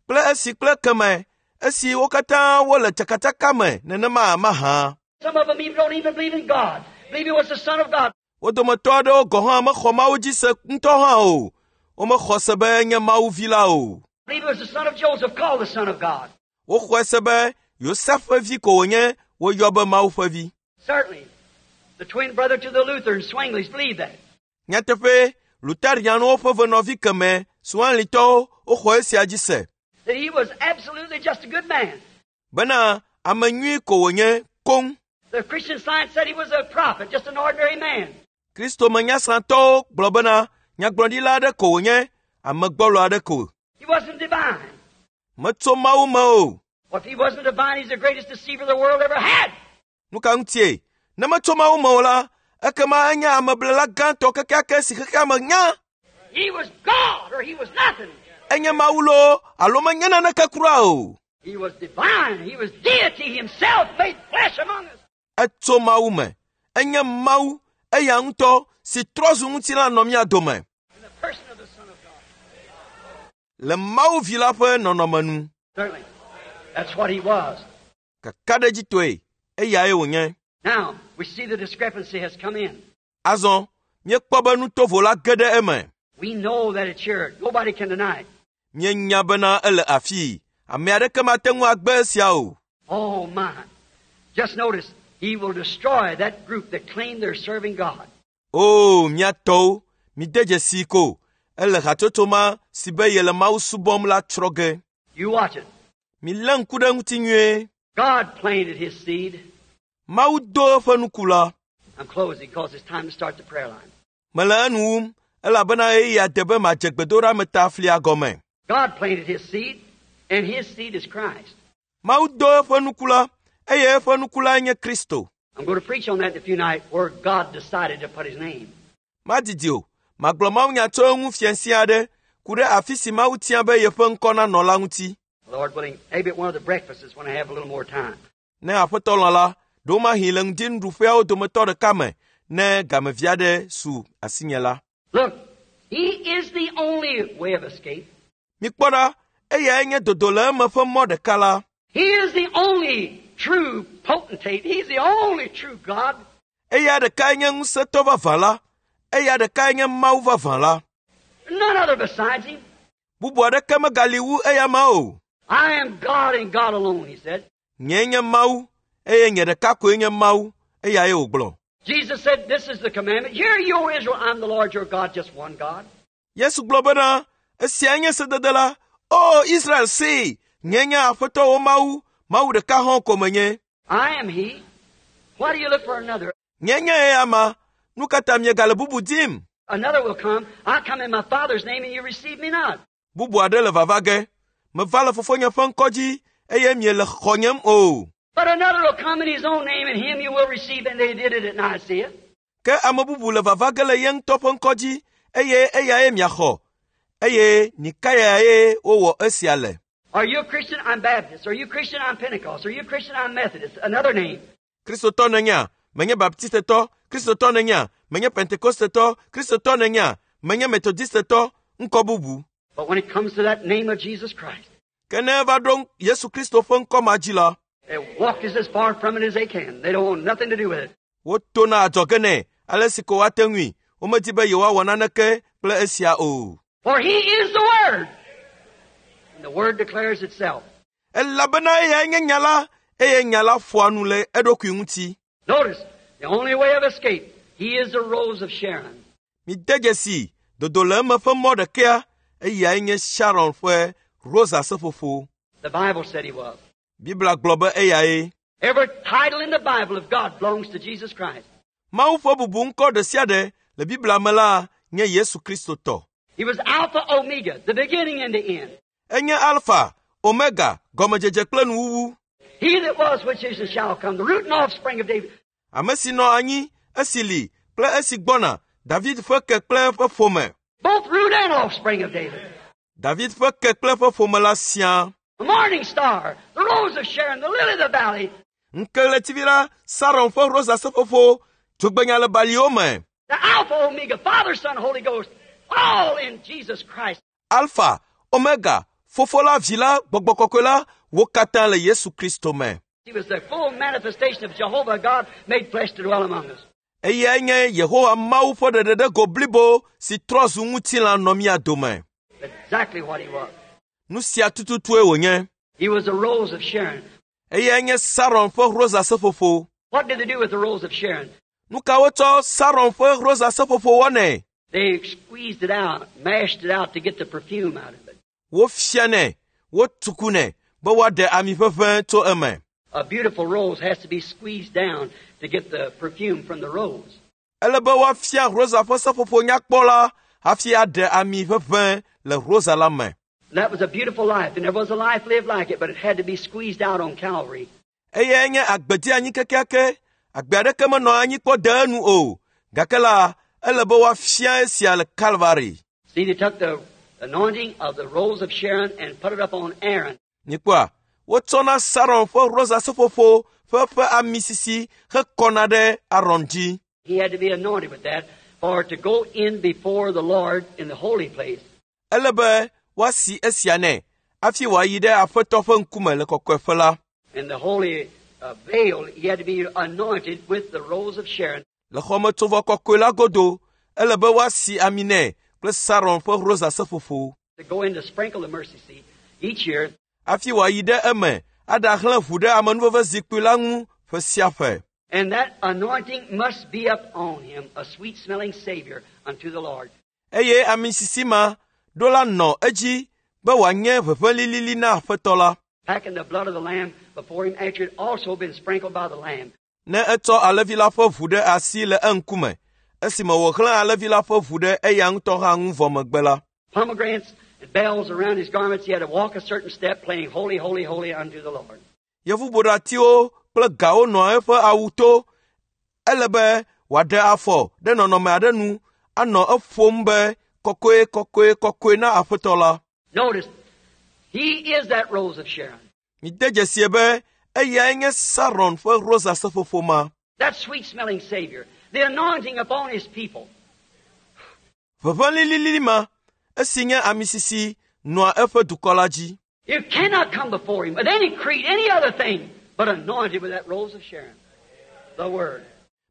kple esi kple keme esi wo katã wole tsakatsaka me nenema mahã. Some of them even don't even believe in God. Believe he was the Son of God. Wo dometɔ aɖewo gɔ̃ hã mexɔ Mawu dzi se ŋutɔ hã o. Womexɔ se be enye Mawu vi la o. Believe he was the son of Joseph, called the Son of God. Woxɔe se be Yosef ƒe vi ko wònye woyɔ be Mawu ƒe vi. Certainly. The twin brother to the Lutherans, Zwinglis, believe that. Nyateƒe, Luterianwo ƒe venɔvi keme Suanlitɔwo woxɔ esia dzi se That he was absolutely just a good man. bena ame nyui ko wònye koŋ. The Christian Science said he was a prophet, just an ordinary man. Kristo menyasrãtɔwo gblɔ bena nyagblɔɖila aɖe ko wònye, ame gbɔlo aɖe ko. He wasn't divine. Metso Mawu me o. Well, if he wasn't divine, he's the greatest deceiver the world ever had. Nu ka ŋutie? Ne metso Mawu me o la, ekema enye ameblela gãtɔ kekeake si xexea me nya. He was God or he was nothing. Enye Mawu loo alo menye naneke kura o. He was divine. He was deity himself made flesh among us. Etso Mawu me. Enye Mawu eya ŋutɔ si trɔ zu ŋutilã nɔ mía dome In the person of the Son of God. le Mawu vi la ƒe nɔnɔme nu. Certainly. That's what he was. Kakaɖedzitɔe, eyae wònye. Now, we see the discrepancy has come in. Azɔ, míekpɔ be nutovo la ge ɖe eme. We know that it's here. Nobody can deny it. Míenya bena ele afii. Ame aɖeke mate ŋu agbe esia o. Oh, my. Just notice, he will destroy that group that claim they're serving God. O, mía tɔwo, mide dzesii ko. Ele hatsotso ma si be yele Mawu subɔm la tsrɔ̃ ge. You watch it. Milé ŋku ɖe eŋuti nyuie. God planted his seed. Mawu do eƒe nuku la. I'm closing because it's time to start the prayer line. Mele enu wum elabena ɣeyiɣia de be madze gbedoɖa flia gɔme. God planted his seed, and his seed is Christ. Mawu do eƒe nuku la, eye eƒe nuku lae nye Kristo. I'm going to preach on that in a few nights where God decided to put his name. Madidi o, magblɔ mawunya tso eŋu fiasia aɖe ku ɖe afi si Mawu tia be yeƒe ŋkɔ nanɔ la ŋuti. Lord willing, maybe at one of the breakfasts when I have a little more time. Ne aƒetɔ lɔ̃ la, ɖewomahi le ŋdinuɖuƒeawo dometɔ ɖeka me ne gamevi aɖe su asinye la. Look, he is the only way of escape. Mikpɔ ɖa, eyae nye dodo le eme ƒe mɔ ɖeka la. He is the only true potentate. He's the only true God. Eya ɖekae nye ŋusẽtɔ vavã la. Eya ɖekae nye Mawu vavã la. None other besides him. Bubu aɖeke megali wu eya ma o. I am God and God alone, he said. Nyee nye Mawu, eye nye ɖeka koe nye Mawu, eyae wògblɔ. Jesus said, This is the commandment. Hear you, O Israel, I'm the Lord your God, just one God. Yesu gblɔ bena, esiae nye sedede la. O Israel see, nye nye Aƒetɔ wo Mawu, Mawu ɖeka hɔ̃ ko menye. I am he. Why do you look for another? Nye nye eya ma, nu ka ta miegale bubu dim? Another will come. I come in my Father's name, and you receive me not. Bubu aɖe le vava ge. Meva le fofonye ƒe ŋkɔ dzi eye miele xɔnyem o. But another will come in his own name, and him you will receive. And they did it at Nicaea. Ke ame bubu le vava ge le ye ŋutɔ ƒe ŋkɔ dzi eye eyae miaxɔ. Eye Nikayae wowɔ esia le. Are you a Christian? I'm Baptist. Are you a Christian? I'm Pentecost. Are you a Christian? I'm Methodist. Another name. Kristotɔ nènyea? Menye Baptistetɔ. Kristotɔ nènyea? Menye Pentekostetɔ. Kristotɔ nènyea? Menye Metodistetɔ. Ŋkɔ bubu. But when it comes to that name of Jesus Christ, Ke ne eva ɖo Yesu Kristo ƒe ŋkɔ ma dzi la, they walk as far from it as they can. They don't want nothing to do with it. wotona adzɔge nɛ ale si ko woate ŋui. Womedi be yewoawɔ naneke kple esia o. For he is the Word. Word. And the Word declares itself. Elabena eyae nye nya la eye nya la ƒoa nu le eɖokui ŋuti. Notice, the only way of escape, He is the Rose of Sharon. Mide dzesi dodo le eme ƒe mɔ ɖekea eyae nye Sharon ƒe rosa seƒoƒo. The Bible said He was. Biblia gblɔ be eyae. Every title in the Bible of God belongs to Jesus Christ. Mawu ƒe bubu ŋkɔ ɖe sia ɖe le Biblia me la nye Yesu Kristo tɔ. He was Alpha Omega, the beginning and the end. Enye Alfa, Omega, gɔmedzedze kple nuwuwu. He that was, which is, and shall come, the root and offspring of David. Ame si nɔ anyi, esi li kple esi gbɔna, David ƒe ke kple eƒe ƒome. Both root and offspring of David. David ƒe ke kple eƒe ƒome la siaa. The morning star, the rose of Sharon, the lily of the valley, Ŋkeɣletivi la, Saron ƒe rosa seƒoƒo, dzogbenya le baliwo me. the Alpha Omega, Father, Son, Holy Ghost, all in Jesus Christ. Alfa, Omega, Fofo la, Vi la, Gbɔgbɔ Kɔkɔe la, wo katã le Yesu Kristo me. He was the full manifestation of Jehovah God made flesh to dwell among us. Eyae nye Yehowa Mawu ƒe ɖeɖeɖego blibo si trɔ zu ŋutilã nɔ mía dome. Exactly what he was. Nu sia tututue wònye. He was the rose of Sharon. Eyae nye Saron ƒe rosa seƒoƒo. What did they do with the rose of Sharon? Nu ka wotsɔ Saron ƒe rosa seƒoƒo wɔnɛ? They squeezed it out, mashed it out to get the perfume out of it. Wofianɛ, wotukunɛ be woaɖe ami ʋeʋẽ tso eme. A beautiful rose has to be squeezed down to get the perfume from the rose. Ele be woafia rosa ƒe seƒoƒo nyakpɔ la hafi aɖe ami ʋeʋẽ le rosa la me. And that was a beautiful life, and there was a life lived like it, but it had to be squeezed out on Calvary. Eyae nye agbedi anyi kekeake. Agbe aɖeke menɔ anyi kpɔ de enu o. Gake la, ele be woafia esia le Kalvari. See, they took the anointing of the rose of Sharon and put it up on Aaron. Mikpɔa, wotsɔna Saron ƒe rosa seƒoƒo ƒe ƒe ami sisi hekɔna ɖe Aron dzi. He had to be anointed with that for to go in before the Lord in the holy place. Ele be woasi esia nɛ hafi wòayi ɖe Aƒetɔ ƒe ŋkume le kɔkɔeƒe la. In the holy veil, he had to be anointed with the rose of Sharon. Le xɔmetsovɔ kɔkɔe la godo, ele be woasi ami nɛ kple Saron ƒe rosa seƒoƒo To go in to sprinkle the mercy seat each year. Hafi wòayi ɖe eme aɖahlẽ ʋu ɖe amenuveve zikpui la ŋu ƒe sia ƒe. And that anointing must be up on him, a sweet smelling Savior unto the Lord. Eye ami sisi ma ɖo la nɔ edzi be wòanye ʋeʋẽ lilili na Aƒetɔ la. Packing the blood of the Lamb before him after it also been sprinkled by the Lamb. Ne etsɔ alẽvi la ƒe ʋu ɖe asi le eŋkume, esime wòxlẽ alẽvi la ƒe ʋu ɖe eya ŋutɔ hã ŋu vɔ megbe la. Pomegranates and bells around his garments, he had to walk a certain step, playing holy, holy, holy unto the Lord. Yevuboɖatiwo kple gawo nɔ eƒe awu to. Ele be wòaɖe afɔ ɖe nɔnɔme aɖe nu anɔ eƒom be kɔkɔe, kɔkɔe, kɔkɔe na Aƒetɔ la. Notice, he is that rose of Sharon. Mide dzesie be eyae nye Saron ƒe rosa seƒoƒo ma. That sweet-smelling Savior, the anointing upon his people. Ʋeʋẽ lilili ma, esi nye ami sisi nɔa eƒe dukɔ la dzi. You cannot come before him with any creed, any other thing, but anointed with that rose of Sharon, the Word.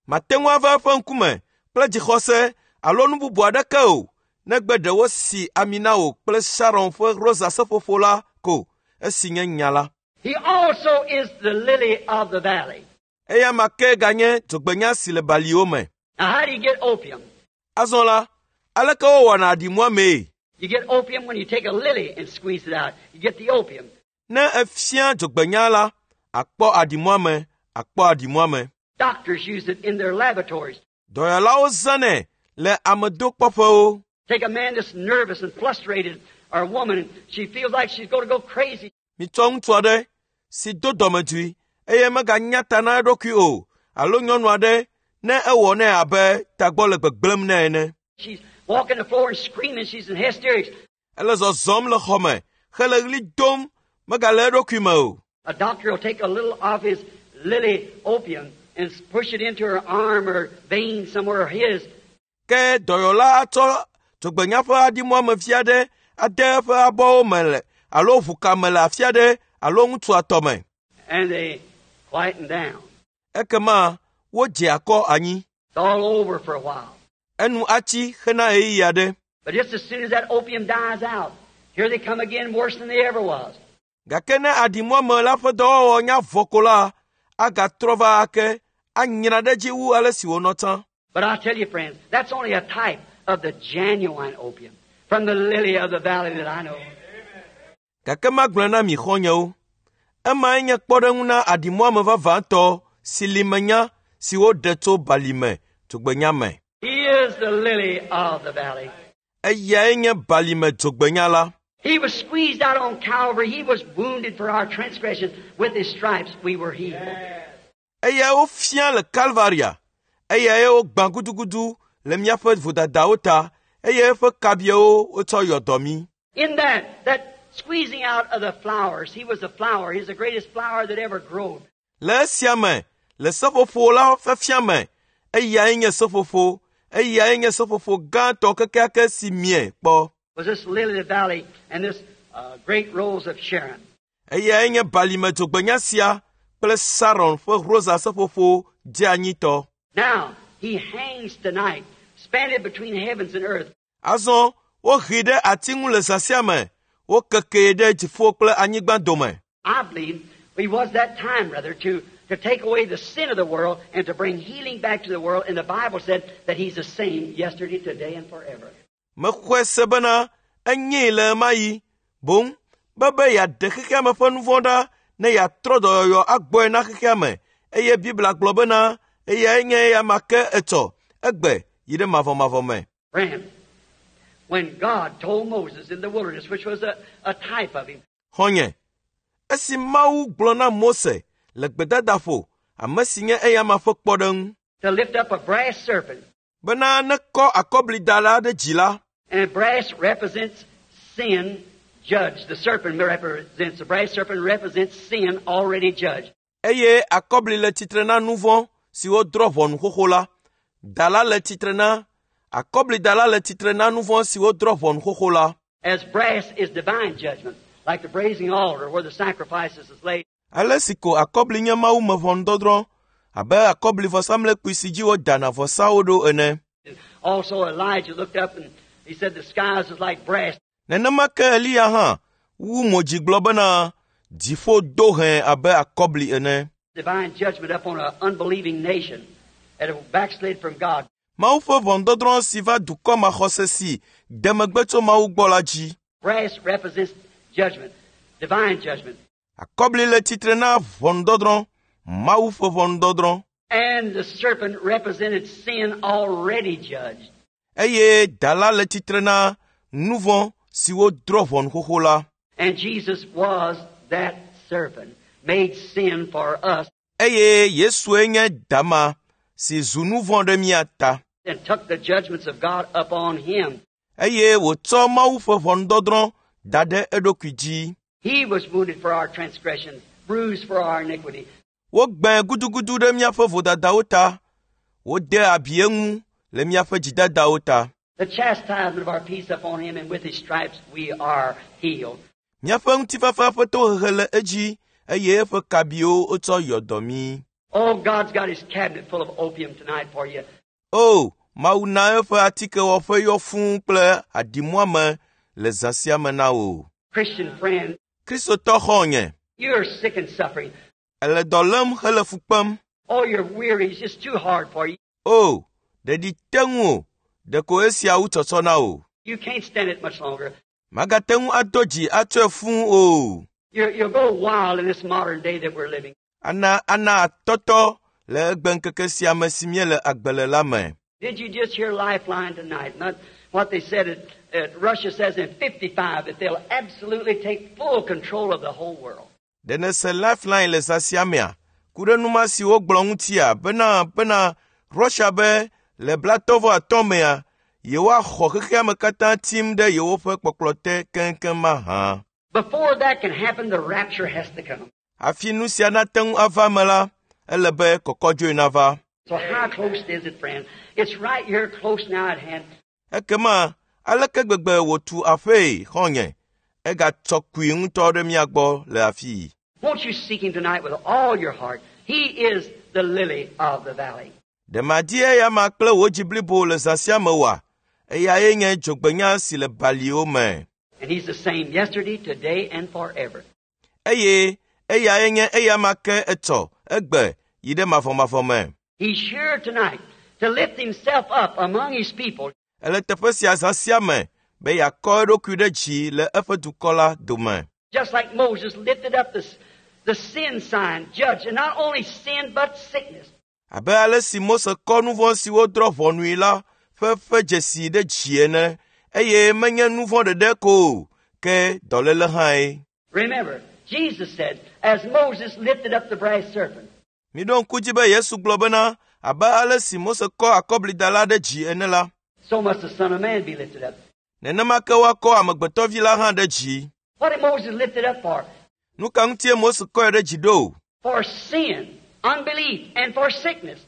Mate ŋu ava eƒe ŋkume kple dzixɔse alo nu bubu aɖeke o, negbe ɖe wosi ami na wò kple Sharon ƒe rosa seƒoƒo la ko, esi nye nya la. He also is the lily of the valley. Eya ma ke ganye dzogbenya si le baliwo me. Now, how do you get opium? Azɔ la, aleke wowɔna aɖimuamee? You get opium when you take a lily and squeeze it out. You get the opium. Ne efia dzogbenya la, akpɔ aɖimuame, akpɔ aɖimuame. Doctors use it in their laboratories. Dɔyɔlawo zãnɛ le amedokpɔƒewo. Take a man that's nervous and frustrated, or a woman, she feels like she's going to go crazy. Mitsɔ ŋutsu aɖe si do dɔmedzoe eye meganya ta na eɖokui o, alo nyɔnu aɖe ne ewɔ nɛ abe tagbɔ le gbegblẽm nɛ ene. She's walking the floor and screaming. She's in hysterics. Ele zɔzɔm le xɔme hele ɣli dom megale eɖokui me o. A doctor will take a little of his lily opium and push it into her arm or vein somewhere or his. Ke dɔyɔla atsɔ dzogbenya ƒe aɖimuame vi aɖe ade eƒe abɔwo me le alo ʋuka me le afi aɖe alo ŋutsua tɔ me. And they quieten down. Ekema wodze akɔ anyi. It's all over for a while. Enu atsi hena ɣeyiɣi aɖe. But just as soon as that opium dies out, Here they come again worse than they ever was. Gake ne aɖimuame la ƒe dɔwɔwɔ nya vɔ ko la, agatrɔ va ake anyra ɖe edzi wu ale si wònɔ tsã. But I tell you, friends, that's only a type of the genuine opium from the lily of the valley that I know. Gake magblɔe na mi xɔ̃nyewo, emae nye kpɔɖeŋu na aɖimuame vavãtɔ si li menya si woɖe tso balime dzogbenya me. He is the lily of the valley. Eyae nye balime dzogbenya la. He was squeezed out on Calvary. He was wounded for our transgressions. With his stripes we were healed. Eyae wofia le Kalvaria. Eyae wogbã gudugudu le míaƒe vodadawo ta eye eƒe kabiawo wotsɔ yɔ dɔ mí. In that squeezing out of the flowers, he was a flower. He's the greatest flower that ever growed. Le esia me, le seƒoƒo la fiafia me, eyae nye seƒoƒo, eyae nye seƒoƒo gãtɔ kekeake si mie kpɔ. Was this lily of the valley and this great rose of Sharon. Eyae nye balime dzogbenya sia kple Saron ƒe rosa seƒoƒo dzeanyitɔ. Now, he hangs tonight, spanned between heavens and earth. Azɔ wohee ɖe ati ŋu le zã sia me, wokekee ɖe dziƒo kple anyigba dome. I believe he was that time, rather, to take away the sin of the world and to bring healing back to the world. And the Bible said that he's the same yesterday, today, and forever. Mexɔe se bena enyee le ɣe ma ɣi boŋ be yeaɖe xexea me ƒe nu vɔ̃ ɖa ne yeatrɔ dɔyɔyɔ agbɔe na xexea me eye Biblia gblɔ bena eyae nye eya ma ke etsɔ egbe yi ɖe mavɔmavɔ me. Friend, when God told Moses in the wilderness, which was a type of him, Xɔ̃nye, esi Mawu gblɔ na Mose le gbedadaƒo, ame si nye eyama ƒe kpɔɖeŋu, to lift up a brass serpent, bena nekɔ akɔblida la ɖe dzi la, and brass represents sin judged. The serpent represents, the brass serpent represents sin already judged. Eye akɔbli le tsitre na nu vɔ̃ si wodrɔ̃ ʋɔnu xoxo la. Da la le tsitre na akɔblida la le tsitre na nu vɔ̃ si wodrɔ̃ ʋɔnu xoxo la. As brass is divine judgment, like the brazen altar where the sacrifices is laid. Ale si ko akɔbli nye Mawu me ʋɔnudɔdrɔ̃ abe akɔbli vɔsamlekpui si dzi wodana vɔsawo ɖo ene. Also Elijah looked up and he said the skies is like brass. Nenema ke Eliya hã wu mo dzi gblɔ bena dziƒo do hẽ abe akɔbli ene. Divine judgment upon an unbelieving nation that have backslid from God. Mawu ƒe ʋɔnudɔdrɔ̃ si va dukɔ maxɔse si de megbe tso Mawu gbɔ la dzi. Brass represents judgment, divine judgment. Akɔbli le tsitre na ʋɔnudɔdrɔ̃, Mawu ƒe ʋɔnudɔdrɔ̃. And the serpent represented sin already judged. Eye da la le tsitre na nu vɔ̃ si wodrɔ̃ ʋɔnu xoxo la. And Jesus was that serpent, made sin for us. Eye Yesue nye dama si zu nu vɔ̃ ɖe mía ta. And took the judgments of God upon him. Eye wòtsɔ Mawu ƒe ʋɔnudɔdrɔ̃ da ɖe eɖokui dzi. He was wounded for our transgressions, bruised for our iniquity. Wogbãe gudugudu ɖe míaƒe vodadawo ta. Wode abi eŋu le míaƒe dzidadawo ta. The chastisement of our peace upon him, and with his stripes we are healed. Míaƒe ŋutifafa ƒe tohehe le edzi eye eƒe kabiwo wotsɔ yɔ dɔ mí. Oh, God's got his cabinet full of opium tonight for you. Oh, Mawu na eƒe atikewɔƒe yɔ fũu kple aɖimuame le zã sia me na wò. Christian friend, Kristotɔ xɔ̃nye, you're sick and suffering. Ele dɔ lém hele fu kpem. Oh, you're weary. It's just too hard for you. Oh, ɖeɖi te ŋu o. Ɖeko esia wu tsɔtsɔ na wò. You can't stand it much longer. Magate ŋu ado dzi atsɔe fũu o. You'll go wild in this modern day that we're living. Ana atɔtɔ le egbeŋkeke sia me si míele agbe le la me. Did you just hear Lifeline tonight? Not what they said. Russia says in 55 that they'll absolutely take full control of the whole world. Ɖe nèse Lifeline le zã sia mea? Ku ɖe nu ma si wogblɔ ŋutia bena Russia be le 35 mea yewoaxɔ xexea me katã tim ɖe yewoƒe kpɔkplɔ te keŋkeŋ mahã. Before that can happen, the rapture has to come. Hafi nu sia nate ŋu ava me la, ele be kɔkɔdzoe nava. So how close is it, friend? It's right here close now at hand. Ekema aleke gbegbe wòtu aƒee xɔ̃nye? Egatsɔ kui ŋutɔ ɖe mía gbɔ le afii. Won't you seek him tonight with all your heart? He is the lily of the valley. Ɖe madi eya ma kple wò dzi blibo le zã sia me oa? Eyae nye dzogbenya si le baliwo me. And He's the same yesterday, today, and forever. Eye eyae nye eyama ke etsɔ, egbe yi ɖe mavɔmavɔ me. He's here tonight to lift Himself up among His people. Ele teƒe sia zã sia me be yeakɔ eɖokui ɖe dzi le eƒe dukɔ la dome. Just like Moses lifted up the sin sign, judge, and not only sin but sickness. Abe ale si Mose kɔ nu vɔ̃ si wodrɔ̃ ʋɔnui la ƒe ƒe dzesi ɖe dzi ene, eye menye nu vɔ̃ ɖeɖe ko o, ke dɔléle hãe. Remember, Jesus said, as Moses lifted up the brass serpent, Miɖo ŋku dzi be Yesu gblɔ bena abe ale si Mose kɔ akɔblida la ɖe dzi ene la, so must the Son of Man be lifted up. nenema ke woakɔ amegbetɔvi la hã ɖe dzi. What did Moses lift it up for? Nu ka ŋutie Mose kɔe ɖe dzi ɖo? For sin, unbelief, and for sickness.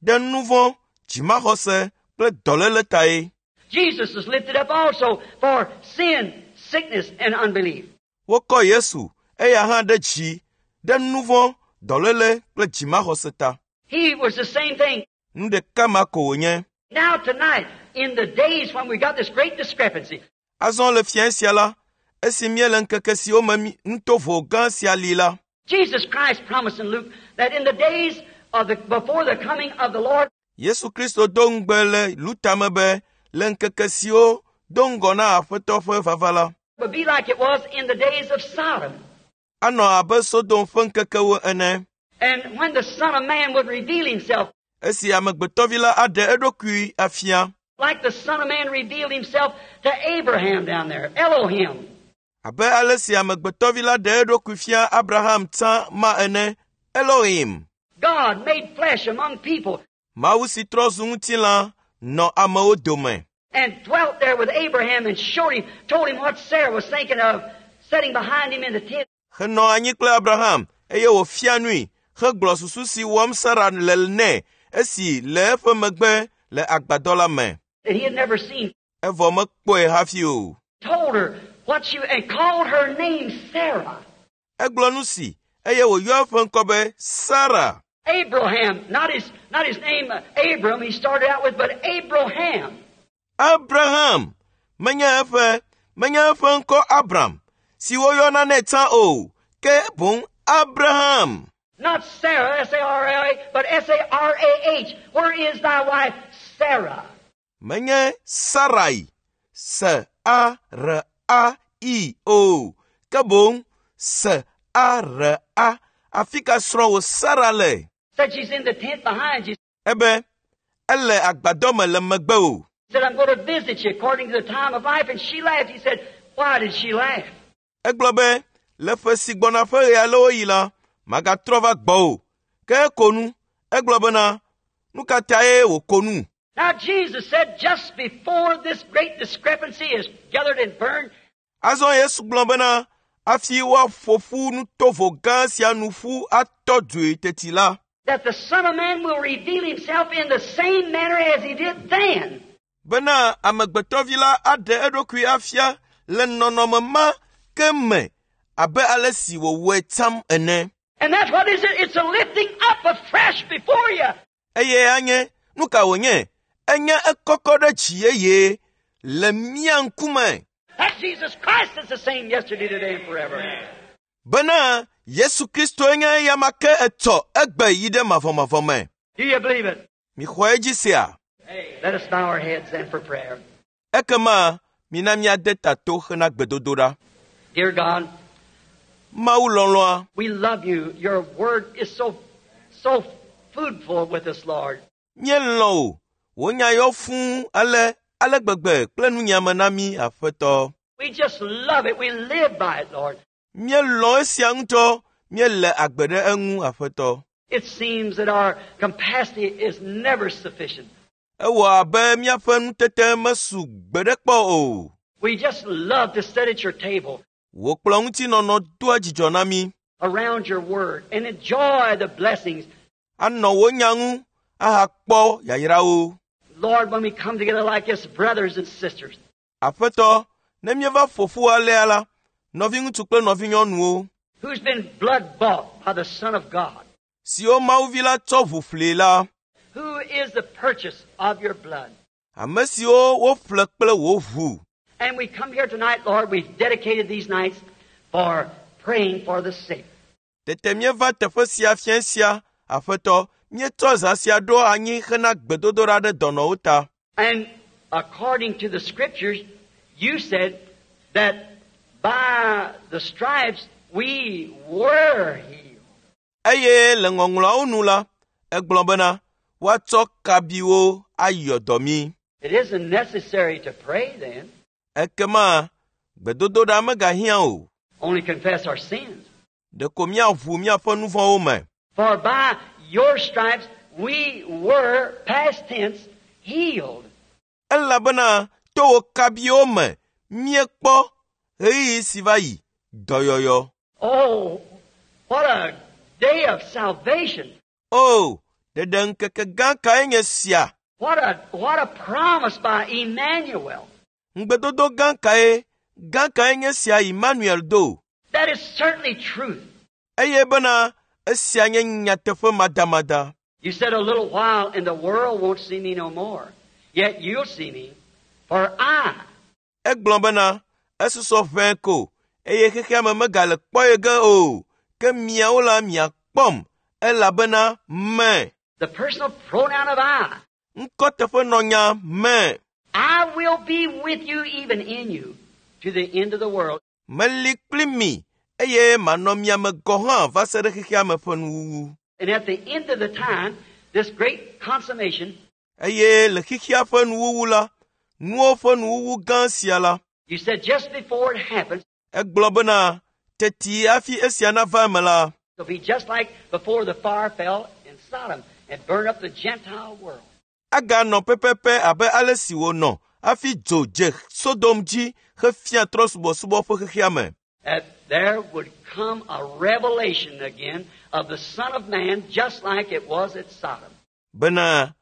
Ɖe nu vɔ̃, dzimaxɔse kple dɔléle tae. Jesus was lifted up also for sin, sickness, and unbelief. Wokɔ Yesu eya hã ɖe dzi ɖe nu vɔ̃, dɔléle kple dzimaxɔse ta. He was the same thing. Nu ɖeka ma ko wònye. Now tonight, in the days when we got this great discrepancy, Azɔ le fia sia la, esi míele ŋkeke siwo me nutovo gã sia li la, Jesus Christ promised in Luke that in the days of the before the coming of the Lord, Yesu Kristo do ŋugbe le Luta me be le ŋkeke siwo do ŋgɔ na Aƒetɔ ƒe vava la, would be like it was in the days of Sodom. anɔ abe Sodom ƒe ŋkekewo ene. And when the Son of Man would reveal himself, Esi amegbetɔvi la aɖe eɖokui afia, like the Son of Man revealed himself to Abraham down there, Elohim. abe ale si amegbetɔvi la ɖe eɖokui fia Abraham tsã ma ene, Elohim, God made flesh among people Mawu si trɔ zu ŋutilã nɔ amewo dome and dwelt there with Abraham and showed him, told him what Sarah was thinking of sitting behind him in the tent. henɔ anyi kple Abraham eye wòfia nui hegblɔ susu si wɔm Sara le nɛ esi le eƒe megbe le agbadɔ la me. That he had never seen. Evɔ mekpɔe hafi o. Told her what she, and called her name Sarah. Egblɔ nu si eye wòyɔ eƒe ŋkɔ be Sara. Abraham, not his name Abram he started out with, but Abraham. Abraham menye eƒe ŋkɔ Abram si woyɔna nɛ tsã o, ke boŋ Abraham. Not Sarah, S-A-R-A, but S-A-R-A-H. Where is thy wife, Sarah? Menye Sarai, S-A-R-A-I o, ke boŋ S-A-R-A. Afi ka srɔ̃wò Sara le? Said she's in the tent behind you. Ebe ele agbadɔ me le megbe o. Said, I'm going to visit you according to the time of life. And she laughed. He said, why did she laugh? Egblɔ be le ƒe si gbɔna ƒe ɣe alewo yi la, magatrɔ va gbɔwò. Ke eko nu. Egblɔ bena, nu ka tae wòko nu? Now Jesus said just before this great discrepancy is gathered and burned, Azɔ Yesu gblɔ bena, hafi woaƒo ƒu nutovo gã sia nu ƒu atɔ dzoe teti la, that the Son of Man will reveal himself in the same manner as he did then. bena amegbetɔvi la aɖe eɖokui afia le nɔnɔme ma ke me abe ale si wòwɔe tsam ene. And that's what is it? It's a lifting up afresh before you. Eye anye, nu ka wònye? Enye ekɔkɔ ɖe dzi yeye le mía ŋkume. That Jesus Christ is the same yesterday, today, and forever. Bena Yesu Kristo nye eyama ke etsɔ egbe yi ɖe mavɔmavɔ me. Do you believe it? Mixɔ edzi sea? Let us bow our heads then for prayer. Ekema mina míade ta to hena gbedodoɖa. Dear God, Mawu lɔlɔ̃a, we love you. Your word is so foodful with us, Lord. Míelɔ̃ wò. Wò nya yɔ fũu ale ale gbegbe kple nunyame na mí, Aƒetɔ. We just love it. We live by it, Lord. Míelɔ̃ esia ŋutɔ. Míele agbe ɖe eŋu, Aƒetɔ. It seems that our capacity is never sufficient. Ewɔ abe míaƒe nutete mesu gbe ɖe kpɔ o. We just love to sit at your table Wò kplɔ̃ ŋutinɔnɔ doa dzidzɔ na mí. around your word and enjoy the blessings. Anɔ wò nya ŋu ahakpɔ yayrawo. Lord, when we come together like this, brothers and sisters, Aƒetɔ, ne míeva ƒo ƒu alea la, nɔviŋutsu kple nɔvinyɔnuwo, who's been blood bought by the Son of God, siwo Mawuvi la tsɔ ʋu ƒlee la, who is the purchase of your blood, ame siwo woƒle kple wò ʋu, And we come here tonight, Lord, we've dedicated these nights for praying for the sick. Tete míeva teƒe sia fiẽ sia, Aƒetɔ, míetsɔ zã sia ɖo anyi hena gbedodoɖa ɖe dɔnɔwo ta. And according to the scriptures, you said that by the stripes we were healed. Eye le ŋɔŋlɔawo nu la, egblɔ bena woatsɔ kabiwo ayɔ dɔ mí. It isn't necessary to pray then, Ekema gbedodoɖa megahiã o. only confess our sins. Ɖeko míaʋu míaƒe nu vɔ̃wo me. For by your stripes we were, past tense, healed. Elabena to wò kabiwo me míekpɔ ɣeyiɣi si va yi dɔyɔyɔ. Oh, what a day of salvation. O, ɖeɖe ŋkeke gã kae nye sia! What a promise by Emmanuel. Ŋugbedodo gã kae gã kae nye sia Emmanuel do? That is certainly truth. Eye bena esia nye nyateƒe madamada. You said a little while and the world won't see me no more. Yet you'll see me, for I, Egblɔ bena esusɔ ʋɛe ko eye xexea me megale kpɔ ye ge o. Ke miawo la miakpɔm elabena me. the personal pronoun of I, Ŋkɔteƒenɔnya me. I will be with you, even in you, to the end of the world. Meli kpli mi eye manɔ mia me gɔ̃ hã va se ɖe xexea me ƒe nuwuwu. And at the end of the time, this great consummation, Eye le xexea ƒe nuwuwu la, nuwo ƒe nuwuwu gã sia la, you said just before it happens, egblɔ bena teti hafi esia nava eme la, it'll be just like before the fire fell in Sodom and burned up the Gentile world. aganɔ pɛpɛpɛ abe ale si wònɔ hafi dzo dze Sodom dzi hefia trɔ̃subɔsubɔ ƒe xexea me. That there would come a revelation again of the Son of Man just like it was at Sodom. Bena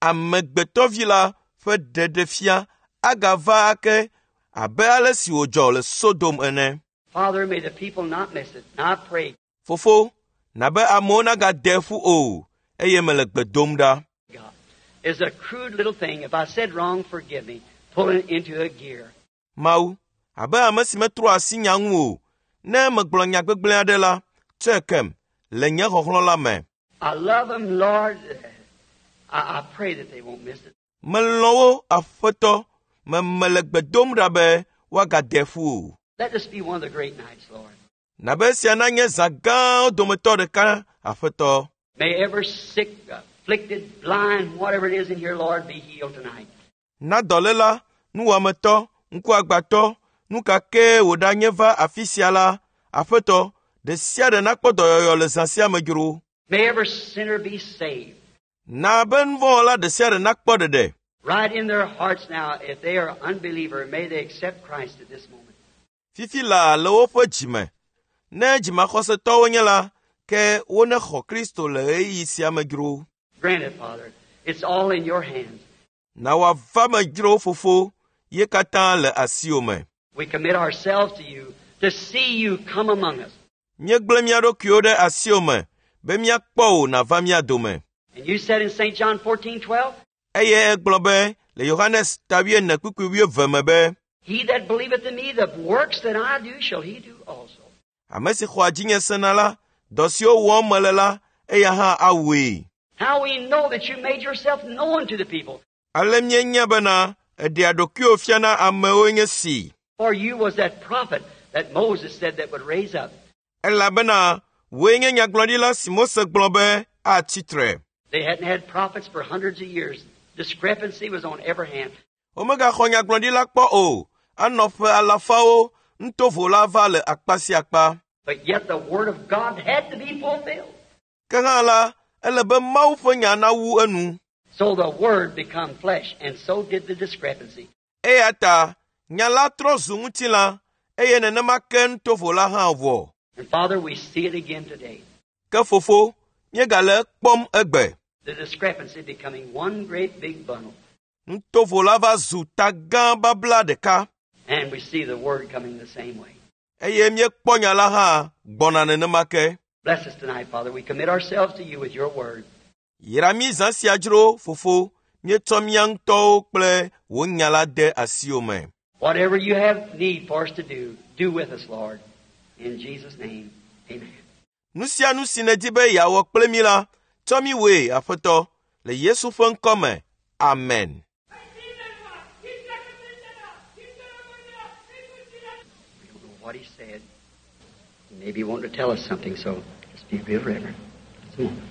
amegbetɔvi la ƒe ɖeɖefia agava ake abe ale si wòdzɔ le Sodom ene. Father, may the people not miss it. And I pray, Fofo, na be amewo nagade ƒu o, eye mele gbe dom ɖa. God, is a crude little thing. If I said wrong, forgive me. Pull it into a gear. Mawu, abe ame si metrɔa asi nya ŋu o, ne megblɔ nya gbegblẽ aɖe la, tsɔe kem le nye xɔxlɔ̃ la me. I love them, Lord. I pray that they won't miss it. Melɔ̃ wo, Aƒetɔ, me mele gbe dom ɖa be woagade ƒu o. Let this be one of the great nights, Lord. Na be esia nanye zã gãwo dometɔ ɖeka, Aƒetɔ. May every sick, afflicted, blind, whatever it is in here, Lord, be healed tonight. Na dɔléla, nuwɔametɔ, ŋkuagbãtɔ, nu ka kee wòɖanye va afi sia la, Aƒetɔ, ɖe sia ɖe nakpɔ dɔyɔyɔ le zã sia me dzro. May every sinner be saved. Na be nuvɔ̃wɔla ɖe sia ɖe nakpɔ ɖeɖe. Right in their hearts now, if they are unbeliever, may they accept Christ at this moment. Fifi laa le woƒe dzime. Ne dzimaxɔsetɔwo nye la, ke wonexɔ Kristo le ɣeyiɣi sia me dzro. Grant it, Father. It's all in your hands. Na wòava me dzro, Fofo, ye katã le asiwò me. We commit ourselves to you to see you come among us. Míegblẽ mía ɖokuiwo ɖe asiwò me be míakpɔ wò nàva mía dome. And you said in St. John 14:12, Eye egblɔ be le Yohanes ta wuiene kpukpui wuieve me be, He that believeth in me, the works that I do shall he do also. ame si xɔa dzinye sena la, dɔ siwo wɔm mele la, eya hã awɔe. How we know that you made yourself known to the people. Ale míenya bena eɖea ɖokuiwò fiana amewoe nye si. For you was that prophet that Moses said that would raise up. Elabena wòe nye nyagblɔɖila si Mose gblɔ be atsi tre. They hadn't had prophets for hundreds of years. Discrepancy was on every hand. Womegaxɔ nyagblɔɖila kpɔ o, anɔ ƒe alafawo, nutovo la va le akpa sia akpa. But yet the Word of God had to be fulfilled. Ke hã la, ele be Mawu ƒe nya nawu enu. So the Word become flesh, and so did the discrepancy. Eya ta nya la trɔ zu ŋutilã, eye nenema ke nutovo la hã wɔ. And Father, we see it again today. Ke fofo, míegale ekpɔm egbe. The discrepancy becoming one great big bundle. Nutovo la va zu ta gã babla ɖeka And we see the Word coming the same way. eye míekpɔ nya la hã gbɔna nenema ke. Bless us tonight, Father. We commit ourselves to you with your Word. Yra mí zã sia dzro, fofo, míetsɔ mía ŋutɔwo kple wò nya la de asiwò me. Whatever you have need for us to do, do with us, Lord. In Jesus' name, amen. Nu sia nu si nèdi be yeawɔ kple mí la, tsɔ mí wɔe, Aƒetɔ, le Yesu ƒe ŋkɔ me. Amen. We don't know what he said. He may be wanting to tell us something, so just be real reverent. Just a moment.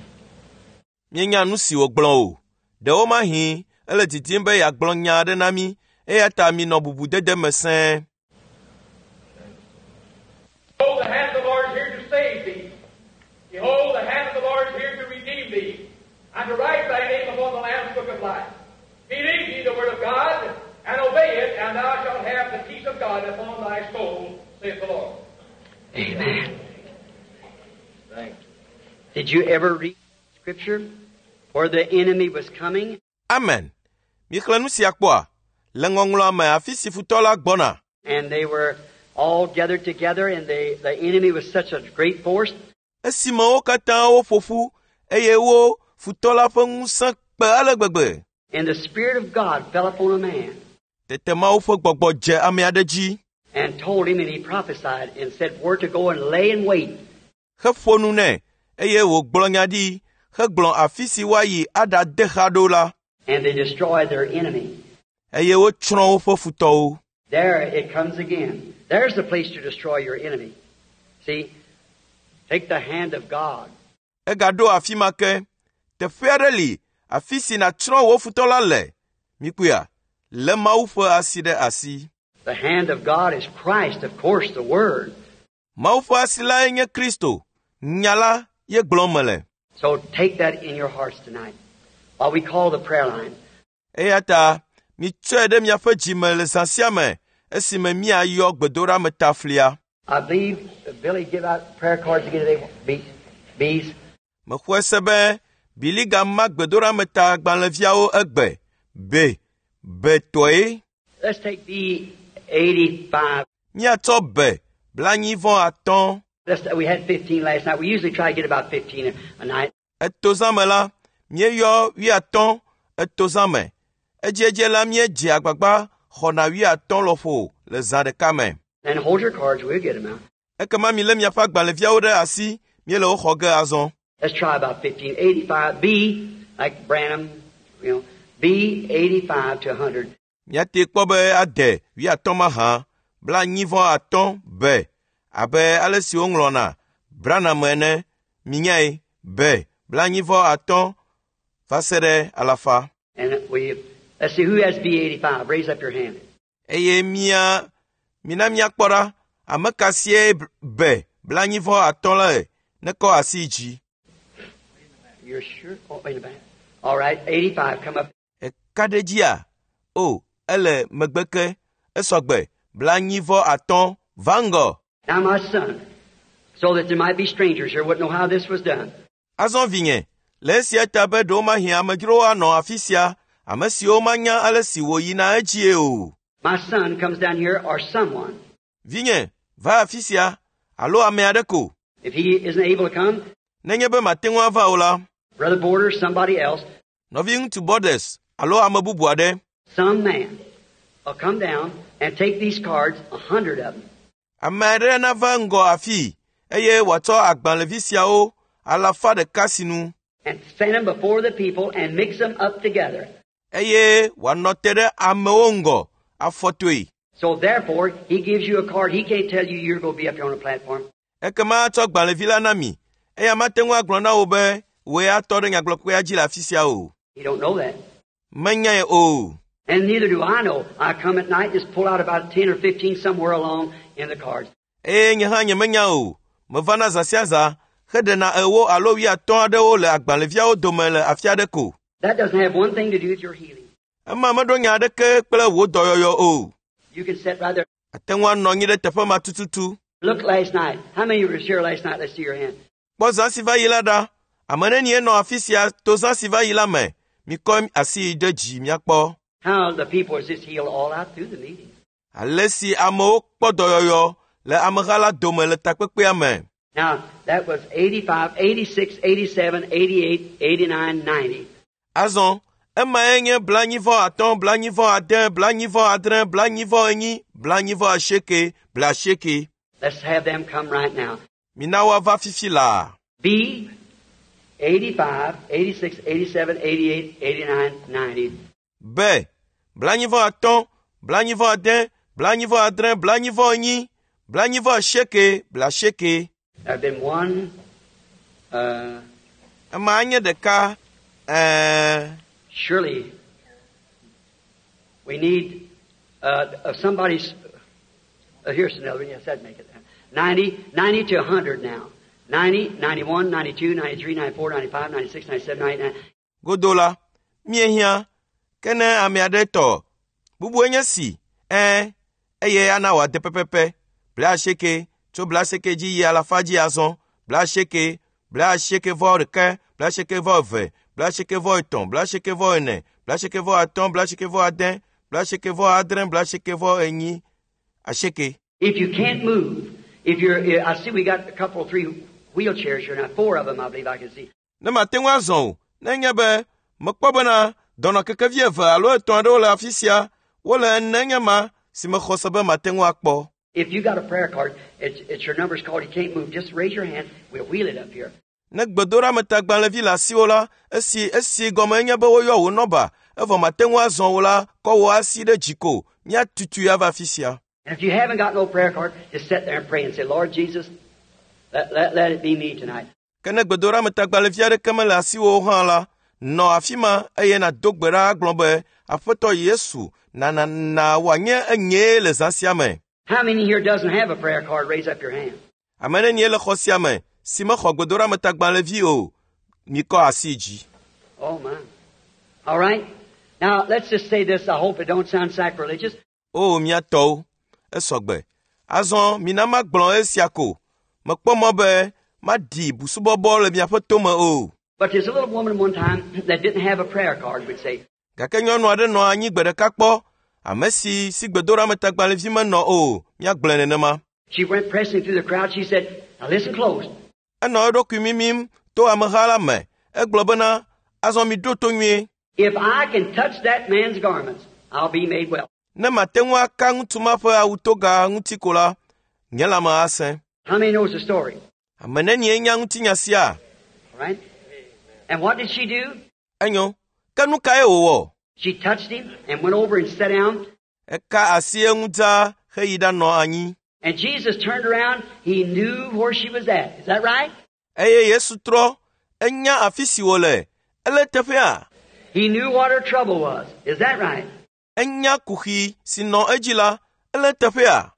Míenya nu si wògblɔ o. Ɖewomahi ele didim be yeagblɔ nya aɖe na mí eya ta minɔ bubudede me sẽe. Behold, the hand of the Lord is here to save thee. Behold, the hand of the Lord is here to redeem thee, and to write thy name upon the Lamb's book of life. Believe ye the word of God, and obey it, and thou shalt have the peace of God upon thy soul, saith the Lord. Amen. Did you ever read scripture where the enemy was coming Amen. Mixlẽ nu sia kpɔa? Le ŋɔŋlɔa me afi si futɔ la gbɔna. and they were all gathered together and they, the enemy was such a great force Esime wo katã woƒo ƒu eye wo futɔ la ƒe ŋusẽ kpe ale gbegbe. and the Spirit of God fell upon a man Tete Mawu ƒe gbɔgbɔ dze ame aɖe dzi and told him and he prophesied and said where to go and lay in wait. heƒo nu nɛ eye wògblɔ nya ɖi hegblɔ afi si woayi aɖade xa ɖo la And they destroyed their enemy. eye wotsrɔ̃ woƒe futɔwo. There it comes again. There's the place to destroy your enemy. See, take the hand of God. Egaɖo afi ma ke. Teƒe aɖe li afi si nàtsrɔ̃ wò futɔ la le. Mikpɔea, lé Mawu ƒe asi ɖe asi. The hand of God is Christ, of course, the Word. Mawu ƒe asi lae nye Kristo. Nya la ye gblɔm mele. So take that in your hearts tonight while we call the prayer line. Eya ta mitsɔe ɖe miaƒe dzime le zã sia me esime míayɔ gbedoɖametaflia. I believe Billy give out prayer cards again today. Bees. Bees. Mexɔe se be Bili gama gbedoɖameta gbalẽviawo egbe. Be, betɔe. Let's take B 85. Míatsɔ be 55. Let's, we had 15 last night. We usually try to get about 15 a night. Etozã me la, míeyɔ 50 etozã me. Edziedzi la míedzea agbagba xɔna 50 lɔƒo le zã ɖeka me. And hold your cards. We'll get them out. Ekema milé miaƒe agbalẽviawo ɖe asi, míele wo xɔ ge azɔ. Let's try about 15. 85. B, like Branham, you know, B 85 to 100. Míate kpɔ be ade 50 mahã, 95 be, abe ale si woŋlɔna Branham ene, minyae, be 95 va se ɖe alafa. And we, let's see who has B 85. Raise up your hand. Eye mía, mina míakpɔ ɖa, ame ka sie be 95 le nekɔ asi dzi. You're sure? Oh, in the back. All right, 85. Come up. Eka ɖe dzia? O, ele megbe ke, esɔgbe, 95 va ŋgɔ. Now, my son, so that there might be strangers here wouldn't know how this was done. Azɔ vinye, le esia ta be ɖewomahi amedzrowo anɔ afi sia, ame siwo manya ale si wòyina edzie o. My son comes down here or someone. Vinye, va afi sia, alo ame aɖe ko. If he isn't able to come, Nenye be mate ŋu ava o la, Brother Border, somebody else, nɔviŋutsu Borders alo ame bubu aɖe, some man will come down and take these cards, 100 of them, ame aɖe nava ŋgɔ afii eye wòatsɔ agbalẽvi siawo 100 sinu and stand them before the people and mix them up together. eye wòanɔ te ɖe amewo ŋgɔ afɔtoe. So therefore, he gives you a card. He can't tell you you're going to be up here on the platform. Ekema atsɔ gbalẽvi la na mi eya mate ŋu agblɔ na wò be wòe atɔ ɖe nyagblɔkpea dzi le afi sia o. He don't know that. Menyae o. And neither do I know. I come at night and just pull out about 10 or 15 somewhere along in the cards. Eye nye hã nyemenya o. Mevana zã sia zã heɖena 40 alo 50 aɖewo le agbalẽviawo dome le afi aɖe ko. That doesn't have one thing to do with your healing. Ema meɖo nya aɖeke kple wò dɔyɔyɔ o. You can sit right there. Ate ŋu anɔ anyi ɖe teƒe ma tututu. Look last night. How many was here last night? Let's see your hand. Kpɔ zã si va yi la ɖa. Ame nenie nɔ afi sia to zã si va yi la me. Mikɔ asi ɖe dzi míakpɔ. How the people was just healed all out through the meeting. Ale si amewo kpɔ dɔyɔyɔ le ameha la dome le takpekpea me. Now, that was 85, 86, 87, 88, 89, 90. Azɔ, Emae nye 45, 46, 46, 45, 48, 80. Let's have them come right now. Mina woava fifi laa. B, 85, 86, 87, 88, 89, 90. B, 45, 46, 46, 45, 48, 80. There have been one, Ema nye ɖeka, ɛɛ, surely we need somebody's. Here's another one. Yes, that'd make it. 90, 90 to 100 now. 90, 91, 92, 93, 94, 95, 96, 97, 99. Godo la, míehiã, ke ne ame aɖe tɔ, bubue nye si, ɛɛ, eye ana wòade pɛpɛpɛ, 80 tso 80 dzi yi alafa dzi azɔ, 80, 81, 82, 83, 84, 85, 86, 86, 84. If you can't move, if you're, I see we got a couple, three wheelchairs here now, 4 of them I believe I can see. Ne mate ŋu azɔ o, nenye be mekpɔ bena dɔnɔkekevi eve alo etɔ̃ aɖewo le afi sia, wole ene nye ma si mexɔ se be mate ŋu akpɔ. If you got a prayer card, it's your number's called, you can't move, just raise your hand, we'll wheel it up here. Ne gbedoɖametagbalẽvi le asiwò la, esi esi gɔme nye be woyɔ wò nɔba, evɔ mate ŋu azɔ o la, kɔ wò asi ɖe dzi ko, míatutui ava afi sia. And if you haven't got no prayer card, just sit there and pray and say, Lord Jesus, let it be me tonight. Ke ne gbedoɖametagbalẽvi aɖeke mele asiwò o hã la, nɔ afi ma eye nàdo gbe ɖa agblɔ be, Aƒetɔ Yesu, na na na wòanye enyee le zã sia me. How many here doesn't have a prayer card? Raise up your hand. Ame nenie le xɔ sia me si mexɔ gbedoɖametagbalẽvi o, mikɔ asi dzi. Oh my. All right. Now let's just say this. I hope it don't sound sacrilegious. O mía tɔwo, esɔgbe. Azɔ mina magblɔ esia ko. Mekpɔ mɔ be maɖi busubɔbɔ le miaƒe tome o. But there's a little woman one time that didn't have a prayer card, would say. Gake nyɔnu aɖe nɔ anyi gbe ɖeka kpɔ, ame si si gbedoɖametagbalẽvi menɔ o, míagblɔe nenema. She went pressing through the crowd. She said, now listen close. Enɔ eɖokui mimim to ameha la me. Egblɔ bena, azɔ miɖo to nyuie. If I can touch that man's garments, I'll be made well. Ne mate ŋu aka ŋutsu ma ƒe awutoga ŋuti ko la, nye lãme asẽ. How many knows the story? Ame nenie nya ŋutinya sia? All right. And what did she do? Enyo. Ke nu kae wòwɔ? She touched him and went over and sat down. Eka asi eŋu dzaa heyi ɖanɔ anyi. And Jesus turned around. He knew where she was at. Is that right? Eye Yesu trɔ, enya afi si wòle. Ele teƒea? He knew what her trouble was. Is that right? Enya kuxi si nɔ edzi la, ele teƒea?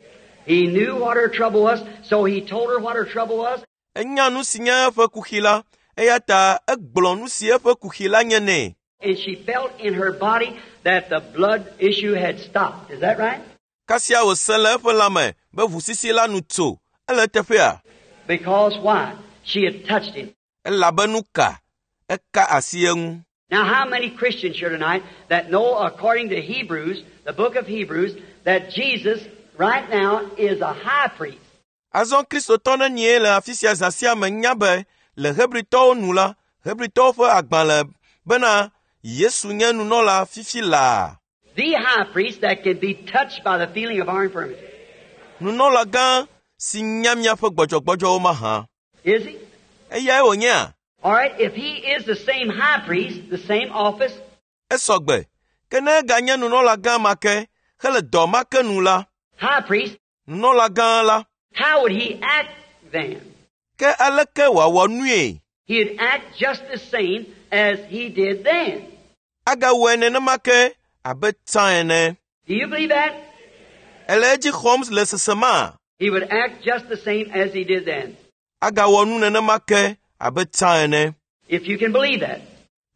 He knew what her trouble was, so he told her what her trouble was. Enya nu si nye eƒe kuxi la, eya ta egblɔ nu si eƒe kuxi la nye nɛ. And she felt in her body that the blood issue had stopped. Is that right? Kasia wòse le eƒe lãme be ʋusisi la nu tso. Ele teƒea? Because why? She had touched him. Elabe nu ka? Eka asi eŋu. Now, how many Christians here tonight that know, according to Hebrews, the book of Hebrews, that Jesus right now is a high priest? Azɔ Kristotɔ nenie le afi sia zã sia me nya be le Hebritɔwo nu la, Hebritɔwo ƒe agbalẽ bena Yesu nye nunɔla fifi laa. The high priest that can be touched by the feeling of our infirmity. Nunɔla gã si nya miaƒe gbɔdzɔgbɔdzɔwo mahã. Is he? Eyae wònyea? All right, if he is the same high priest, the same office, Esɔgbe. Ke ne eganye nunɔla gã ma ke hele dɔ ma ke nu la, high priest, nunɔla gã la, how would he act then? Ke aleke wòawɔ nue? He'd act just the same as he did then. Agawɔe nenema ke abe tsã ene. Do you believe that? Ele edzi xɔm le sesema? He would act just the same as he did then. Agawɔ nu nenema ke abe tsã ene. If you can believe that.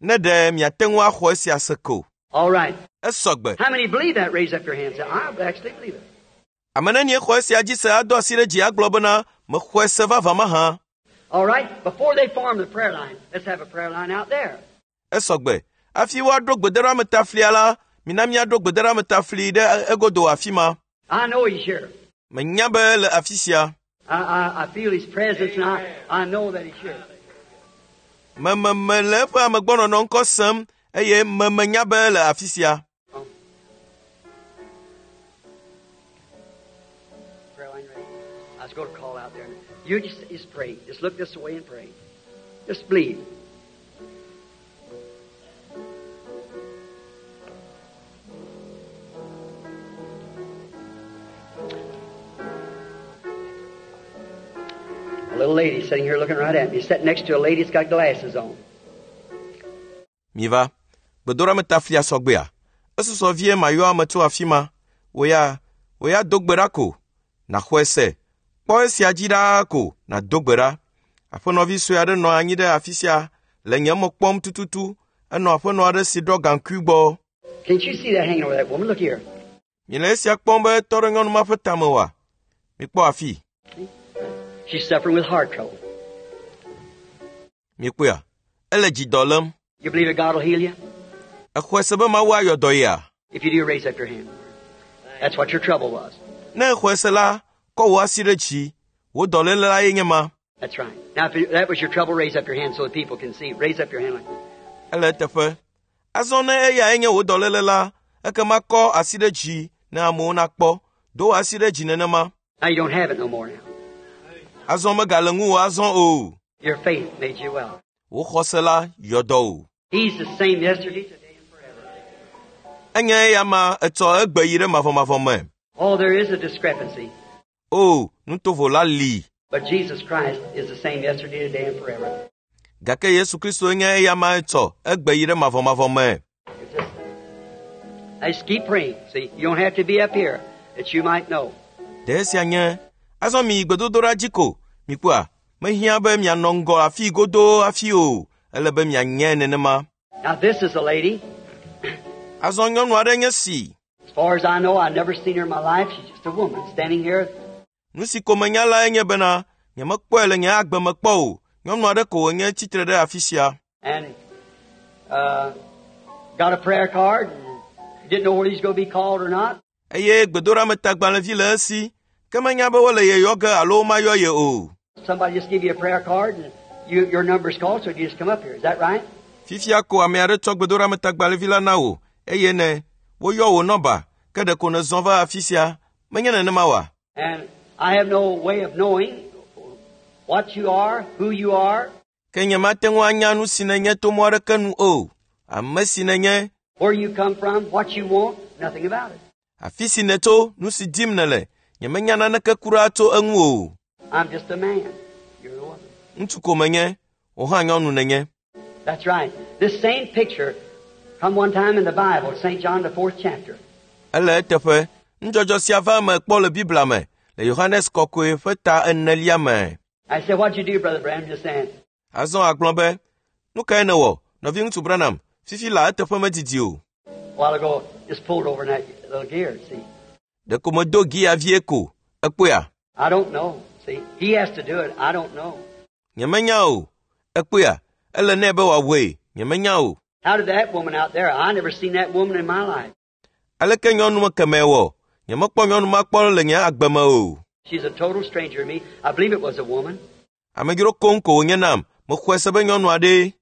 Ne ɖe miate ŋu axɔ esia se ko. All right. Esɔgbe. How many believe that? Raise up your hands. I actually believe it. Ame nenie xɔ esia dzi se ado asi ɖe dzi agblɔ bena mexɔe se vavã mahã. All right. Before they form the prayer line, let's have a prayer line out there. Esɔgbe. Hafi woaɖo gbedoɖametaflia la, mina míaɖo gbedoɖametafli ɖe egodo afi ma. I know he's here. Menya be le afi sia. I feel his presence and I know that he's here. Mememe le eƒe amegbɔnɔnɔ ŋkɔ sem eye memenya be ele afi sia. Oh. Prayer line ready? I was going to call out there. You just pray. Just look this way and pray. Just believe. A little lady sitting here looking right at me, sitting next to a lady that's got glasses on. Miva, gbedoɖa flia sɔgbea. Esusɔ vie mayɔ ame tso afi ma. Wò ya, wò ya do gbe ɖa ko. Nàxɔe se. Kpɔ esia dzi ɖaa ko nàdo gbe ɖa. Aƒenɔvi sue aɖe nɔ anyi ɖe afi sia le nye me kpɔm tututu. Enɔ aƒenɔ aɖe si ɖɔ gaŋkui gbɔ. Can't you see that hanging over that woman? Look here. Miele esia kpɔm be etɔ ɖe nyɔnu ma ƒe tame oa? Mikpɔ afi. She's suffering with heart trouble. Mikpɔea? Ele dzidɔ lém. You believe that God will heal you? Exɔe se be Mawu ayɔ dɔ yea? If you do, raise up your hand. That's what your trouble was. Ne exɔe se la, kɔ wò asi ɖe dzi. Wò dɔléle la ye nye ma. That's right. Now, if that was your trouble, raise up your hand so the people can see. Raise up your hand like Ele eteƒe. Azɔ ne eyae nye wò dɔléle la, ekema kɔ asi ɖe dzi ne amewo nakpɔ. Do wò asi ɖe dzi nenema. Now you don't have it no more now. Azɔ megale ŋuwò azɔ o. Your faith made you well. Wò xɔse la yɔ dɔ o. He's the same yesterday, today, and forever. Enye eya ma etsɔ egbe yi ɖe mavɔmavɔ me. Oh, there is a discrepancy. O, nutovo la li. But Jesus Christ is the same yesterday, today, and forever. Gake Yesu Kristo nye eya ma etsɔ egbe yi ɖe mavɔmavɔ me. It's just, just keep praying. See, you don't have to be up here that you might know. Ɖe esia nye azɔ mi yi gbedodoɖa dzi ko. Mikpɔa, mehiã be mianɔ ŋgɔ afi godoo hafi o. Ele be mianye nenema. Now, this is a lady. Azɔ nyɔnu aɖe nye si. As far as I know, I've never seen her in my life. She's just a woman standing here. Nu si ko menya lae nye bena nyemekpɔe le nye agbe me kpɔ o. Nyɔnu aɖe ko wònye tsitre ɖe afi sia. And got a prayer card and didn't know whether he's going to be called or not. Eye gbedoɖametagbalẽvi le esi. Ke menya be wole ye yɔ ge alo womayɔ ye o. Somebody just give you a prayer card and your number's called, so you just come up here. Is that right? Fifia ko ame aɖe tsɔ gbedoɖametagbalẽvi la na wò eye ne woyɔ wò nɔba ke ɖeko nèzɔ va afi sia. Menye nenema oa? And I have no way of knowing what you are, who you are, Ke nyemate ŋu anya nu si nènye to mɔ aɖeke nu o. Ame si nènye, where you come from, what you want, nothing about it. afi si nètso, nu si dim nèle, nyemenya naneke kura tso eŋu o. I'm just a man. You're a woman. Ŋutsu ko menye, wò hã nyɔnu nènye. That's right. This same picture come one time in the Bible, St. John the 4th chapter. Ele eteƒe. Nudzɔdzɔ sia va eme kpɔ le Biblia me le Yohanes kɔkɔe ƒe ta enelia me. I said, what'd you do, Brother Branham? Just saying. Azɔ agblɔ be, nu kae nèwɔ, nɔviŋutsu Branham, fifi la eteƒe medidi o. A while ago, just pulled over in that little gear, see. Ɖeko medo gia vie ko. Ekpɔea? I don't know. See, he has to do it. I don't know. Nyemenya o. Ekpɔea? Ele nɛ be wòawɔe. Nyemenya o. How did that woman out there? I never seen that woman in my life. Aleke nyɔnu kemɛ wɔ? Nyemekpɔ nyɔnu ma kpɔ le nye agbe me o. She's a total stranger to me. I believe it was a woman. Amedzro koŋ ko wònye nam. Mexɔe se be nyɔnu aɖee.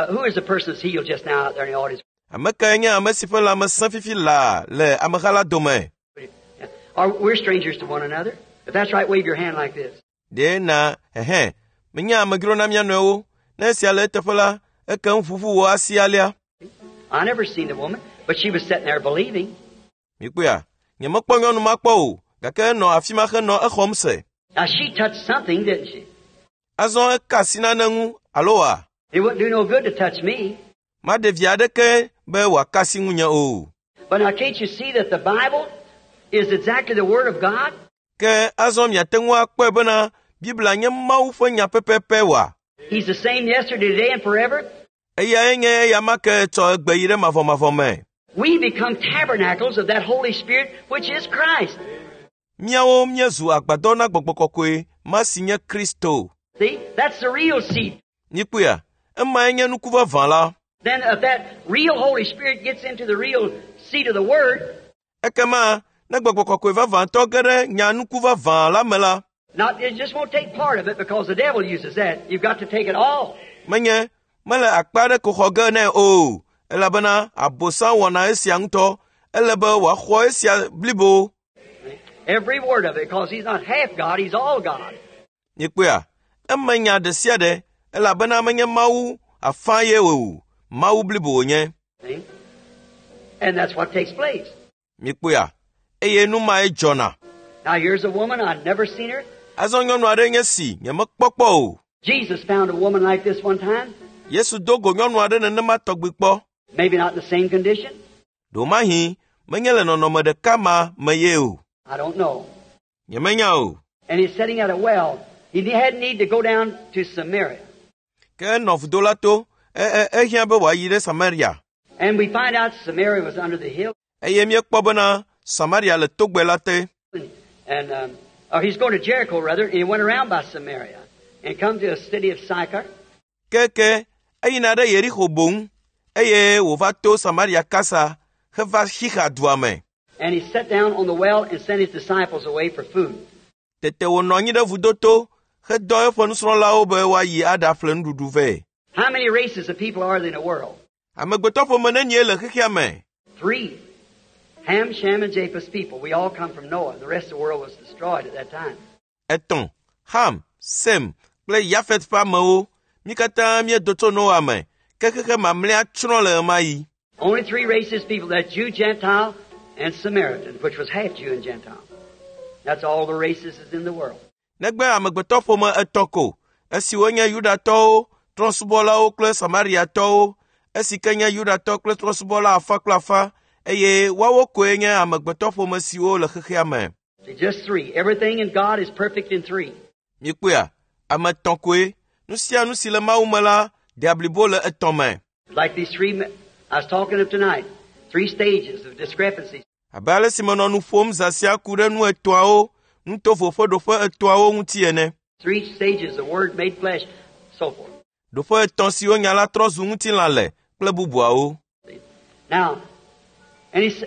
Who is the person that's healed just now out there in the audience? Ame kae nye ame si ƒe lãme sẽ fifi laa le ameha la dome? Are we're strangers to one another? If that's right, wave your hand like this. Ɖe na hehe. Menye amedzro na mía nɔewo. Ne esia le eteƒe la, ekem ʋuʋu wò asi alea. I never seen the woman, but she was sitting there believing. Mikpɔea, nyemekpɔ nyɔnu ma kpɔ o, gake enɔ afi ma henɔ exɔm se. Now she touched something, didn't she? Azɔ eka asi nane ŋu alo wa? It wouldn't do no good to touch me. Maɖe vi aɖeke be wòaka asi ŋunye o. But now can't you see that the Bible is exactly the Word of God? Ke azɔ miate ŋu akpɔe bena Biblia nye Mawu ƒe nya pɛpɛpɛ wa. He's the same yesterday, today, and forever. Eyae nye eya ma ke tsɔ egbe yi ɖe mavɔmavɔ me. We become tabernacles of that Holy Spirit, which is Christ. Míawo míezu agbadɔ na gbɔgbɔ kɔkɔe ma si nye Kristo. See, that's the real seed. Mikpɔea, emae nye nuku vavã la. Then if that real Holy Spirit gets into the real seed of the Word, Ekema ne gbɔgbɔ kɔkɔe vavãtɔ ge ɖe nya nuku vavã la me la, not it just won't take part of it because the devil uses that. You've got to take it all. Menye mele akpa aɖe ko xɔ ge nɛ o, Elabena Abosam wɔna esia ŋutɔ. Ele be wòaxɔ esia blibo. Every word of it, because he's not half God, he's all God. Mikpɔea, eme nya ɖe sia ɖe elabena menye Mawu afã ye o, Mawu blibo wònye. See? And that's what takes place. Mikpɔea, eye nu mae dzɔna. Now here's a woman, I'd never seen her. Azɔ nyɔnu aɖe nye si nyemekpɔ kpɔ o. Jesus found a woman like this one time, Yesu do go nyɔnu aɖe nenema tɔgbi kpɔ. maybe not in the same condition. Ɖewomahi menye le nɔnɔme ɖeka ma me ye o. I don't know. Nyemenya o. And he's sitting at a well. He had need to go down to Samaria. Ke enɔ vudo la to, e e ehiã be wòayi ɖe Samaria. And we find out Samaria was under the hill. Eye míekpɔ bena Samaria le togbɛ la te. And or he's going to Jericho, rather, and he went around by Samaria and come to a city of Sychar. Keke eyina ɖe Yeriko boŋ eye wòva to Samaria kasa heva Xixa dua me. And he sat down on the well and sent his disciples away for food. Tete wònɔ anyi ɖe vudo to hedɔ eƒe nusrɔ̃lawo be woayi aɖaƒle nuɖuɖu vɛ. How many races of people are there in the world? Amegbetɔ ƒome nenie le xexea me? Three. Ham, Shem, and Japheth's people. We all come from Noah. The rest of the world was destroyed at that time. Etɔ̃, Ham, Sem kple Yafet ƒe amewo. Mí katã míedo tso Noa me, ke xexe mamlɛa tsrɔ̃ le ɣemaɣi. Only three races of people, that Jew, Gentile, and Samaritan, which was half Jew and Gentile. That's all the races is in the world. Negbe amegbetɔ ƒome etɔ̃ ko, esiwo nye Yudatɔwo, trɔ̃subɔlawo kple Samariatɔwo, esi ke nye Yudatɔ kple trɔ̃subɔla afã kple afã, eye woawo koe nye amegbetɔ ƒome siwo le xexea me. See, just three. Everything in God is perfect in three. Mikpɔea, ame etɔ̃ koe. Nu sia nu si le Mawu me la dea blibo le etɔ̃ me. Like these three I was talking of tonight, three stages of discrepancies. Abe ale si menɔ nu ƒom zã sia ku ɖe nu etɔ̃awo, nutovo ƒe ɖoƒe etɔ̃awo ŋuti ene. Three stages, the Word made flesh, so forth. Ɖoƒe etɔ̃ siwo nya la trɔ zu ŋutilã le kple bubuawo. Now, and he,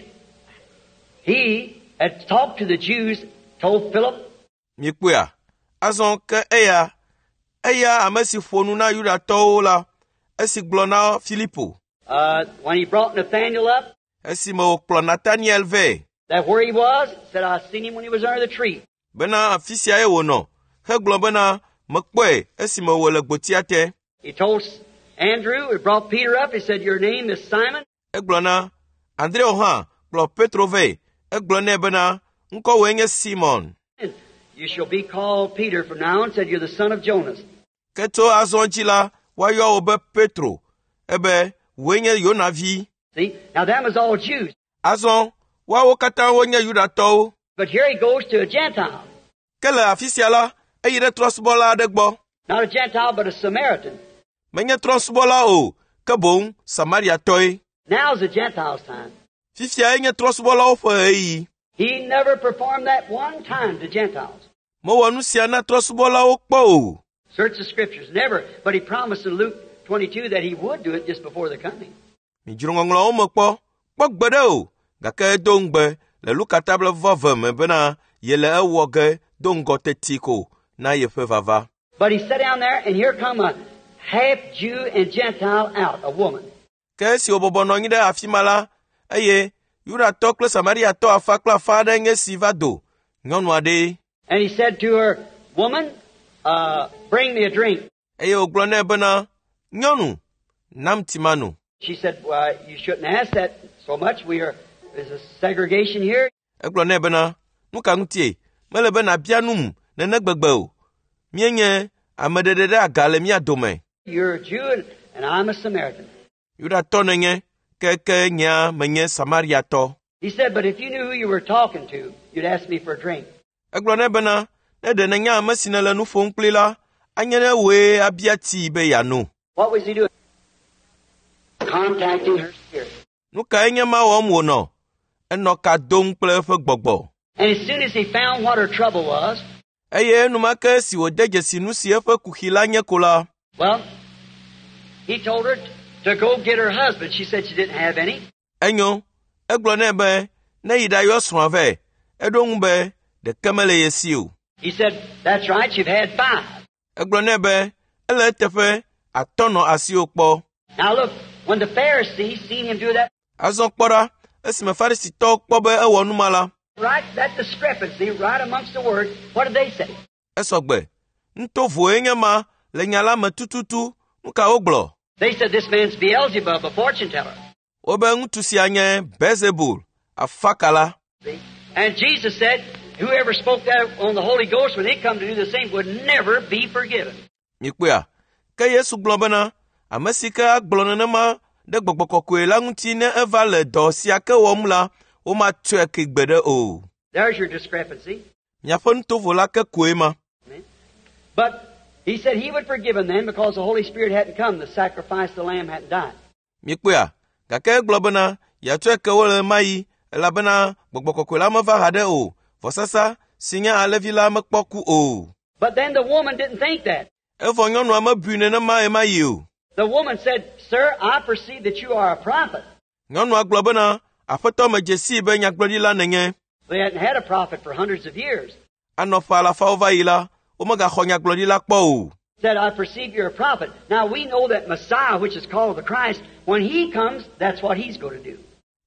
he had talked to the Jews, told Philip, Mikpɔea, azɔ ke eya, eya ame si ƒo nu na Yudatɔwo la, esi gblɔ na Filipo, when he brought Nathaniel up, esime wòkplɔ Nataniel vɛ that where he was, said, I seen him when he was under the tree. bena afi siae wònɔ, hegblɔ bena mekpɔe esime wòle gbotia te. He told Andrew, he brought Peter up, he said, Your name is Simon. Egblɔ na Andreo hã kplɔ Petro vɛ. Egblɔ nɛ bena ŋkɔwòe nye Simon. And you shall be called Peter from now on, said, You're the son of Jonas. Ke tso azɔ dzi la, woayɔ wò be Petro, ebe wòe nye Yona vi. See? Now that was all Jews. Azɔ woawo katã wonye Yudatɔwo. But here he goes to a Gentile. Ke le afi sia la, eyi ɖe trɔ̃subɔla aɖe gbɔ. Not a Gentile, but a Samaritan. Menye trɔ̃subɔla o, ke boŋ Samariatɔe. Now's the Gentiles' time. Fifiae nye trɔ̃subɔlawo ƒe ɣeyiɣi. He never performed that one time to Gentiles. Mewɔ nu sia na trɔ̃subɔlawo kpɔ o. Search the scriptures, never. But he promised in Luke 22 that he would do it just before the coming. Midzro ŋɔŋlɔawo me kpɔ, kpɔ gbeɖe o, gake edo ŋugbe le Luka ta blaeve me bena yele ewɔ ge do ŋgɔ teti ko na yeƒe vava. But he sat down there, and here come a half Jew and Gentile out, a woman. Ke esi wòbɔbɔ nɔ anyi ɖe afi ma la, eye Yudatɔ kple Samariatɔ afa kple afa aɖe nye si va do, nyɔnu aɖee. And he said to her, Woman, bring me a drink. Eye wògblɔ nɛ bena, Nyɔnu, nam tsi mano. She said, Well, you shouldn't ask that so much. We are, there's a segregation here. Egblɔ nɛ bena, nu ka ŋutie? Mele be nàbia num nene gbegbe o. Míenye ame ɖeɖe ɖe aga le mía dome. You're a Jew, and, and I'm a Samaritan. Yudatɔ nènye, ke ke nyea menye Samariatɔ. He said, But if you knew who you were talking to, you'd ask me for a drink. Egblɔ nɛ bena, ne ɖe nènya ame si nèle nu ƒom kpli la, anye ne wòe abia tsii be yeano. What was he doing? Contacting her spirit. Nu kae nye ma wɔm wònɔ? Enɔ ka dom kple eƒe gbɔgbɔ. And as soon as he found what her trouble was, Eye enumake esi wòde dzesi nu si eƒe kuxi la nye ko la, well, he told her to go get her husband. She said she didn't have any. enyo, egblɔ nɛ be ne yi ɖayɔ srɔ̃a vɛ. Eɖo ŋu be ɖeke mele ye si o. He said, That's right, you've had five. Egblɔ nɛ be ele eteƒe atɔ nɔ asiwò kpɔ. Now look, When the Pharisees seen him do that, Azɔ kpɔ ɖa, esime Farisitɔwo kpɔ be ewɔ nu ma la, right, that discrepancy right amongst the word, what did they say? esɔgbe. Nutovoe nye ma le nya la me tututu. Nu ka wogblɔ? They said this man's Beelzebub, a fortune teller. Wobe ŋutsu sia nye Beelzebul, afakala. See? And Jesus said, whoever spoke that on the Holy Ghost when he come to do the same would never be forgiven. Mikpɔea? Ke Yesu gblɔ bena, ame si ke agblɔ nenema ɖe gbɔgbɔ kɔkɔe la ŋuti ne eva le dɔ sia ke wɔm la, womatsɔe ke gbeɖe o. There's your discrepancy. Miaƒe nutovo la ke koe ma. But he said he would forgive him then because the Holy Spirit hadn't come, the sacrifice, the lamb hadn't died. Mikpɔea? Gake egblɔ bena yeatsɔe ke wo le ɣe ma ɣi elabena gbɔgbɔ kɔkɔe la meva haɖe o. Vɔsasa si nye alẽvi la mekpɔ ku o. But then the woman didn't think that. Evɔ nyɔnua mebui nenema ɣe ma ɣi o. The woman said, Sir, I perceive that you are a prophet. Nyɔnua gblɔ bena, Aƒetɔ medze sii be nyagblɔɖila nènye. They hadn't had a prophet for hundreds of years. Anɔ ƒe alafawo va yi la, womegaxɔ nyagblɔɖila kpɔ o. Said, I perceive you're a prophet. Now we know that Messiah, which is called the Christ, when he comes, that's what he's going to do.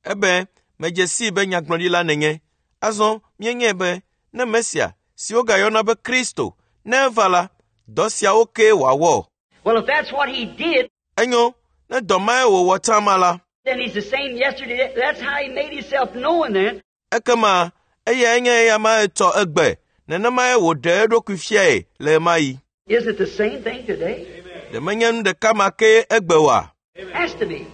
Ebe medze sii be nyagblɔɖila nènye. Azɔ míenyae be ne Mesia si wogayɔna be Kristo ne eva la, dɔ siawo kee wòawɔ. Well, if that's what he did, Enyo, ne dɔ mae wòwɔ tsã ma la, then he's the same yesterday. That's how he made himself known then. ekema eyae nye eya ma etsɔ egbe. Nenemae wòɖe eɖokui fiae le ɣe ma ɣi. Is it the same thing today? Ɖe menye nu ɖeka ma kee egbe oa? Has to be.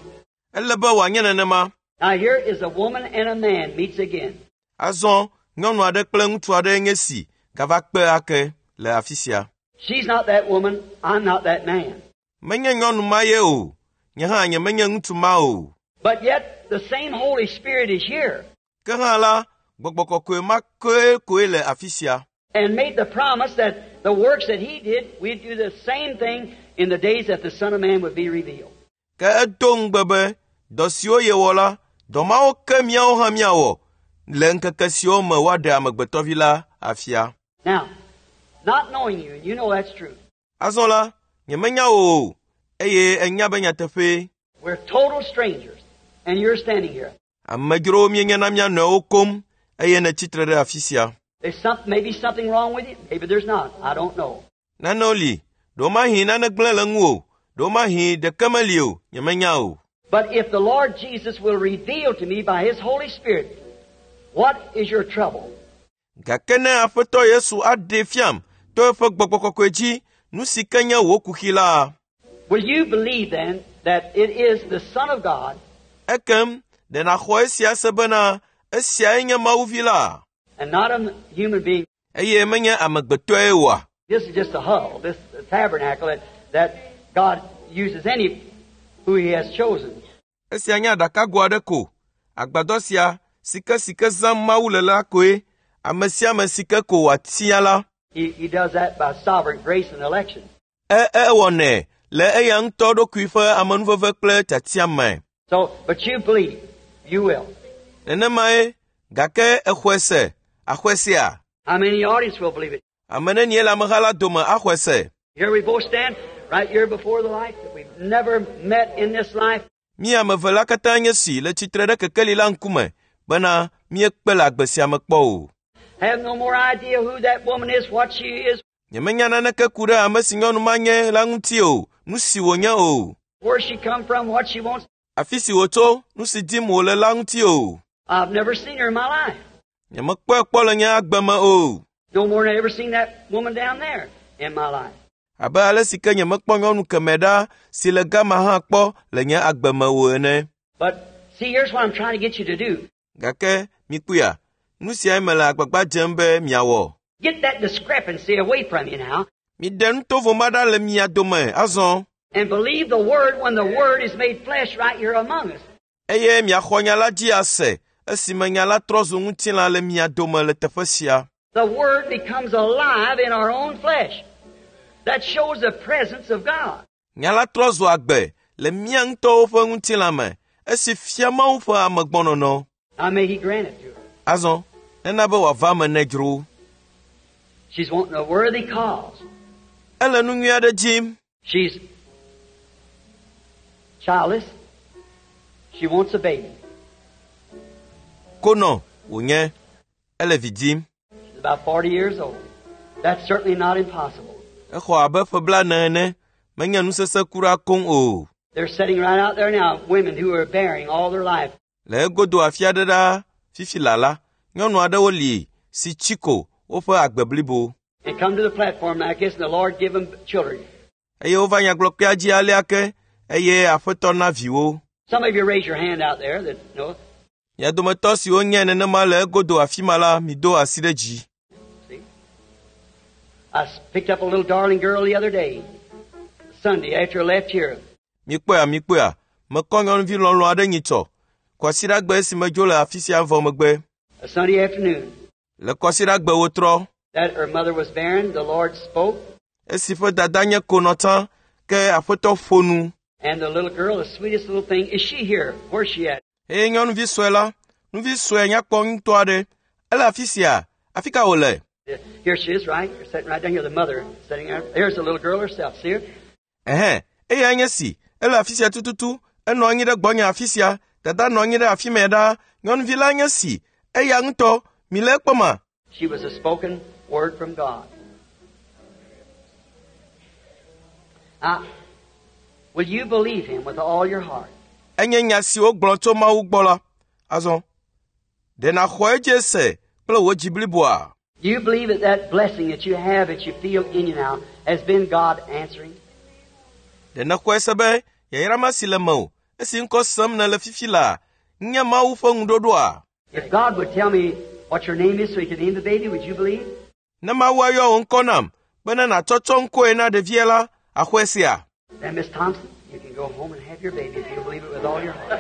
Ele be wòanye nenema. Now here is a woman and a man meets again. Azɔ nyɔnu aɖe kple ŋutsu aɖe nye si gava kpe ake le afi sia. She's not that woman. I'm not that man. Menye nyɔnu ma ye o. Nye hã nyemenye ŋutsu ma o. But yet the same Holy Spirit is here Ke hã la, gbɔgbɔ kɔkɔe ma kee koe le afi sia. and made the promise that the works that he did, we'd do the same thing in the days that the Son of Man would be revealed. Ke edo ŋugbe be dɔ siwo yewɔ la, dɔ mawo ke míawo hã míawɔ le ŋkeke siwo me woaɖe amegbetɔvi la afia. Now, not knowing you, and you know that's true. Azɔ la, nyemenya wò o, eye ènya be nyateƒee. We're total strangers, and you're standing here. Amedzrowo míenye na mía nɔewo koŋ eye nètsi tre ɖe afi sia. There's some, maybe something wrong with you. Maybe there's not. I don't know. Nanewo li, ɖewomahi nane gblẽ le ŋuwò, ɖewomahi ɖeke meli o, nyemenya o. But if the Lord Jesus will reveal to me by His Holy Spirit what is your trouble, Gake ne Aƒetɔ Yesu aɖee fiam to eƒe gbɔgbɔ kɔkɔe dzi nu si ke nye wò kuxi la, will you believe then that it is the Son of God ekem ɖe nàxɔ esia se bena esiae nye Mawu vi la, and not a human being? eye menye amegbetɔe oa? This is just a huddle, this tabernacle that, that God uses any who He has chosen. Esia nye aɖakago aɖe ko. Agbadɔ sia si ke si ke zãm Mawu le la koe ame sia ame si ke ko wòatia la, He, he does that by sovereign grace and election. e ewɔnɛ le eya ŋutɔ ɖokui ƒe amenuveve kple tiatia me. So, but you believe, you will. Nenemae, gake exɔe se, axɔe sea? How many in the audience will believe it? Ame nenie le ameha la dome axɔe se? Here we both stand right here before the light that we've never met in this life. Mí ame eve la katã nye si le tsitre ɖe kekeli la ŋkume bena míekpe le agbe sia me kpɔ o. Have no more idea who that woman is, what she is, Nyemenya naneke ku ɖe ame si nyɔnu ma nye la ŋuti o, nu si wònye o, where she come from, what she wants. afi si wòtso, nu si dim wòle la ŋuti o. I've never seen her in my life. Nyemekpɔe kpɔ le nye agbe me o. No more than I ever seen that woman down there in my life. Abe ale si ke nyemekpɔ nyɔnu kemɛ ɖa si le gama hã kpɔ le nye agbe me o ene. But see, here's what I'm trying to get you to do. Gake mikpɔea, nu siae mele agbagba dzem be miawɔ. Get that discrepancy away from you now Miɖe nutovo ma ɖa le mia dome azɔ and believe the Word when the Word is made flesh right here among us. eye miaxɔ nya la dzi ase esime nya la trɔ zu ŋutilã le mia dome le teƒe sia. The Word becomes alive in our own flesh. That shows the presence of God. Nya la trɔ zu agbe le mía ŋutɔwo ƒe ŋutilã me esi fia Mawu ƒe amegbɔnɔnɔ. Now may He grant it to her. Azɔ, nena be wòava eme ne dzro. She's wanting a worthy cause. Ele nu nyui aɖe dim. She's childless. She wants a baby. Konɔ wònye, ele vi dim. She's about 40 years old. That's certainly not impossible. Exɔ abe ƒe blaene ene, menye nu sesẽ kura koŋ o. They're sitting right out there now, women who are bearing all their life. Le egodo afi aɖe ɖaa fifi lala, nyɔnu aɖewo li si tsi ko woƒe agbe blibo. And come to the platform like this, and the Lord give them children. Eye wova nyagblɔkpea dzi alea ke eye Aƒetɔ na viwo. Some of you raise your hand out there that know. Mia dometɔ siwo nye nenema le egodo afi ma la, mido asi ɖe dzi. See? I picked up a little darling girl the other day, Sunday, after I left here. Mikpɔea, mikpɔea, mekɔ nyɔnuvi lɔlɔ̃ aɖe nyitsɔ. Kwasiɖagbe esi medzo le afi sia vɔ megbe. A Sunday afternoon. Le kwasiɖagbe wotrɔ. That her mother was barren, the Lord spoke. Esi ƒe dada nye konɔ tsã, ke Aƒetɔ ƒo nu. And the little girl, the sweetest little thing, is she here? Where's she at? Eye nyɔnuvi sue la, nuvi sue nyakpɔ ŋutɔ aɖe, ele afi sia, afi ka wòle? Here she is, right? Sitting right down here, the mother sitting there. Here's the little girl herself. See her? Ɛhɛn, eyae nye si, ele afi sia tututu, enɔ anyi ɖe gbɔnye afi sia, dada nɔ anyi ɖe afi mɛ ɖaa, nyɔnuvi la nye si, eya ŋutɔ, mi le ekpɔma? She was a spoken word from God. Now, will you believe him with all your heart? Enye nya si wogblɔ tso Mawu gbɔ la. Azɔ, ɖe nàxɔ edzi se kple wò dzi bliboa? Do you believe that that blessing that you have, that you feel in you now, has been God answering? Ɖe nèxɔe se be yayra ma si le mewò, esi ŋkɔ sem nèle fifi la, nye Mawu ƒe ŋuɖoɖoa? If God would tell me what your name is so he could name the baby, would you believe? Ne Mawu ayɔ wò ŋkɔ nam bene nàtsɔtsɔ ŋkɔe na ɖevia la, àxɔe sea? Then, Miss Thompson, you can go home and have your baby if you believe it with all your heart.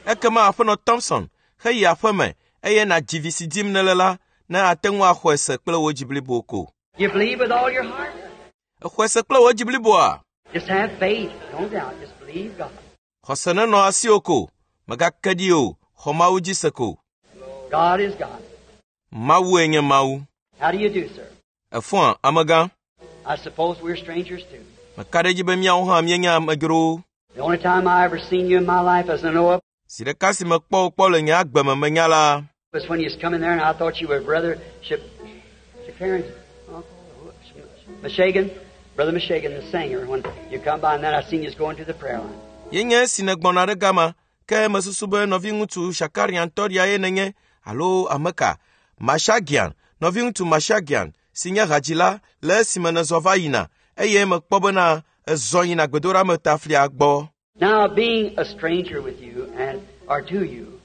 Ekema Aƒenɔ Thompson heyi aƒeme eye nàdzi vi si dim nèle la, ne ate ŋu axɔe se kple wò dzi blibo ko. You believe with all your heart? Exɔe se kple wò dzi bliboa? Just have faith. Don't doubt. Just believe God. Xɔse nenɔ asiwò ko, mègake ɖi o, xɔ Mawu dzi se ko. God is God. Mawue nye Mawu. How do you do, sir? Èfɔa, amegã? I suppose we're strangers too. Meka ɖe edzi be míawo hã míenye amedzrowo. The only time I ever seen you in my life as I know of Zi ɖeka si mekpɔ wò kpɔ le nye agbe me menya la, was when you was coming there and I thought you were Brother Shakarin's uncle, Meshagan, Brother Meshagan, the singer, when you come by and then I seen you going to the prayer line. ye nye esi nègbɔna ɖe gama, ke mesusu be nɔviŋutsu Shakarian tɔɖia ye nènye alo ame ka? Mashagian, nɔviŋutsu Mashagian, si nye hadzila le esime nèzɔ va yina eye mekpɔ bena ezɔ yina gbedoɖametaflia gbɔ. Now, being a stranger with you and or to you,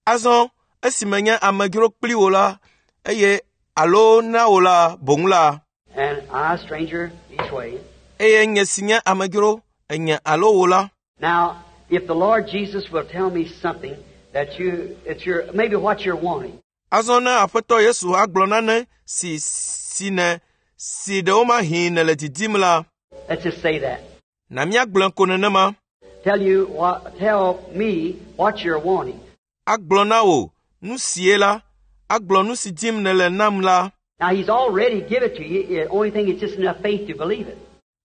Azɔ esi menye amedzro kpli wò la eye alo na wò la boŋ la, and I a stranger each way. eye nye si nye amedzro enye alo wò la, Now, if the Lord Jesus will tell me something that you, it's your, maybe what you're wanting, azɔ ne Aƒetɔ Yesu agblɔ nane si si ne si ɖewomahi nèle didim la, let's just say that. na míagblɔe ko nenema. Tell you what, tell me what you're wanting. Agblɔ na wò nu sie la, agblɔ nu si dim nèle nam la. Now, He's already given it to you. The only thing is just enough faith to believe it.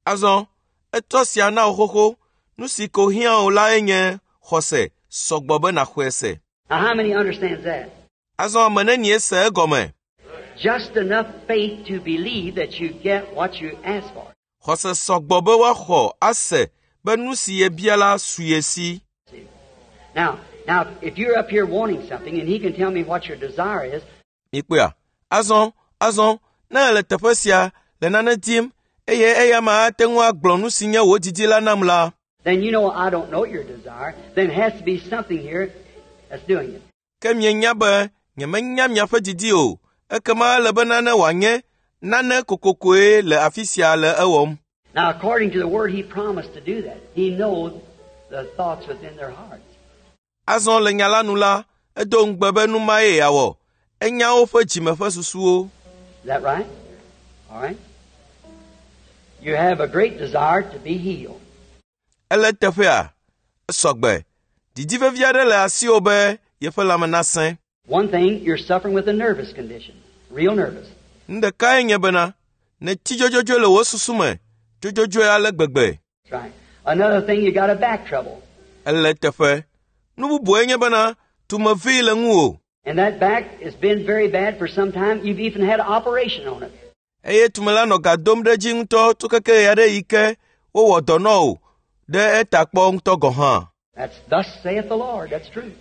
Azɔ etsɔ sia na wò xoxo. Nu si ko hiã wò lae nye xɔse sɔgbɔ be nàxɔe se. Now, how many understands that? Azɔ ame nenie se egɔme? Just enough faith to believe that you get what you ask for. Xɔse sɔgbɔ be woaxɔ ase be nu si yebia la su ye si. See? Now, now, if you're up here wanting something and He can tell me what your desire is, Mikpɔea? Azɔ, azɔ, ne èle teƒe sia le nane dim eye eya ma ate ŋu agblɔ nu si nye wò didi la nam la, then you know I don't know your desire. Then it has to be something here that's doing it. ke mienya be nyemenya miaƒe didi o. Ekema ele be nane wòanye nane kokokoe le afi sia le ewɔm. Now, according to the word, He promised to do that. He knows the thoughts within their hearts. Azɔ le nya la nu la, edo ŋugbe be nu mae yeawɔ. Enya woƒe dzime ƒe susuwo. Is that right? All right. You have a great desire to be healed. Ele teƒea, esɔgbe. Didi vevi aɖe le asiwò be yeƒe lãme nasẽ. One thing, you're suffering with a nervous condition, real nervous. Nu ɖekae nye bena, nètsi dzodzodzoe le wò susu me, dzodzodzoe ale gbegbe. That's right. Another thing, you got a back trouble. Ele teƒe. Nu bubue nye bena tumevee le ŋuwò And that back has been very bad for some time. You've even had an operation on it. eye tume la nɔ ga dom ɖe edzi ŋutɔ tso keke ɣe aɖe yi ke wowɔ dɔ nɔ wò ɖe eta kpɔ ŋutɔ gɔ̃ hã. That's thus saith the Lord. That's true.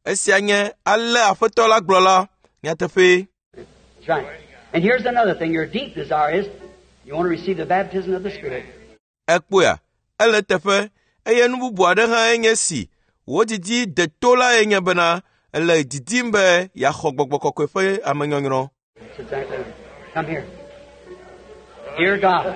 Esia nye ale Aƒetɔ la gblɔ la nyateƒee. That's right. And here's another thing. Your deep desire is you want to receive the baptism of the Spirit. Ekpɔea, ele teƒe eye nu bubu aɖe hã enye si wò didi deto lae nye bena ele didim be yeaxɔ gbɔgbɔ kɔkɔe ƒe amenyɔnyrɔ. That's exactly right. Come here. Dear God,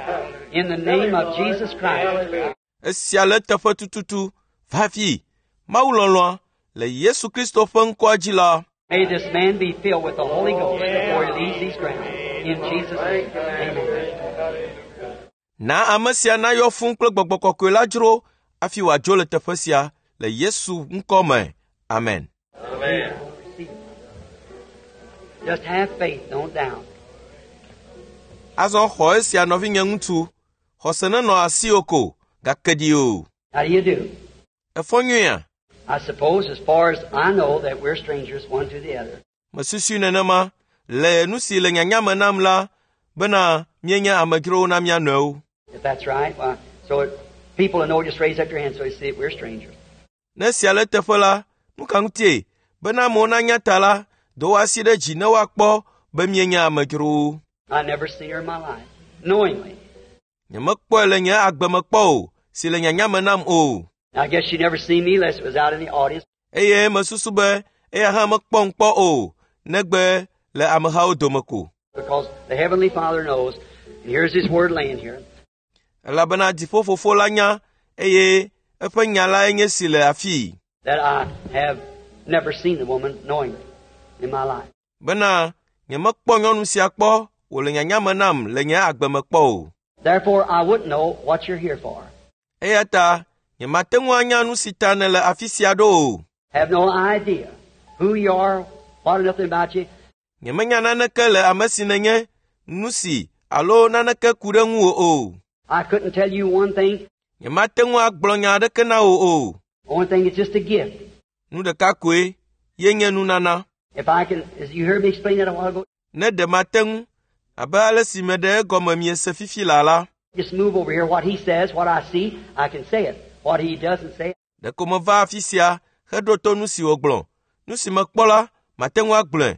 in the name of Jesus Christ, Esia le teƒe tututu va fi. Mawu lɔlɔ̃a le Yesu Kristo ƒe ŋkɔa dzi la, may this man be filled with the Holy Ghost before he leaves these grounds. In Jesus' name, amen. na ame sia nayɔ fũu kple gbɔgbɔ kɔkɔe la dzro hafi wòadzo le teƒe sia le Yesu ŋkɔ me. Amen. Receive it. Just have faith, don't doubt. Azɔ xɔ esia nɔvinye ŋutsu, xɔse nenɔ asiwò ko, gake ɖi o. How do you do? Efɔ nyuia? I suppose, as far as I know, that we're strangers one to the other. Mesusui nenema le nu si le nyanya me nam la bena míenye amedzrowo na mía nɔewo. If that's right, why, so it, people that know, just raise up your hand so they see that we're strangers. Ne esia le eteƒe la, nu ka ŋutie? Bena amewo nanya ta la, do wo asi ɖe dzi ne woakpɔ be míenye amedzrowo. I never seen her in my life, knowingly. Nyemekpɔe le nye agbe me kpɔ o, si le nyanya me nam o. I guess she never seen me unless it was out in the audience. Eye mesusu be eya hã mekpɔm kpɔ o, negbe le amehawo dome ko. Because the Heavenly Father knows, and here's His Word laying here. Elabena dziƒofofo la nya eye eƒe nya lae nye si le afii. that I have never seen the woman knowingly in my life. Bena nyemekpɔ nyɔnu sia kpɔ wòle nyanya me nam le nye agbe me kpɔ o. Therefore, I wouldn't know what you're here for. Eya ta nyemate ŋu anya nu si ta nèle afi sia ɖo o. Have no idea who you are, what or nothing about you. Nyemenya naneke le ame si nènye, nu si alo naneke ku ɖe ŋuwò o. I couldn't tell you one thing. Nyemate ŋu agblɔ nya aɖeke na wò o. Only thing is just a gift. Nu ɖeka koe ye nye nunana. If I can, as you heard me explain that a while ago, Ne ɖe mate ŋu, abe ale si meɖe egɔme miese fifi laa la, just move over here. What he says, what I see, I can say it. What he doesn't say, ɖeko meva afi sia heɖo to nu si wògblɔ. Nu si mekpɔ la, mate ŋu agblɔe.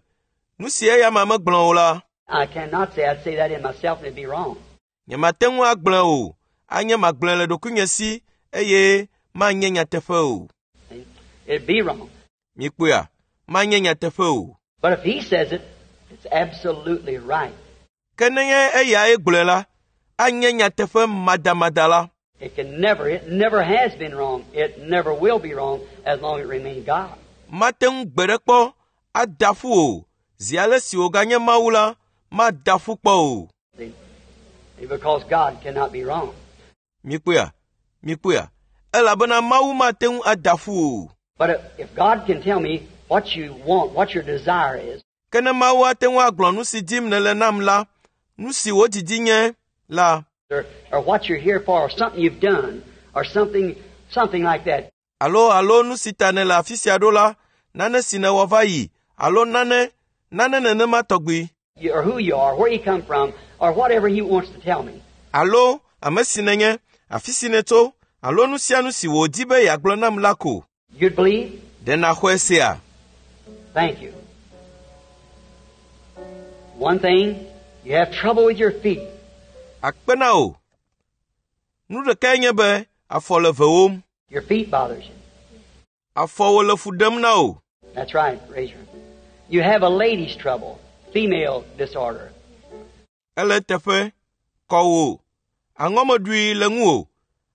Nu si eya ma megblɔ o la, I cannot say. I'd say that in myself and it'd be wrong. nyemate ŋu agblɔe o. Anye magblɔe le ɖokuinye si eye manye nyateƒe o. See? It'd be wrong. Mikpɔea, manye nyateƒe o. But if he says it, it's absolutely right. Ke nenye eyae gblɔe la, anye nyateƒe madamada la. It can never, it never has been wrong. It never will be wrong as long as it remains God. Mate ŋu gbe ɖe kpɔ ada ƒu o. Zi ale si wòganye Mawu la, mada ƒu kpɔ o. See? Because God cannot be wrong. Mikpɔea, mikpɔea, elabena Mawu mate ŋu ada ƒu o. But if, if God can tell me what you want, what your desire is, Ke ne Mawu ate ŋu agblɔ nu si dim nèle nam la, nu si wò didi nye la, or, or what you're here for, or something you've done, or something, something like that, alo alo nu si ta nèle afi sia ɖo la, nane si nèwɔ va yi, alo nane, nane nenema tɔgbi, you, or who you are, where you come from, or whatever He wants to tell me, alo ame si nènye, afi si nètso, alo nu sia nu si wòdi be yeagblɔ nam la ko. you'd believe? Ɖe nàxɔe sea? Thank you. One thing, you have trouble with your feet. Akpe na wò. Nu ɖekae nye be afɔ le vewòm. Your feet bothers you. Afɔwo le fu ɖem na wò. That's right, raise your hand. You have a lady's trouble, female disorder. Ele teƒe, kɔ wò. Aŋɔmeɖui le ŋuwò.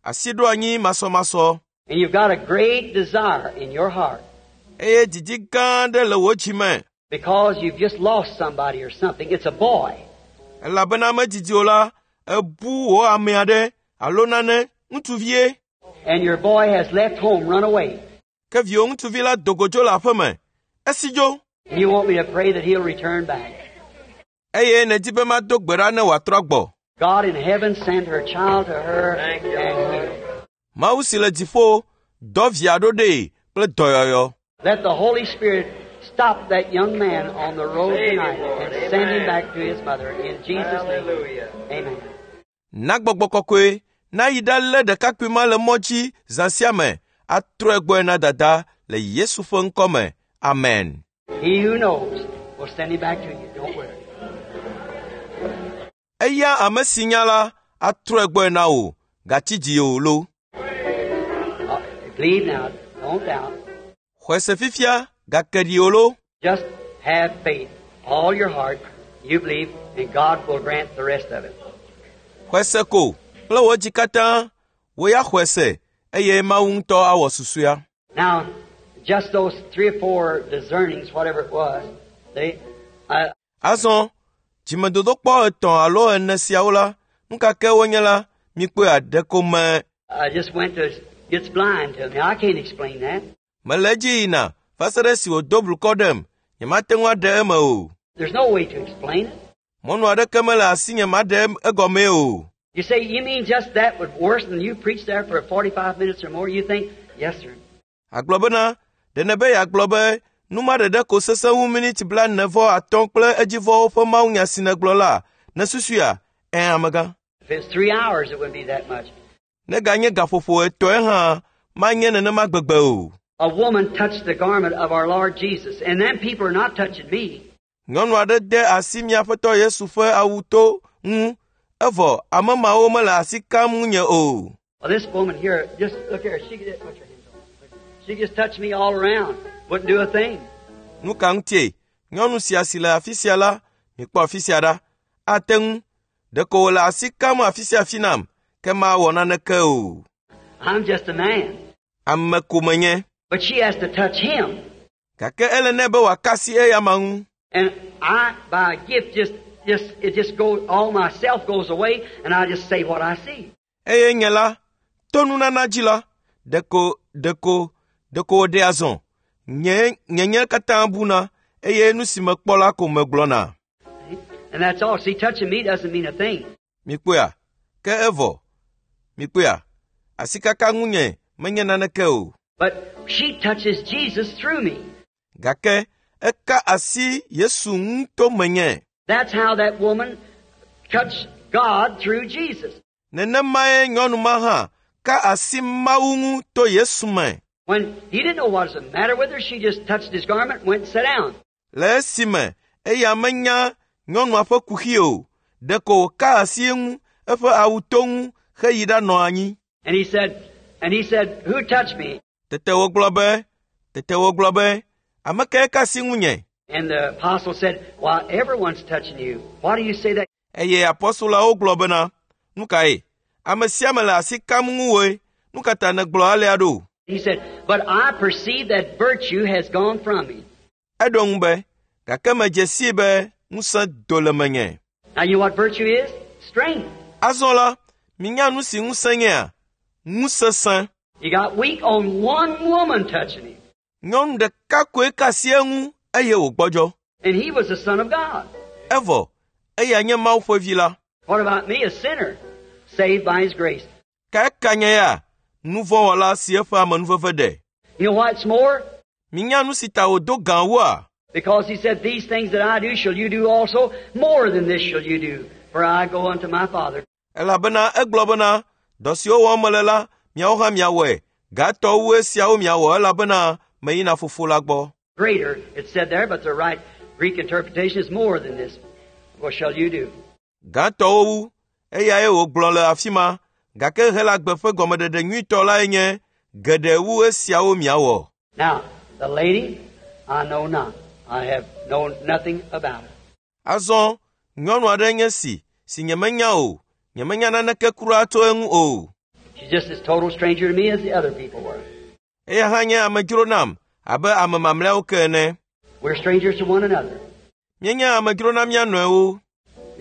Asi ɖo anyi masɔmasɔ. And you've got a great desire in your heart Eye didi gã aɖe le wò dzi me. because you've just lost somebody or something. It's a boy. Elabena medidi o la, ebu wò ame aɖe alo nane, ŋutsuvie. And your boy has left home, run away. Ke viwò ŋutsuvi la do go dzo le aƒeme. Esi dzo. And you want me to pray that he'll return back. Eye nèdi be mado gbe ɖa ne wòatrɔ gbɔ. God in heaven send her child to her and heal. Mawu si le dziƒo dɔ via ɖo ɖee kple dɔyɔyɔ. Let the Holy Spirit stop that young man on the road tonight and send him back to his mother in Jesus' name. Hallelujah. Amen. Na gbɔgbɔ kɔkɔe nayi ɖalé ɖekakpui ma le mɔ dzi zã sia me atrɔe gbɔe na dada le Yesu ƒe ŋkɔ me. Amen. He who knows will send him back to you. Don't worry. Eya ame si nya la atrɔe gbɔe na wò gatsi dzi o lo. Believe now. Don't doubt. Xɔe se fifia gake ɖi o lo. Just have faith. All your heart. You believe, and God will grant the rest of it. Xɔe se ko kple wò dzi katã wò ya xɔe se eye Mawu ŋutɔ awɔ susɔea. Now, just those 3 or 4 discernings, whatever it was, they, Azɔ dzimedodokpɔ 3 alo 4 siawo la, nu ka ke wonye la, mikpɔe aɖe ko me. I just went to, gets blind to me. I can't explain that. Mele edzi yina va se ɖe esi wòdo blukɔ ɖem, nyemate ŋu aɖe eme o. There's no way to explain it. Mɔnu aɖeke mele asinye maɖe egɔmee o. You say, you mean just that was worse than you preached there for 45 minutes or more? You think, yes, sir. Agblɔ bena, ɖe nebe yeagblɔ be nu ma ɖeɖe ko sesẽ wu miniti 45 kple edzivɔwo ƒe mawunya si nègblɔ la, nèsusuia? Ẽ, amegã. If it's 3 hours, it wouldn't be that much. Neganye gaƒoƒo 3 hã, manye nenema gbegbe o. A woman touched the garment of our Lord Jesus, and then people are not touching me. Nyɔnu aɖe de asi mía Aƒetɔ Yesu ƒe awu to ŋu, evɔ ame mawo mele asi kam ŋunye o. Well, this woman here, just look here, she could put your hands on. She just touched me all around, wouldn't do a thing. Nu ka ŋutie? Nyɔnu sia si le afi sia la, mikpɔ afi sia ɖa. Ate ŋu. Ɖeko wòle asi kam afi sia afi nam, ke mawɔ naneke o. I'm just a man. Ame ko menye. But she has to touch him. Gake ele nɛ be wòaka asi eya ma ŋu. And I, by gift, just, it just goes, all myself goes away, and I just say what I see. Eye nye la, to nunana dzi la, ɖeko, ɖeko, ɖeko wòɖe azɔ. Nye, nye nye katã buna, eye nu si mekpɔ la ko megblɔna. And that's all. See, touching me doesn't mean a thing. Mikpɔea? Ke evɔ. Mikpɔea? Asikaka ŋunye menye naneke o. But she touches Jesus through me. Gake eka asi Yesu ŋu to menye. That's how that woman touched God through Jesus. Nenemae nyɔnu ma hã ka asi Mawu ŋu to Yesu me. When he didn't know what was the matter with her, she just touched his garment and went and sat down. Le esime eya menya nyɔnua ƒe kuxi o, ɖeko wòka asi eŋu, eƒe awu to ŋu heyi ɖanɔ anyi. And he said, who touched me? Tete wògblɔ be, ame kae ka asi ŋunye? And the apostle said, well, everyone's touching you. Why do you say that? Eye apostolawo gblɔ bena, nu kae? Ame sia ame le asi kam ŋuwòe. Nu ka ta nègblɔ alea ɖo? He said, but I perceive that virtue has gone from me. Eɖo ŋu be, gake medze sii be ŋusẽ do le menye. Now you know what virtue is? Strength. Azɔ la, minya nu si ŋusẽ nyea? Ŋusesẽ. He got weak on one woman touching him. Nyɔnu ɖeka koe ka asi eŋu eye wògbɔdzɔ. And he was the Son of God. Evɔ, eya nye Mawu ƒe vi la. What about me, a sinner, saved by his grace? Ka eka nye ya? Nu vɔ̃wɔla si eƒe amenuveve ɖe. You know why it's more? Minya nu si ta wòdo gã wua? Because he said, these things that I do shall you do also, more than this shall you do, for I go unto my Father. Elabena egblɔ bena, dɔ siwo wɔm mele la, miawo hã miawɔe. Gatɔ wu esiawo miawɔ elabena meyina fofo la gbɔ. Greater, it said there, but the right Greek interpretation is more than this. What shall you do? Gãtɔwo wu, eyae wògblɔ le afi ma, gake Helagbe ƒe gɔmeɖeɖe nyuitɔ lae nye geɖe wu esiawo miawɔ. Now, the lady, I know not. I have known nothing about her. Azɔ, nyɔnu aɖe nye si, si nyemenya o. Nyemenya naneke kura tso eŋu o. She's just as total stranger to me as the other people were. Eya hã nye amedzro nam abe ame mamlɛawo ke ene. We're strangers to one another. Míenye amedzro na mía nɔewo.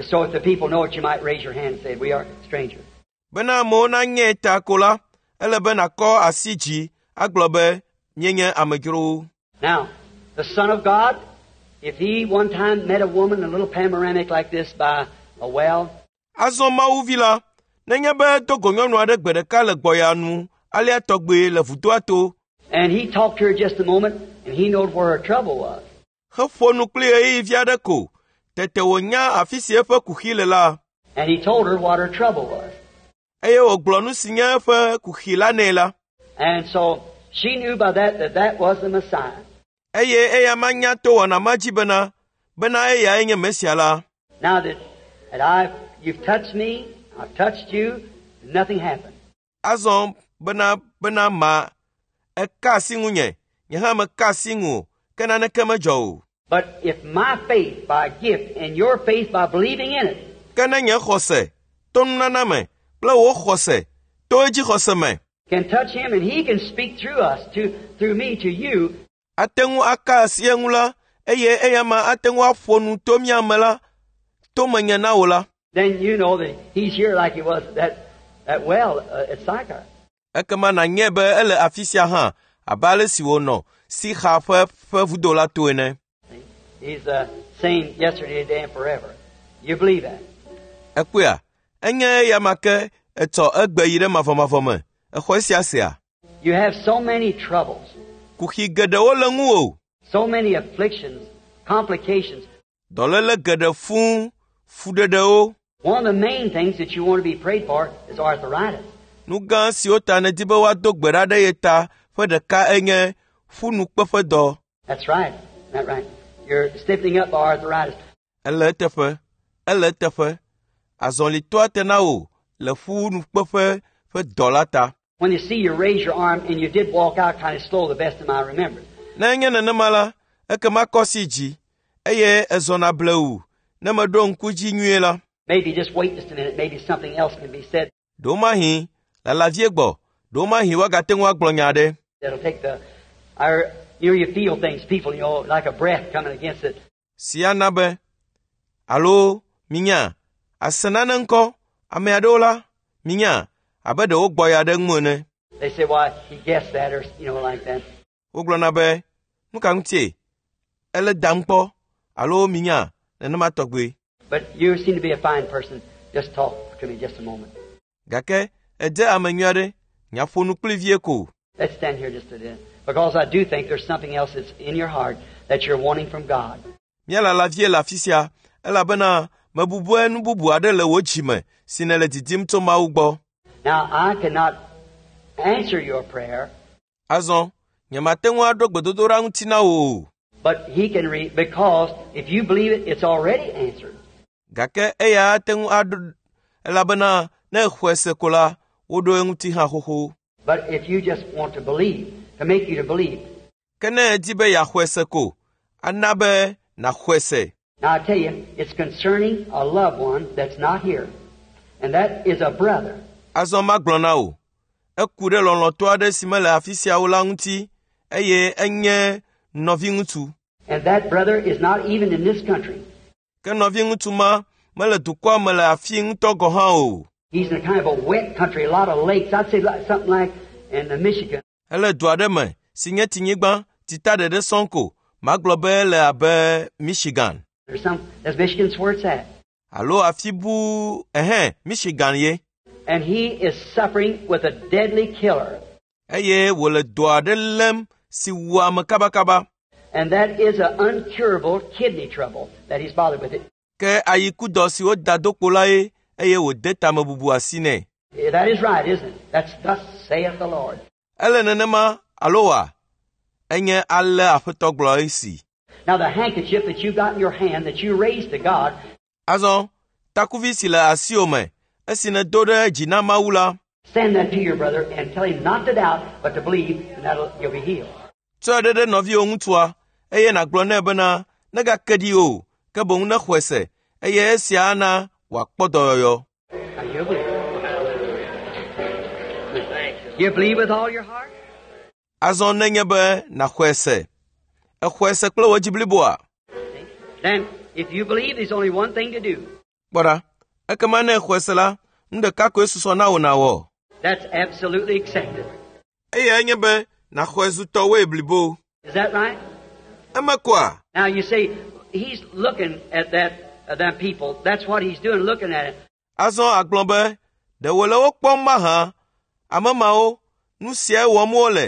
So if the people know it, you might raise your hand and say, we are strangers. Bena amewo nanye ta ko la, ele be nàkɔ asi dzi agblɔ be míenye amedzrowo. Now, the Son of God, if he one time met a woman in a little panoramic like this by a well, Azɔ Mawu vi la, nenye be do go nyɔnu aɖe gbe ɖeka le gbɔya nu Alea tɔgbe le vudoa to. And he talked to her just a moment, and he knowed where her trouble was. Heƒo nu kpli ɣeyiɣi vi aɖe ko. Tete wònya afi si eƒe kuxi le la. And he told her what her trouble was. Eye wògblɔ nu si nye eƒe kuxi la nɛ la. And so she knew by that that that was the Messiah. Eye eya manya to wɔna ma dzi bena bena eyae nye Mesia la. Now that, that I've, you've touched me, I've touched you, nothing happened. Azɔ bena bena ma eka asi ŋunye, nye hã meka asi ŋu o, ke naneke medzɔ o. But if my faith by gift and your faith by believing in it Ke ne nye xɔse to nunana me kple wò xɔse to edzi xɔse me can touch him and he can speak through us, to, through me to you, ate ŋu aka asi eŋu la, eye eya ma ate ŋu aƒo nu to mía me la, to menye na wò la, then you know that he's here like he was at that, that well at Sychar. Ekema nànyae be ele afi sia hã abe ale si wònɔ Sixa ƒe ƒe vudo la to ene. He's the same yesterday, today, and forever. You believe that? Ekpɔea, enye eya ma ke etsɔ egbe yi ɖe mavɔmavɔ me. Exɔ esia sea? You have so many troubles, Kuxi geɖewo le ŋuwò. so many afflictions, complications. Dɔléle geɖe fũu, fuɖeɖewo. One of the main things that you want to be prayed for is arthritis. Nu gã siwo ta nèdi be woado gbe ɖa ɖe ye ta ƒe ɖeka enye ƒunukpeƒedɔ. That's right. Isn't that right? You're stiffening up by arthritis. Ele eteƒe, ele eteƒe. Azɔli toa te na wò le ƒunukpeƒe ƒe dɔ la ta. When you see you raise your arm and you did walk out kind of slow, the best of my remembrance. Ne enye nenema la, ekema kɔ asi dzi, eye ezɔna blewu ne meɖo ŋku dzi nyuie la. Maybe just wait just a minute. Maybe something else can be said Ɖewomahi lala vie gbɔ, ɖewomahi woagate ŋu agblɔ nya aɖe. that'll take the, our, you know, you feel things, people, you know, like a breath coming against it. Si ana be, alo minya, ase nane ŋkɔ, ame aɖewo la, minya, abe ɖe wogbɔ ya ɖe ŋu ene. They say, why, he guessed that or, you know, like that. Wogblɔna be, nu ka ŋutie? Ele dam kpɔ, alo minya, nenema tɔgbe. But you seem to be a fine person. Just talk to me just a moment. Gake edze ame nyui aɖe, nyaƒo nu kpli vie ko. Let's stand here just a minute. Because I do think there's something else that's in your heart that you're wanting from God. Míalala vie le afi sia, elabena mebu be nu bubu aɖe le wò dzime si nèle didim tso Mawu gbɔ. Now, I cannot answer your prayer, Azɔ, nyemate ŋu aɖo gbedodoɖa ŋuti na wò o. but he can read, because if you believe it, it's already answered. Gake eya ate ŋu aɖo, elabena ne exɔe se ko la, woɖo eŋuti hã xoxo. But if you just want to believe, to make you to believe. Ke ne edi be yeaxɔe se ko, ana be nàxɔe se. Now, I tell you, it's concerning a loved one that's not here, and that is a brother. Azɔ magblɔ na wò, eku ɖe lɔlɔ̃tɔ aɖe si mele afi sia o la ŋuti eye enye nɔviŋutsu. And that brother is not even in this country. Ke nɔviŋutsu ma mele dukɔa me le afi ŋutɔ gɔ̃ hã o. He's in a kind of a wet country, a lot of lakes. I'd say like, something like in the Michigan. Ele du aɖe me si nye tsinyigba tita ɖeɖe sɔŋ ko magblɔ be ele abe Michigan Or some, that's Michigan's where it's at. alo afi bu ɛhɛn Michigan ye. And he is suffering with a deadly killer. Eye wòle dɔ aɖe lém si wua ame kabakaba. And that is an uncurable kidney trouble that he's bothered with. It. Ke ayikudɔ si woda do kpo la ye eye wòde tamebubu asi nɛ. That is right, isn't it? That's thus saith the Lord. Ele nenema alo wa? Enye ale Aƒetɔ gblɔ esi. Now the handkerchief that you got in your hand that you raised to God, Azɔ, takuvi si le asiwò me, esi nèdo ɖe dzi na Mawu la, send that to your brother and tell him not to doubt, but to believe, and that'll you'll be healed. tsɔe ɖe ɖe nɔviwò ŋutsua eye nàgblɔ nɛ bena negake ɖi o, ke boŋ nexɔe se eye esia ana wòakpɔ dɔyɔyɔ. Now you believe. You believe with all your heart? Azɔ nenye be nàxɔe se. Exɔe se kple wò dzi bliboa? Then, if you believe, there's only one thing to do. Kpɔ ɖa, ekema ne exɔe se la, nu ɖeka koe susɔ na wò nàwɔ. That's absolutely accepted. Eyae nye be nàxɔe zu tɔwòe blibo. Is that right? Eme koa? Now you say, he's looking at that them people. That's what he's doing, looking at it. Azɔ agblɔ be, ɖe wòle wo kpɔm mahã? Ame mawo, Nu siae wɔm wole.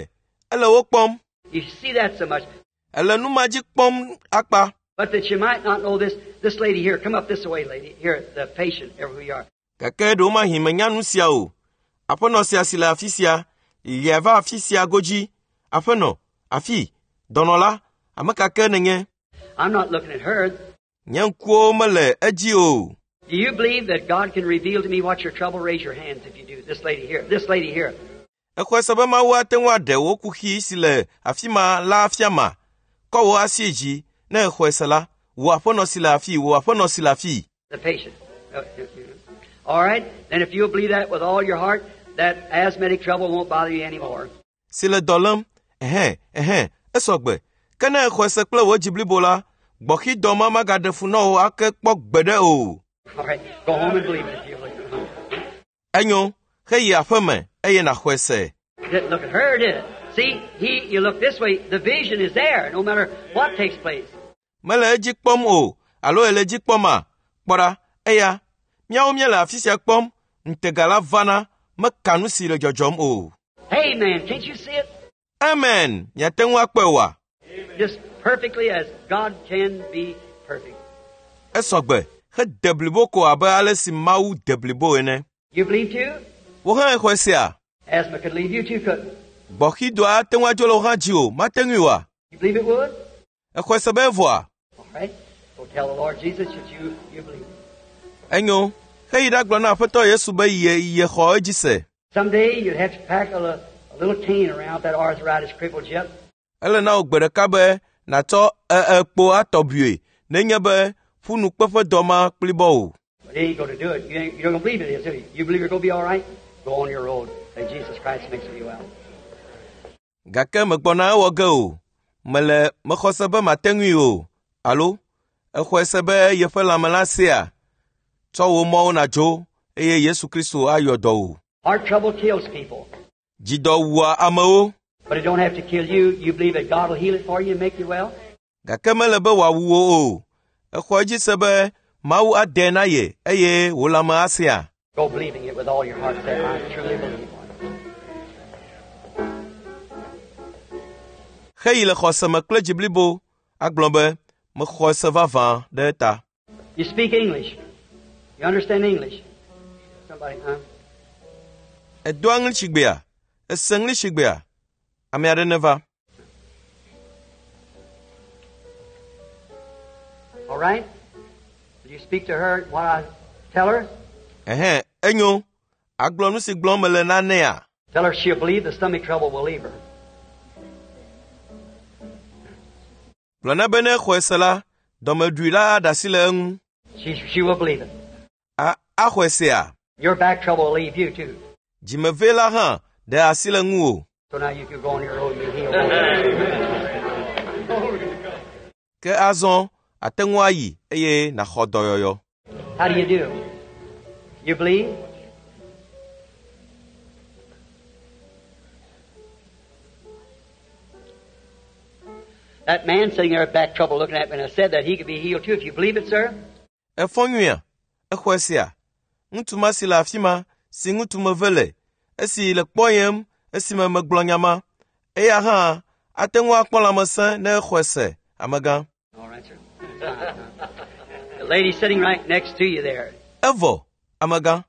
Ele wo kpɔm. You see that so much. Ele nu ma dzi kpɔm akpa. But that you might not know this, this lady here, come up this way, lady. Here, the patient, here who you are. Gake ɖewomahi menya nu sia o. Aƒenɔ sia si le afi sia, lia va afi sia godzi. Aƒenɔ, afi, dɔnɔ la, ame ka ke nènye? I'm not looking at her. Nye ŋkuwo mele edzi o. Do you believe that God can reveal to me what's your trouble? Raise your hands if you do. This lady here. This lady here. Exɔe se be Mawu ate ŋu aɖe wò kuxi si le afi ma la afia ma. Kɔ wò asi dzi ne exɔe se la, wò aƒenɔ si le afii, wò aƒenɔ si le afii. The patient. All right. Then if you'll believe that with all your heart, that asthmatic trouble won't bother you anymore. Si le dɔ lém, ɛhɛn, ɛhɛn, esɔgbe. Ke ne exɔe se kple wò dzi blibo la, gbɔxidɔ ma magaɖe fu na wò ake kpɔ gbeɖe o. All right. Go home and believe it if you believe it. Enyo, heyi aƒeme eye nàxɔe se. Didn't look at her, did it? See, he, you look this way, the vision is there, no matter what takes place. Mele edzi kpɔm o, alo ele edzi kpɔma? Kpɔ ɖa, eya, míawo míele afi sia kpɔm, ŋutega la vana, meka nu si le dzɔdzɔm o. Hey, man, can't you see it? Amen, miate ŋu akpɔe oa? Just perfectly as God can be perfect. Esɔgbe, hede blibo ko abe ale si Mawu de blibo ene. You believe too? Wò hã exɔe sea? Asthma could leave you too, couldn't it? Gbɔxidɔa ate ŋu adzo le wò hã dzi o, mate ŋui oa? You believe it would? Exɔe se be evɔa? All right. Go tell the Lord Jesus that you, you believe it. Enyo, heyi ɖagblɔ na Aƒetɔ Yesu be ye yexɔ edzi se. Someday you'd have to pack a, a little cane around if that arthritis crippled you up. Ele na wò gbe ɖeka be nàtsɔ ekpo atɔ bui nenye be ƒunukpeƒe dɔ ma kplibɔ o. But he ain't going to do it. You, ain't, you don't believe it is, do you? You believe you're going to be all right? Go on your road. Say Jesus Christ makes you well. Gake megbɔna ewɔ ge o. Mele mexɔ se be mate ŋui o. Alo exɔe se be yeƒe lãme la sea? Tsɔ wò mɔwo nàdzo eye Yesu Kristo ayɔ dɔ wò. Heart trouble kills people. Dzidɔ wua amewo But it don't have to kill you. You believe that God will heal it for you and make you well? gake mele be wòawu wò o. Exɔ edzi se be Mawu ade na ye eye wò lãme asea? Go believing it with all your heart. Say, I truly believe. Heyi le xɔse me kple dzi blibo agblɔ be mexɔ se vavã ɖe eta. You speak English. You understand English? Somebody, huh? Edoa ŋlisigbea? Ese ŋlisigbea? Ame aɖe neva. All right? Will you speak to her while I tell her? Ɛhɛn, enyo. Agblɔ nu si gblɔm mele na nɛa? Tell her she'll believe the stomach trouble will leave her. Gblɔ na be ne exɔe se la, dɔmeɖui la aɖe asi le eŋu. She, she will believe it. A axɔe sea? Your back trouble will leave you too. Dzimevee la hã ɖe asi le ŋuwò. So now you can go on your road and be healed. Ke azɔ ate ŋu ayi eye nàxɔ dɔyɔyɔ. How do you do? You believe? That man sitting there with back trouble looking at me, and I said that he could be healed too. If you believe it, sir, Efɔ nyuia? Exɔe sea? Ŋutsu ma si le afi ma, si ŋutsu meve le, esi le kpɔyem esime megblɔ nya ma, eya hã ate ŋu akpɔ lãmesẽ ne exɔe se, amegã. All right, sir. The lady sitting right next to you there. Evɔ, amegã.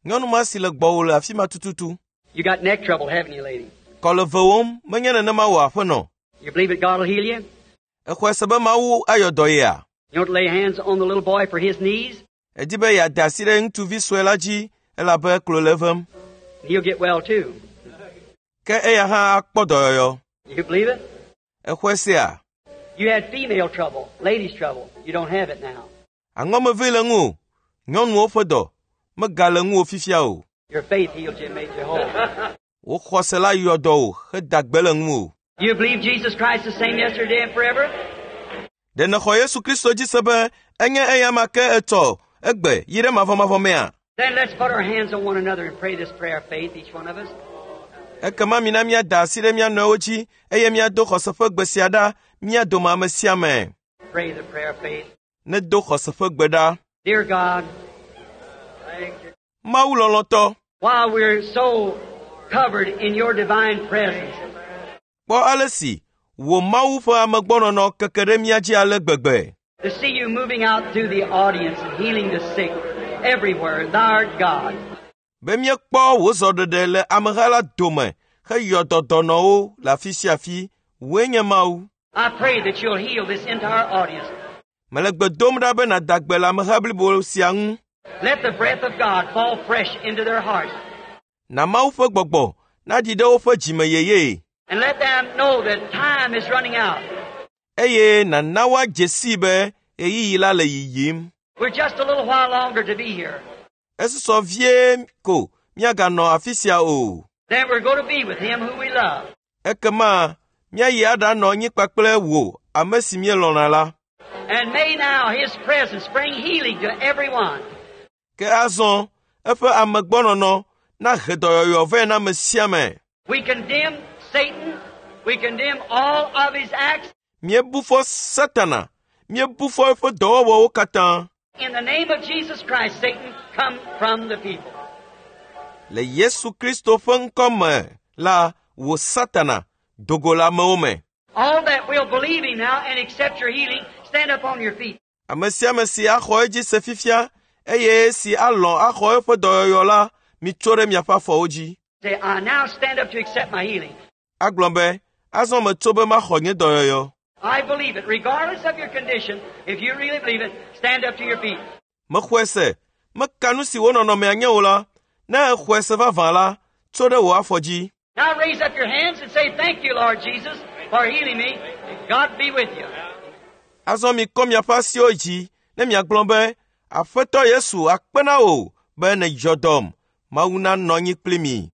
Nyɔnu ma si le gbɔwò le afi ma tututu. You got neck trouble, haven't you, lady? Kɔ le vewòm, menye nenema wò aƒenɔ. You believe that God will heal you? Exɔe se be Mawu ayɔ dɔ yea? You want to lay hands on the little boy for his knees? Edi be yeade asi ɖe ŋutsuvi sue la dzi elabe klo le evem. He'll get well too. Ke eya hã akpɔ dɔyɔyɔ. You believe it? Exɔe sea? You had female trouble, ladies' trouble. You don't have it now. Aŋɔmevee le ŋuwò. Nyɔnuwo ƒe dɔ megale ŋuwò fifia o. Your faith healed you and made you whole. Wò xɔse la yɔ dɔ wò heda gbe le ŋuwò. You believe Jesus Christ the same yesterday and forever? Ɖe nèxɔ Yesu Kristo dzi se be enye eya ma ke etsɔ egbe yi ɖe mavɔmavɔ mea? Then let's put our hands on one another and pray this prayer of faith, each one of us. Ekema mina míada asi ɖe mía nɔewo dzi eye míado xɔse ƒe gbe sia ɖa mía dome ame sia ame. Pray the prayer of faith. Nedo xɔse ƒe gbe ɖa. Dear God, Mawu lɔlɔ̃tɔ, while we're so covered in your divine presence. Kpɔ ale si wò Mawu ƒe amegbɔnɔnɔ keke ɖe mía dzi ale gbegbe. To see you moving out through the audience and healing the sick everywhere, thou art God. Be míekpɔ wò zɔɖeɖe le ameha la dome heyɔ dɔ dɔnɔwo le afi sia afi, wòe nye Mawu. I pray that you'll heal this entire audience. Mele gbe dom ɖa be nàda gbe le ameha blibo sia ŋu. Let the breath of God fall fresh into their hearts Na Mawu ƒe gbɔgbɔ naɖi ɖe woƒe dzime yeye and let them know that time is running out. eye nàna woadze sii be ɣeyiɣi la le yiyim. We're just a little while longer to be here. Esusɔ vie ko míaganɔ afi sia o. Then we're going to be with Him who we love. Ekema míayi aɖanɔ anyi kpakple wò ame si míelɔ̃na la. And may now His presence bring healing to everyone. Ke azɔ eƒe amegbɔnɔnɔ nahe dɔyɔyɔ vɛ na ame sia ame. We condemn Satan. We condemn all of his acts. Míebu fɔ Satana, míebu fɔ eƒe dɔwɔwɔwo katã. In the name of Jesus Christ, Satan, come from the people. Le Yesu Kristo ƒe ŋkɔ me la, wò Satana, do go le amewo me. All that will believe him now and accept your healing, stand up on your feet. Ame sia ame si axɔ edzi se fifia eye si alɔ̃ axɔ eƒe dɔyɔyɔ la, mitso ɖe miaƒe afɔwo dzi. Say, I now stand up to accept my healing. Agblɔ be, azɔ metso be maxɔ nye dɔyɔyɔ. I believe it. Regardless of your condition, if you really believe it, stand up to your feet. Mexɔe se, meka nu si wò nɔnɔmea nye o la, ne exɔe se vavã la, tso ɖe wò afɔ dzi. Now raise up your hands and say, Thank you, Lord Jesus, for healing me. God be with you. Azɔ mikɔ miaƒe asiwo dzi ne miagblɔ be, Aƒetɔ Yesu akpe na wò be nèdzɔ dɔm. Mawu nanɔ anyi kpli mi.